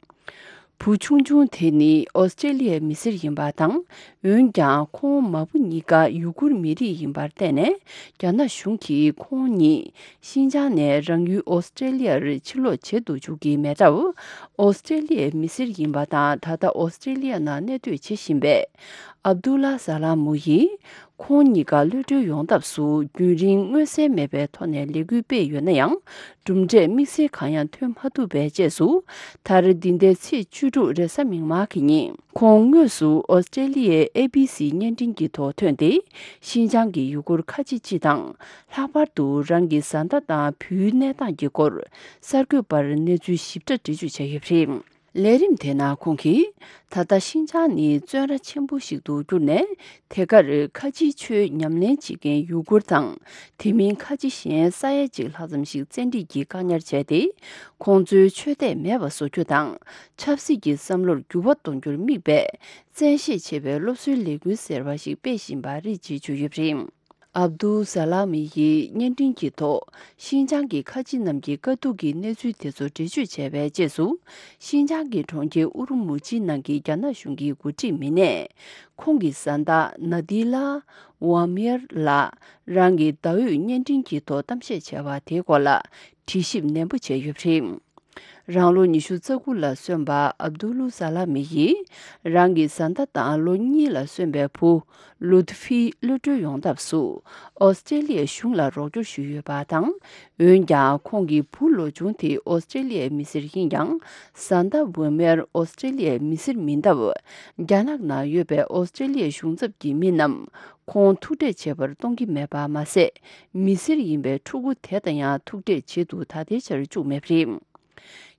བུ་ཆུང་ཆུང་དེ་ནི་ཨོ་སི་ཀྲེ་ལི་ཡའི་མི་སེར་ཡིན་པ་དང་། འོན་ཀྱང་ཁོང་མ་བུ་གཉིས་ཀ་ཡུ་གུར་མི་རིགས་ཡིན་པར་བརྟེན་ནས། རྒྱ་ནག་གཞུང་གིས་ཁོང་ཉིད་ཤིན་ཅང་ནས་རང་ཡུལ་ཨོ་སི་ཀྲེ་ལི་ཡར་ཕྱིར་ལོག་བྱེད་དུ་འཇུག་གི་མེད་སྟབས། ཨོ་སི་ཀྲེ་ལི་ཡའི་མི་སེར་ཡིན་པ་དང་། ད་ལྟ་ཨོ་སི་ཀྲེ་ལི་ཡ་ནང་གནས་སྡོད་བྱེད་བཞིན་པའི་ཨབ་དུ་ལ་ས་ལ་མུ་ཡིས། ཁོང་གཉིས་ཀ་གློད་གྲོལ་ཡོང་ཐབས་སུ་རྒྱུན་རིང་མངོན་གསལ་མེད་པའི་ཐོག་ནས་ལས་འགུལ་སྤེལ་ཡོད་ན་ཡང་། གྲུབ་འབྲས་དམིགས་བསལ་གང་ཡང་ཐོན་མ་ཐུབ་པའི་རྗེས་སུ། མཐར་འདི་ཟླའི་ཚེས་བཅུ་དྲུག་རེས་གཟའ་མིག་དམར་གྱི་ཉིན། ཁོང་དངོས་སུ་ཨོ་སི་ཀྲེ་ལི་ཡའི་ཨེ་བི་སི་བརྙན་འཕྲིན་གྱི་ཐོག་ཐོན་ཏེ། ཤིན་ཅང་གི་ཡུ་གུར་ཁ་ཆེ་སྤྱི་དང་། ལྷག་པར་དུ་རང་གི་བཟའ་ཟླ་དང་བུའི་གནས་སྟངས་ཀྱི་སྐོར། གསར་འགོད་པར་གནས་ཚུལ་ཞིབ་ཕྲ་འགྲེལ་བརྗོད་བྱས་ཡོད་པ་རེད། ལས་རིམ་དེའི་ནང་ཁོང་གིས། ད་ལྟ་ཤིན་ཅང་ནི་བཙོན་ར་ཆེན་པོ་ཞིག་ཏུ་གྱུར་ནས། དེ་གར་ཁ་ཆེའི་ཆོས་ཉམས་ལེན་བྱེད་མཁན་ཡུ་གུར་དང་། དེ་མིན་ཁ་ཆེ་གཞན་ས་ཡ་གཅིག་ལྷག་ཙམ་ཞིག་བཙན་ཁྲིད་ཀྱིས་བཀག་ཉར་བྱས་ཏེ། ཁོང་ཚོའི་ཆོས་དད་མེད་པ་བཟོ་རྒྱུ་དང་། ཆབ་སྲིད་ཀྱི་བསམ་བློར་འགྱུར་བ་གཏོང་རྒྱུར་དམིགས་པའི་བཙན་ཤེད་ཆེ་བའི་སློབ་གསོའི་ལས་འགུལ་ཟེར་བ་ཞིག་སྤེལ་བཞིན་པ་རེད་ཅེས་བརྗོད་ཡོད་པ་རེད། ཨབ་དུ་ས་ལ་མི་ཡིས་བརྙན་འཕྲིན་གྱི་ཐོག་ཤིན་ཅང་གི་ཁ་ཆེ་རྣམས་ཀྱི་དཀའ་སྡུག་གི་གནས་ཚུལ་དེ་ཚོ་འགྲེལ་བརྗོད་བྱས་པའི་རྗེས་སུ། ཤིན་ཅང་གི་གྲོང་ཁྱེར་ཨུ་རུ་མུ་ཅི་ནང་གི་རྒྱ་ནག་གཞུང་གི་འགོ་ཁྲིད་མི་སྣས། ཁོང་གི་བཟའ་ཟླ་ན་དི་ལ་ཝ་མིར་ལ་རང་གི་ཟླ་འོད་བརྙན་འཕྲིན་གྱི་ཐོག་གཏམ་བཤད་བྱས་པ་དེའི་སྐོར་ལ་དྲི་ཞིབ་ནན་པོ་བྱས་ཡོད་པ་རེད། རང་ལོ་ཉི་ཤུ་རྩ་དགུ་ལ་སོན་པ་ཨབ་དུལ་ལུ་ས་ལ་མི་ཡིས་རང་གི་བཟའ་ཟླ་དང་ལོ་གཉིས་ལ་སོན་པའི་བུ་ལུད་ཕིའི་གློད་གྲོལ་ཡོང་ཐབས་སུ་ཨོ་སི་ཀྲེ་ལི་ཡའི་གཞུང་ལ་རོགས་སྐྱོར་ཞུས་ཡོད་པ་དང་། འོན་ཀྱང་ཁོང་གི་བུ་ལོ་ཆུང་དེ་ཨོ་སི་ཀྲེ་ལི་ཡའི་མི་སེར་ཡིན་ཀྱང་། བཟའ་ཟླ་ཝེ་མེར་ཨོ་སི་ཀྲེ་ལི་ཡའི་མི་སེར་མིན་སྟབས། རྒྱ་ནག་ནང་ཡོད་པའི་ཨོ་སི་ཀྲེ་ལི་ཡའི་གཞུང་ཚབ་ཀྱི་མི་རྣམས་ཁོང་ཐུག་འཕྲད་བྱེད་པར་གཏོང་གི་མེད་པ་མ་ཟད། མི་སེར་ཡིན་པའི་ཕྲུ་གུ་དེ་དང་ཡང་ཐུག་འཕྲད་བྱེད་དུ་ད་ལྟའི་ཆར་བཅུག་མེད་པ་རེད།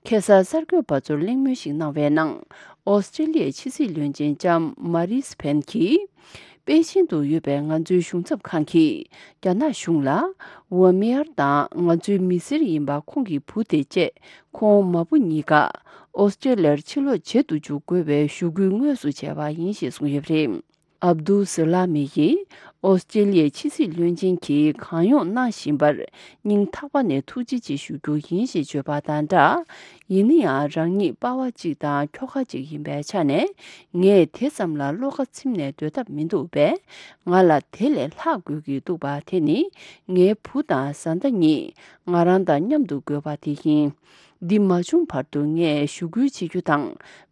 ཁ་སང་གསར་འགོད་པ་ཚོར་གླེང་མོལ་ཞིག་གནང་བའི་ནང་། ཨོ་སི་ཀྲེ་ལི་ཡའི་ཕྱི་སྲིད་བློན་ཆེན་ལྕམ་མ་རིས་ཕེན་གྱིས། པེ་ཅིན་དུ་ཡོད་པའི་ང་ཚོའི་གཞུང་ཚབ་ཁང་གིས་རྒྱ་ནག་གཞུང་ལ། ཝ་མེ་ཡར་དང་ང་ཚོའི་མི་སེར་ཡིན་པ་ཁོང་གི་བུ་དེ་བཅས་ཁོང་མ་བུ་གཉིས་ཀ་ཨོ་སི་ཀྲེ་ལི་ཡར་ཕྱིར་ལོག་བྱེད་དུ་འཇུག་དགོས་པའི་ཞུ་སྐུལ་དངོས་སུ་བྱས་པ་ཡིན་ཞེས་གསུངས་ཡོད་པ་རེད། ཨབ་དུལ་སི་ལ་མི་ཡིས་ཨོ་སི་ཀྲེ་ལི་ཡའི་ཕྱི་སྲིད་བློན་ཆེན་གྱིས་གང་ཡོང་གནང་བཞིན་པར་སྙིང་ཐག་པ་ནས་ཐུགས་རྗེ་ཆེ་ཞུ་རྒྱུ་ཡིན་ཞེས་བརྗོད་པ་དང་སྦྲགས། ཡིན་ན་ཡང་རང་ཉིད་པ་ཕ་གཅིག་དང་ཁྱོ་ག་གཅིག་ཡིན་པའི་ཆ་ནས་ངས་དེ་ཙམ་ལ་བློ་ཁ་ཚིམ་ནས་སྡོད་ཐབས་མི་འདུག་པས། ང་ལ་དེ་ལས་ལྷག་དགོས་ཀྱི་འདུག་པ་དེ་ནི་ངའི་བུ་དང་བཟའ་ཟླ་གཉིས་ང་རང་དང་མཉམ་དུ་དགོས་པ་དེ་ཡིན། འདི་མ་བྱུང་བར་དུ་ངས་ཞུ་སྐུལ་བྱེད་རྒྱུ་དང་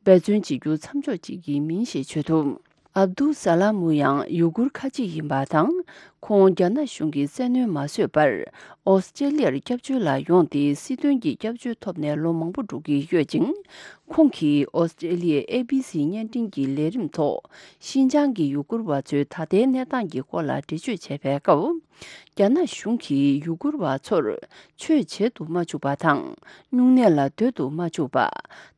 འབད་བརྩོན་བྱེད་རྒྱུ་མཚམས་འཇོག་བྱེད་ཀྱི་མིན་ཞེས་བརྗོད་འདུག་ཨབ་དུལ་ས་ལ་མུ་ཡང་ཡུ་གུར་ཁ་ཆེ་ཡིན་པ་དང་། ཁོང་རྒྱ་ནག་གཞུང་གི་བཙན་གནོན་མ་བཟོད་པར་ཨོ་སི་ཀྲེ་ལི་ཡར་སྐྱབས་བཅོལ་ལ་ཡོང་སྟེ་སྲིད་དོན་གྱི་སྐྱབས་བཅོལ་ཐོབ་ནས་ལོ་མང་པོ་འགྲོ་གི་ཡོད་ཅིང་། ཁོང་གིས་ཨོ་སི་ཀྲེ་ལི་ཡའི་ཨེ་བི་སི་བརྙན་འཕྲིན་གྱི་ལས་རིམ་ཐོག་ཤིན་ཅང་གི་ཡུ་གུར་བ་ཚོའི་ད་ལྟའི་གནས་སྟངས་ཀྱི་སྐོར་ལ་འགྲེལ་བརྗོད་བྱས་པའི་སྐབས། རྒྱ་ནག་གཞུང་གིས་ཡུ་གུར་བ་ཚོར་ཆོས་བྱེད་དུ་མ་བཅུག་པ་དང་། སྨྱུང་གནས་ལ་སྡོད་དུ་མ་བཅུག་པ།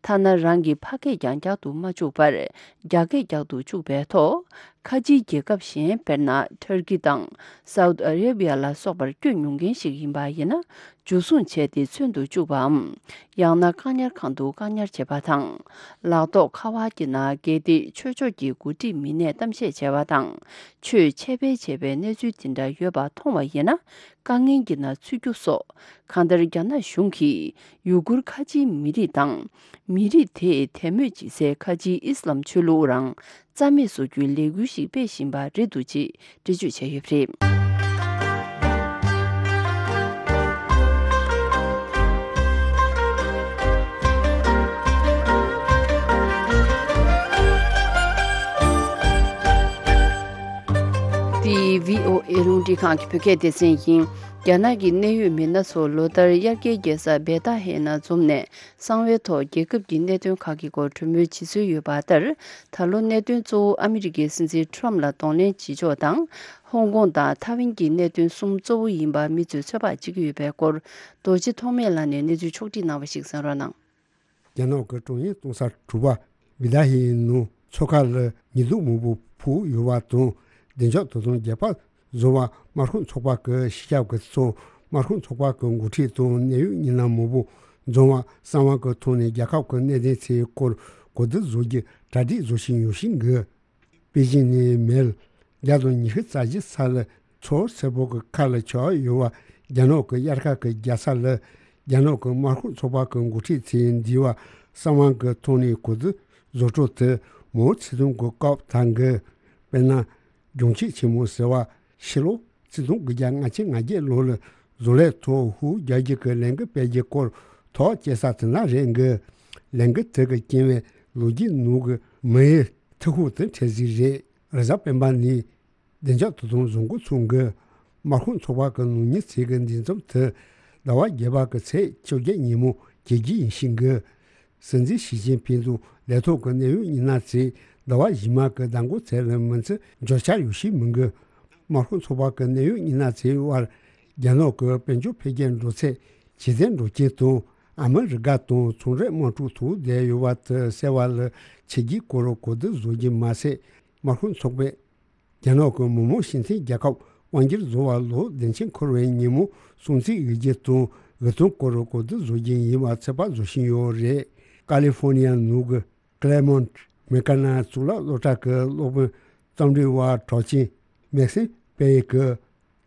ཐ་ན་རང་གི་ཕ་སྐད་ཀྱང་རྒྱག་ཏུ་མ་བཅུག་པར། རྒྱ་སྐད་རྒྱག་ཏུ་བཅུག་པའི་ཐོག་ཁ་ཆེའི་རྒྱལ་ཁབ་གཞན་དཔེར་ན་ཊར་ཀི་དང་སའུ་ཏི་ཨ་རེ་བི་ཡ་ལ་སོགས་པར་བསྐྱོད་མྱོང་མཁན་ཞིག་ཡིན་པ་ཡིན་ན། འཇུ་བཟུང་བྱས་ཏེ་མཚོན་དུ་བཅུག་པའམ། ཡང་ན་བཀག་ཉར་ཁང་དུ་བཀག་ཉར་བྱེད་པ་དང་། ལག་ཐོགས་ཁ་པར་གྱི་ནང་གལ་ཏེ་ཆོས་ཕྱོགས་ཀྱི་འགོ་ཁྲིད་མི་སྣས་གཏམ་བཤད་བྱས་པ་དང་། ཆོས་འཆད་སྤེལ་བྱས་པའི་གནས་ཚུལ་དེ་འདྲ་ཡོད་པ་མཐོང་བ་ཡིན་ན། དཀའ་ངལ་གྱི་ནང་ཚུད་རྒྱུ་སོགས། གང་ལྟར་རྒྱ་ནག་གཞུང་གིས་ཡུ་གུར་ཁ་ཆེའི་མི་རིགས་དང་། མི་རིགས་དེས་དད་མོས་བྱེད་སའི་ཁ་ཆེའི་ཨི་སི་ལམ་ཆོས་ལུགས་རང་རྩ་མེད་བཟོ་རྒྱུའི་ལས་འགུལ་ཞིག་སྤེལ་བཞིན་པ་རེད་འདུག་ཅེས་འགྲེལ་བརྗོད་བྱས་ཡོད་པ་རེད། འདི་བྷི་ཨོ་ཨེ་རླུང་འཕྲིན་ཁང་གི་བོད་སྐད་སྡེ་ཚན་ཡིན། རྒྱ་ནག་གི་གནད་ཡོད་མི་སྣ་ཚོ་ལོ་ལྟར་དབྱར་ཁའི་རྒྱལ་ས་བེ་ཏ་ཧེ་ནང་འཛོམས་ནས། གསང་བའི་ཐོག་རྒྱལ་ཁབ་ཀྱི་གནད་དོན་ཁག་གི་སྐོར་གྲོས་མོལ་བྱེད་སྲོལ་ཡོད་པ་ལྟར། ད་ལོ་གནད་དོན་གཙོ་བོ་ཨ་མི་རི་ཀའི་སྲིད་འཛིན་ཊམ་ལ་གདོང་ལེན་བྱེད་ཕྱོགས་དང་། ཧོང་ཀོང་དང་ཐའེ་ཝན་གྱི་གནད་དོན་གསུམ་གཙོ་བོ་ཡིན་པ་མི་ཚོས་ཚོད་དཔག་བྱེད་ཀྱི་ཡོད་པའི་སྐོར། རྡོ་རྗེ་ཐོགས་མེད་ལགས་ནས་གནས་ཚུལ་ཕྱོགས་བསྒྲིགས་གནང་བ་ཞིག་གསན་རོགས་གནང་། རྒྱ་ནག་གི་ཀྲུང་དབྱང་ཏོག་གསར་དྲུག་པ་བི་ད་ཧེའི་ནང་མཚོ་ཁ་ལ་ཉི་གདུགས་མང་པོ་ཕུབ་ཡོད་པ་དང་། བདེ་འཇགས་དོ་དམ་རྒྱབ་ཕར་བཟོ་བར་དམར་ཤོག་ཚོགས་པ་གི་སྤྱི་ཁྱབ་ཀྱི་ཚོགས། དམར་ཤོག་ཚོགས་པ་གི་འགོ་ཁྲིད་དང་གནད་ཡོད་མི་སྣ་མང་པོ་འཛོམས་པ་གསང་བ་གི་ཐོག་ནས་རྒྱལ་ཁབ་ཀྱི་གནད་དོན་ཚོའི་སྐོར་གོ་བསྡུར་བཟོ་རྒྱུ་གྲ་སྒྲིག་བཟོ་བཞིན་ཡོད་ཤིང་གི། པེ་ཅིན་ནས་མལ་བརྒྱ་དང་ཉི་ཤུ་རྩ་བཞི་ས་ལ་མཚོ་སེར་པོ་གི་ཁ་ལ་ཆགས་ཡོད་པ། རྒྱ་ནག་གི་དབྱར་ཁ་གི་རྒྱལ་ས་ལ་རྒྱ་ནག་གི་དམར་ཤོག་ཚོགས་པ་གི་འགོ་ཁྲིད་ཚོས་འདི་བ་གསང་བ་གི་ཐོག་ནས་གོ་བསྡུར་བཟོ་འཕྲོ་དེ་མའོ་ཙེ་ཏུང་གི་སྐབས་དང་གི། དཔེར་ན། གྱོང་ཆེ་ཆེན་མོ་ཟེར་བ་ཕྱི་ལོ་ཆིག་སྟོང་དགུ་བརྒྱ་ལྔ་བཅུ་ང་བརྒྱད་ལོ་ལ་བཟོ་ལས་ཐོག་ཧུའུ་རྒྱལ་རྒྱུ་གི་ལས་འགུལ་སྤེལ་རྒྱུ་སྐོར་ཐག་བཅད་ས་དེ་ན་རེད་གི། ལས་འགུལ་དེ་གི་རྐྱེན་པས་ལོ་རྒྱུས་ནང་གི་མི་ཡི་ཐུགས་ཁུར་དེ་འཕྲལ་ཟིག་རེད། རེས་གཟའ་སྤེན་པ་ནས་བདེ་འཇགས་དོ་དམ་བཟོ་འགོ་ཚུགས་གི། དམར་ཤོག་ཚོགས་པ་གི་ནང་མི་ཚོས་གི་འདི་འཛོམས་དེ་ཟླ་བ་བརྒྱད་པ་གི་ཚེས་བཅོ་བརྒྱད་ཉིན་མོ་བྱེད་རྒྱུ་ཡིན་ཤིང་གི། སྲིད་འཛིན་ཞི་ཅིན་ཕིང་དང་ལས་ཐོག་གི་གནད་ཡོད་མི་སྣ་ཚོས་ཟླ་བ་རྗེས་མ་གི་ཟླ་འགོ་ཚེས་ལ་མི་ཚེ་འབྱོར་འཆར་ཡོད་ཤེས་མི་འགི། དམར་ཤོག་ཚོགས་པ་གི་གནད་ཡོད་མི་སྣ་ཚོའི་དབར་རྒྱ་ནག་གི་དཔལ་འབྱོར་འཕེལ་རྒྱས་འགྲོ་ཚད་ཇེ་བརྟན་འགྲོ་རྐྱེན་དང་། ཨ་མི་རི་ཀ་དང་ཚོང་འབྲེལ་དམག་འཁྲུག་ཐུག་བསྡད་ཡོད་པ་དེ་སེལ་བ་ལ་བྱེད་རྒྱུའི་སྐོར་གོ་བསྡུར་བཟོ་རྒྱུ་མ་ཟད། དམར་ཤོག་ཚོགས་པས་རྒྱ་ནག་གི་མི་དམངས་སྤྱི་མཐུན་རྒྱལ་ཁབ་དབང་སྒྱུར་བཟོ་བར་ལོ་བདུན་ཅུ་འཁོར་བའི་ཉིན་མོ་སྲུང་བརྩི་འོས་རྒྱུ་དང་འོས་ཐོན་སྐོར་གོ་བསྡུར་བཟོ་རྒྱུ་ཡིན་པ་ཚོད་དཔག་བཟོ་བཞིན་ཡོད་རེད། ཀ་ལི་ཧྥོ་ནི་ཡ་ནང་གི་ཀ་ལེ་མོན་ཊི་མེ་ཀ་ན་གཙུག་ལག་སློབ་གྲྭ་གི་སློབ་དཔོན་རྩོམ་སྒྲིག་པ་གྲགས་ཅན་མེག་སིམ་པེ་ཡི་གིས།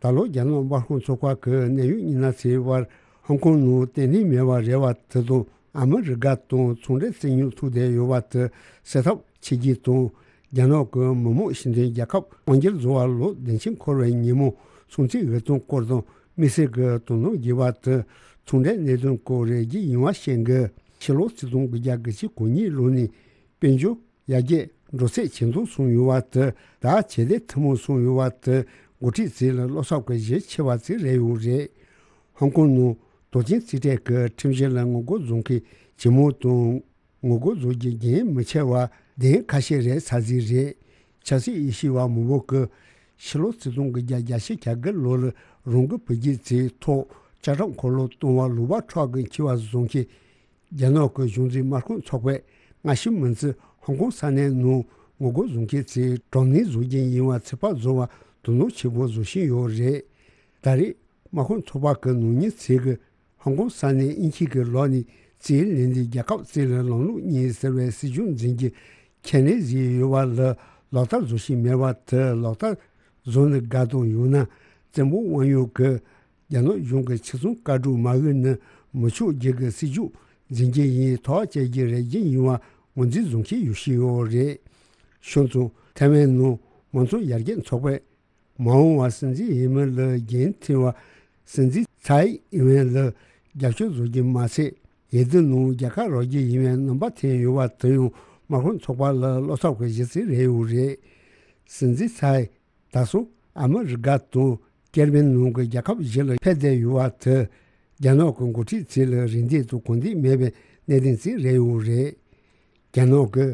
ད་ལོ་རྒྱ་ནག་དམར་ཤོག་ཚོགས་པ་གི་གནད་ཡོད་མི་སྣ་ཚོའི་དབར་ཧོང་ཀོང་ནང་བརྟན་ལྷིང་མེད་པ་རེད་བ་དེ་དང་། ཨ་མི་རི་ཀ་དང་ཚོང་འབྲེལ་རྩོད་རྙོག་ཐུག་བསྡད་ཡོད་པ་དེ་སེལ་ཐབས་བྱེད་རྒྱུ་དང་། རྒྱ་ནག་གི་མི་དམངས་སྤྱི་མཐུན་རྒྱལ་ཁབ་དབང་སྒྱུར་བཟོ་བར་ལོ་བདུན་ཅུ་འཁོར་བའི་ཉིན་མོ་སྲུང་བརྩི་འོས་ཐོན་སྐོར་དང་། དམིགས་བསལ་གྱི་དོ་སྣང་བགྱི་བ་དེ་ཚོང་འབྲེལ་གནད་དོན་སྐོར་རེད་རྒྱུ་ཡིན་པ་ཤེས་དགོས། ཕྱི་ལོ་ཆིག་སྟོང་དགུ་བརྒྱ་གྱ་གོ་གཉིས་ལོ་ནས་དཔལ་འབྱོར་ཡར་རྒྱས་འགྲོ་ཚད་ཇེ་མཐོར་སོང་ཡོད་པ་དེ་དང་ཇེ་བདེ་ཐུན་མོང་སོང་ཡོད་པ་དེ་འགོ་ཁྲིད་ཚོ་ལ་བློ་འཚབ་ཀྱི་གཞི་ཆེ་བ་ཞིག་རེད་ཡོད་རེད། ཧོང་ཀོང་ནང་དོག་ཅན་རྩིས་སྤྲོད་ཀྱི་ཁྲིམས་གཞི་ལ་ངོ་རྒོལ་བཟོ་མཁན་ཇེ་མང་དང་། ངོ་རྒོལ་བཟོ་རྒྱུ་རྒྱུན་མི་ཆད་པ་བདེན་ཁ་ཤས་རེད་ས་ཟིག་རེད། ཆབ་སྲིད་དབྱེ་ཞིབ་པ་མང་པོ་གིས་ཕྱི་ལོ་ཆིག་སྟོང་དགུ་བརྒྱ་གྱ་གོ་གི་ལོ་ལ་རང་གི་བུ་རྒྱུད་ཚོའི་ཐོག་ལྕགས་ཁྲབ་འཁོར་ལོ་གཏོང་བ་ལུང་པ་འཕྲོག་གི་འཁྱེར་བ་བཟོ་མཁན་རྒྱ་ནག་གི་གཞུང་འཛིན་དམག་དཔོན་ཚོགས་པས་སྔ་ཕྱི་མི་འཛིན་ཧོང་ཀོང་ས་གནས་ནང་ངོ་རྒོལ་བཟོ་མཁན་ཚོའི་དྲག་གནོན་བཟོ་རྒྱུ་ཡིན་པ་ཚོད་དཔག་བཟོ་བར་དོ་སྣང་ཆེན་པོ་བཟོ་བཞིན་ཡོད་རེད། ད་རེས་དམག་དཔོན་ཚོགས་པ་གི་ནང་མི་ཚོས་ཀྱི་ཧོང་ཀོང་ས་གནས་དབྱིན་ཇི་གི་ལག་ནས་རྩིས་ལེན་ནས་རྒྱལ་ཁབ་གཅིག་ལ་ལམ་ལུགས་གཉིས་ཟེར་བའི་སྲིད་བྱུས་འཛིན་རྒྱུ་ཁས་ལེན་བཟོས་ཡོད་པ་ལ་ལག་བསྟར་བཟོ་བཞིན་མེད་པ་དེ་ལག་བསྟར་བཟོ་ནས་དགའ་དང་ཡང་ན་བཙན་པོ་དབང་ཡོད་ཀྱི་རྒྱ་ནག་གཞུང་གི་ཆེད་སྲུང་བཀའ་སྒྲོག་མ་འོས་ན་མི་ཆོག་རྒྱུ་གི་སྲིད་བྱུས་འཛིན་རྒྱུ་ཡིན་ཐག་བཅད་རྒྱུ་རེད་རྒྱུ་ཡིན་པ་ངོས་འཛིན་བཟོ་མཁན་ཡོད་ཤོས་ཡོད་རེད། བྱས་ཙང་ཐའེ་ཝན་ནང་མང་གཙོ་ཡར་རྒྱས་ཚོགས་པས། མ་འོངས་པར་སྲིད་འཛིན་ཡིན་མིན་ལ་འགན་འཁྱེར་བ་སྲིད་འཛིན་ཚའེ་ཨིན་ཝེན་ལ་རྒྱབ་སྐྱོར་བཟོ་རྒྱུ་མ་ཟད། འོས་བསྡུ་ནང་རྒྱལ་ཁ་རག་རྒྱུ་ཡིན་པའི་རྣམ་པ་འཐེན་ཡོད་པ་དེ་ཡང་དམག་དཔོན་ཚོགས་པ་ལ་བློ་འཚབ་ཀྱི་གཞི་རྩ་རེད་ཡོད་རེད། སྲིད་འཛིན་ཚའེ་ད་སོ་ཨ་མི་རི་ཀ་དང་ཀེ་རི་བྷི་ནང་གི་རྒྱལ་ཁབ་བཞི་ལ་ཕེབས་བསྡད་ཡོད་པ་དེ་རྒྱ་ནག་གི་འགོ་ཁྲིད་ཚོ་ལ་རེ་འདུན་དང་གོ་བསྡུར་མེད་པའི་གནད་དོན་ཞིག་རེད་ཡོད་རེད། རྒྱ་ནག་གི་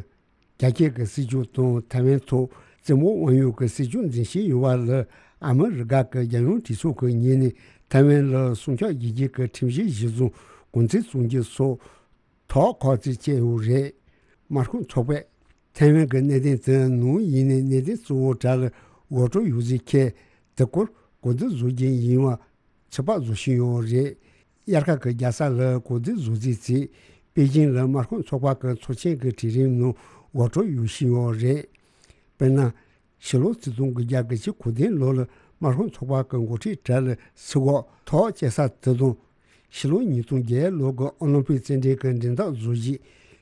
རྒྱ་སྐྱེད་ཀྱི་སྲིད་བྱུས་དང་ཐའེ་ཝན་ཐོག་བཙན་པོ་དབང་ཡོད་ཀྱི་སྲིད་བྱུས་འཛིན་བཞིན་ཡོད་པ་ལ་ཨ་མི་རི་ཀ་གི་རྒྱལ་ཡོངས་གྲོས་ཚོགས་ཀྱི་ངོས་ནས་ཐའེ་ཝན་ལ་སྲུང་སྐྱོབ་བྱེད་རྒྱུ་གི་ཁྲིམས་གཞི་གཞིར་བཟུང་གུང་ཁྲན་སྲུང་རྒྱུ་སོགས་དོགས་ཁག་ཅིག་བཅད་ཡོད་རེད། དམག་དཔོན་ཚོགས་པས་ཐའེ་ཝན་གྱི་གནད་དོན་དེ་ནམ་ཡིན་ནའི་གནད་དོན་གཙོ་བོ་གྲས་ལ་ངོ་སྤྲོད་ཡོད་ཟེར་མཁན་དེ་སྐོར་གོ་བསྡུར་བཟོ་རྒྱུ་ཡིན་པ། ཚོད་དཔག་བཟོ་བཞིན་ཡོད་རེད། དབྱར་ཁ་གི་རྒྱལ་ས་ལ་གོ་བསྡུར་བཟོ་རྩིས་བྱས། པེ་ཅིང་ལ་དམག་དཔོན་ཚོགས་པ་གི་ཚོགས་ཆེན་གྱི་གྲོས་རིམ་ནང་ངོ་སྤྲོད་ཡོད་བཞིན་ཡོད་རེད། དཔེར་ན། ཕྱི་ལོ་ཆིག་སྟོང་དགུ་བརྒྱ་གྱ་གོ་བདུན་ལོ་ལ་དམག་དཔོན་ཚོགས་པ་གི་འགོ་ཁྲིད་གྲས་ལ་ཚུར་འགོག་ཐག་བཅད་ས་དེ་དང་། ཕྱི་ལོ་ཉིས་སྟོང་བརྒྱད་ལོ་གི་ཨོ་ལིམ་པིག་རྩེད་འགྲན་གྱི་འགྲན་ཐག་བཟོ་གཞི་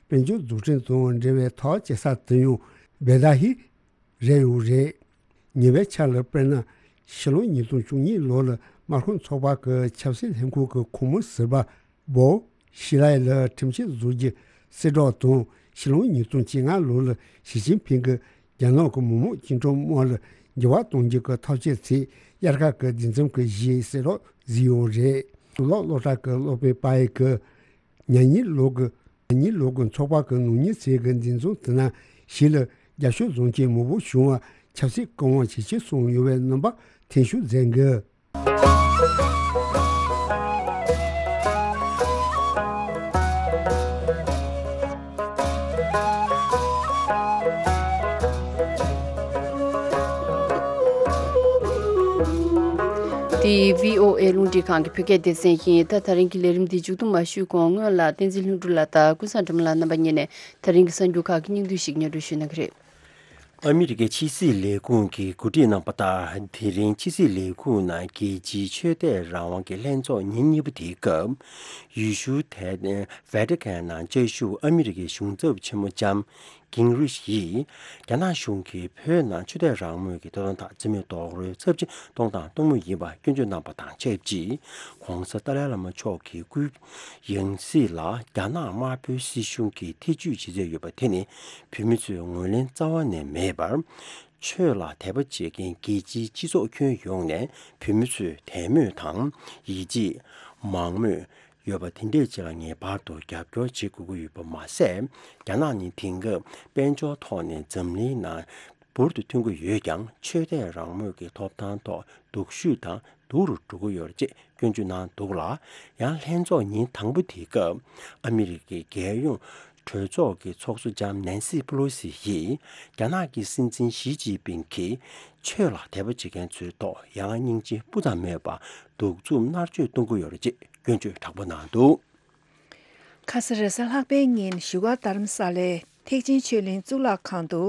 དཔལ་འབྱོར་འཛུགས་སྐྲུན་དང་འབྲེལ་བའི་ཐག་བཅད་ས་དེ་ཡང་བེ་ད་ཧི་རེད་ཡོད་རེད། ཉེ་བའི་ཆར་ལ་དཔེར་ན། ཕྱི་ལོ་ཉིས་སྟོང་བཅུ་གཉིས་ལོ་ལ་དམག་དཔོན་ཚོགས་པ་གི་ཆབ་སྲིད་ལྷན་ཁང་གི་ཁོངས་མི་ཟུར་པ་བོ་ཤི་ལའི་ལ་ཁྲིམས་ཆད་བཟོ་རྒྱུ་གསལ་བསྒྲགས་དང་། ཕྱི་ལོ་ཉིས་སྟོང་བཅོ་ལྔ་ལོ་ལ་ཞི་ཅིན་ཕིང་གིས་རྒྱ་ནག་གི་མི་དམངས་བཅིངས་འགྲོལ་དམག་ལ་འགྱུར་བ་གཏོང་རྒྱུ་གི་ཐག་གཅོད་ཚེ་དབྱར་ཁ་གི་འདི་འཛོམས་ཀྱི་གཞི་གསལ་བསྒྲགས་བཟོས་ཡོད་རེད། གཙུག་ལག་སློབ་གྲྭ་གི་སློབ་དཔོན་པ་ཡི་གིས། ཉ་གཉིས་ལོ་གི་ཉ་གཉིས་ལོ་གི་ཚོགས་པ་གི་ནང་མི་ཚོས་གི་འདི་ཚོ་དེ་ན་ཞིག་ལ་རྒྱབ་སྐྱོར་བཟོ་མཁན་མང་པོ་བྱུང་བ་ཆབ་སྲིད་སྐུ་དབང་ཇེ་ཆེར་སོང་ཡོད་པའི་རྣམ་པ་འཐེན་ཤུགས་མཛད་འགི། འདི་བྷི་ཨོ་ཨེ་རླུང་འཕྲིན་ཁང་གི་བོད་སྐད་སྡེ་ཚན་ཡིན། ད་ད་རིང་གི་ལས་རིམ་འདི་མཇུག་བསྡོམས་མ་ཞུས་གོང་སྔོན་ལ་བསྟན་འཛིན་ལྷུན་གྲུབ་ལགས་དང་ཀུན་བཟང་སྒྲོལ་མ་ལགས་རྣམ་པ་གཉིས་ནས་ད་རིང་གི་གསར་འགྱུར་ཁག་གི་སྙིང་བསྡུས་ཤིག་སྙན་སྒྲོན་ཞུ་གནང་གི་རེད། ཨ་མི་རི་ཀའི་ཕྱི་སྲིད་ལས་ཁུངས་ཀྱིས་གོ་སྒྲིག་གནང་པ་ལྟར། དེ་རིང་ཕྱི་སྲིད་ལས་ཁུངས་ནང་རྒྱལ་སྤྱིའི་ཆོས་དད་རང་དབང་གི་ལྷན་ཚོགས་ཉིན་གཉིས་པ་དེའི་སྐབས། ཡུལ་ཤུལ་ཐེ་ཝེ་ཏི་ཀན་ནང་བཅའ་བཞུགས་ཨ་མི་རི་ཀའི་གཞུང་ཚབ་ཆེན་མོ་ལྕམ་ཀིང་རིཤ་ཡིས། རྒྱ་ནག་གཞུང་གིས་བོད་ནང་ཆོས་དད་རང་མོས་ཀྱི་ཐོབ་ཐང་དང་རྩིས་མེད་རྡོག་རོལ་ཚབས་ཆེན་གཏོང་དང་གཏོང་མུས་ཡིན་པ་སྐྱོན་བརྗོད་གནང་པ་དང་ཆབས་ཅིག། ྋགོང་ས་ཏཱ་ལའི་བླ་མ་མཆོག་གི་སྐུའི་ཡང་སྲིད་ལ་རྒྱ་ནག་དམར་པོའི་སྲིད་གཞུང་གིས་ཐེ་ཇུས་བྱེད་རྩིས་ཡོད་པ་དེ་ནི་བོད་མི་ཚོས་ངོས་ལེན་རྩ་བ་ནས་མེད་པར། ཆོས་ལ་དད་པ་བྱེད་མཁན་རྒྱལ་སྤྱིའི་སྤྱི་ཚོགས་ཁྱོན་ཡོངས་ནས་བོད་མི་ཚོའི་དད་མོས་དང་ཡིད་ཆེས། མང་མོས། ཡོད་པ་དེ་འདྲས་ཅིག་ལ་ངེས་པར་དུ་རྒྱབ་སྐྱོར་བྱེད་དགོས་ཀྱི་ཡོད་པ་མ་ཟད། རྒྱ་ནག་ནི་དེང་སྐབས་དཔལ་འབྱོར་ཐོག་ནས་འཛམ་གླིང་ནང་འབུར་དུ་ཐོན་གྱི་ཡོད་ཀྱང་། ཆོས་དད་རང་མོས་ཀྱི་ཐོབ་ཐང་ཐོག་སྡུག་ཤོས་དང་སྡུག་རུ་འགྲོ་གི་ཡོད་རེད་ཅེས་སྐྱོན་བརྗོད་གནང་འདུག་ལ། ཡང་ལྷན་ཚོགས་ཉིན་དང་པོ་དེའི་སྐབས་ཨ་མི་རི་ཀའི་རྒྱལ་ཡོངས་གྲོས་ཚོགས་ཀྱི་ཚོགས་གཙོ་ལྕམ་ནན་སི་ཕེ་ལོ་སི་ཡིས། རྒྱ་ནག་གི་སྲིད་འཛིན་ཞི་ཅིན་ཕིང་གིས་ཆོས་ལ་དད་པ་བྱེད་མཁན་ཚོའི་ཐོག་ཡ་ང་སྙིང་རྗེ་སྤུ་ཙམ་མེད་པར་གདུག་རྩུབ་མནར་གཅོད་གཏོང་གི་ཡོད་རེད་ཅེས་སྐྱོན་བརྗོད་དྲག་པོ་གནང་འདུག། ཁ་ས་རེས་གཟའ་ལྷག་པའི་ཉིན་བཞུགས་སྒར་རྡ་རམ་ས་ལའི་ཐེག་ཆེན་ཆོས་གླིང་གཙུག་ལག་ཁང་དུ།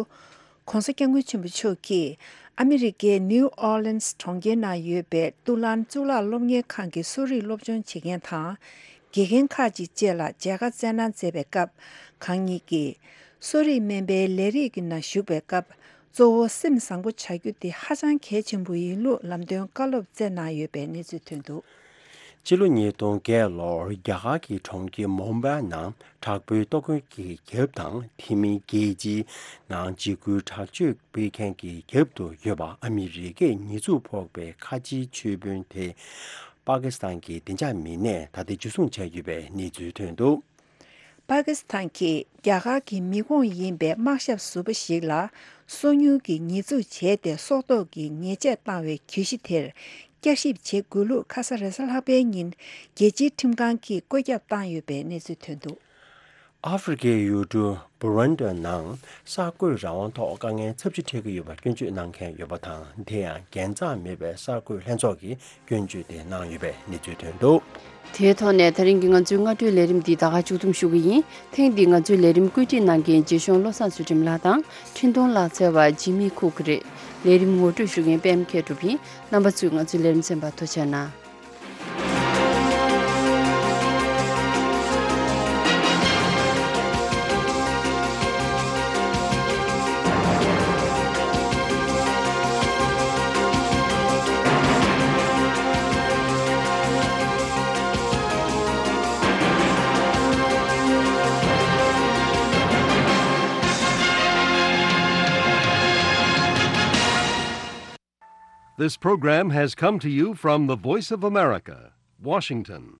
ྋགོང་ས་ྋསྐྱབས་མགོན་ཆེན་པོ་མཆོག་གིས་ཨ་མི་རི་ཀའི་ནིའུ་ཨོར་ལིན་སི་གྲོང་ཁྱེར་ནང་ཡོད་པའི་ཏུ་ལན་གཙུག་ལག་སློབ་གཉེར་ཁང་གི་གསོ་རིག་སློབ་སྦྱོང་བྱེད་མཁན་དང་། དགེ་རྒན་ཁག་ཅིག་བཅས་ལ་མཇལ་ཁ་སྩལ་གནང་མཛད་པའི་སྐབས། གང་ཉིད་ཀྱིས་གསོ་རིག་སྨན་པའི་ལས་རིགས་ཀྱི་ནང་ཞུགས་པའི་སྐབས། གཙོ་བོ་སེམས་བཟང་པོ་བྱ་རྒྱུ་དེ་ཧ་ཅང་གལ་ཆེན་པོ་ཡིན་ལུགས་ལམ་སྟོན་བཀའ་སློབ་སྩལ་གནང་ཡོད་པའི་གནས་ཚུལ་ཐོན་འདུག། ཕྱི་ལོ་ཉིས་སྟོང་བརྒྱད་ལོར་རྒྱ་གར་གྱི་གྲོང་ཁྱེར་མུམ་བྷའི་ནང་དྲག་པོའི་ལྟོ་གོས་ཀྱི་རྒྱབ་དང་། དེ་མིན་རྒྱལ་སྤྱིའི་ནང་འཇིགས་སྐུལ་དྲག་སྤྱོད་སྤེལ་མཁན་གྱི་རྒྱབ་ཏུ་ཡོད་པ་ཨ་མི་རི་ཀས་ཉེས་འཛུགས་ཕོག་པའི་ཁ་ཆེའི་ཆོས་དཔོན་དེ་པ་ཀི་སི་ཐན་གྱི་བདེ་འཇགས་མི་སྣས་ད་ལྟ་འཇུ་བཟུང་བྱས་ཡོད་པའི་གནས་ཚུལ་ཐོན་འདུག། པ་ཀི་སི་ཐན་གྱིས་རྒྱ་གར་གྱི་མི་ཁོངས་ཡིན་པའི་དམག་ཞབས་ཟུར་པ་ཞིག་ལ་སོ་ཉུལ་གྱི་ཉེས་འཛུགས་བྱས་ཏེ་སྲོག་ཐོག་གི་ཉེས་ཆད་བཏང་བའི་གྱོད་གཞི་དེར་བསྐྱར་ཞིབ་བྱེད་དགོས་ལུགས་ཁ་ས་རེས་གཟའ་ལྷག་པའི་ཉིན་རྒྱལ་སྤྱིའི་ཁྲིམས་ཁང་གིས་བཀོད་ཁྱབ་བཏང་ཡོད་པའི་གནས་ཚུལ་ཐོན་འདུག། ཨ་ཧྥེ་རི་ཁའི་ཡུལ་གྲུ་བུ་རན་ཏི་ནང་གསར་འགོད་རང་དབང་ཐོག་དཀའ་ངལ་ཚབས་ཆེ་འཕྲད་ཀྱི་ཡོད་པར་སྐྱོན་བརྗོད་གནང་མཁན་ཡོད་པ་དང་། དེ་ཡང་འགན་གཙང་མེད་པའི་གསར་འགོད་ལྷན་ཚོགས་ཀྱིས་སྐྱོན་བརྗོད་དེ་གནང་ཡོད་པའི་གནས་ཚུལ་ཐོན་འདུག། དེའི་ཐོག་ནས་ད་རིང་གི་ང་ཚོའི་སྔ་དྲོའི་ལས་རིམ་འདི་ད་ག་མཇུག་བསྡོམས་ཞུ་གི་ཡིན། ཐེངས་འདིའི་ང་ཚོའི་ལས་རིམ་བཀོད་སྒྲིག་གནང་མཁན་རྗེ་གཞུང་བློ་བཟང་ཚུལ་ཁྲིམས་ལགས་དང་། འཕྲིན་གཏོང་ལག་རྩལ་བ་ཇི་མི་ཁུག་རེད། ལས་རིམ་ངོ་སྤྲོད་ཞུ་མཁན་པད་མ་མཁས་གྲུབ་ཡིན། རྣམ་པ་ཚོས་ང་ཚོའི་ལས་རིམ་གསན་པར་ཐུགས་རྗེ་གནང་། This program has come to you from the Voice of America, Washington.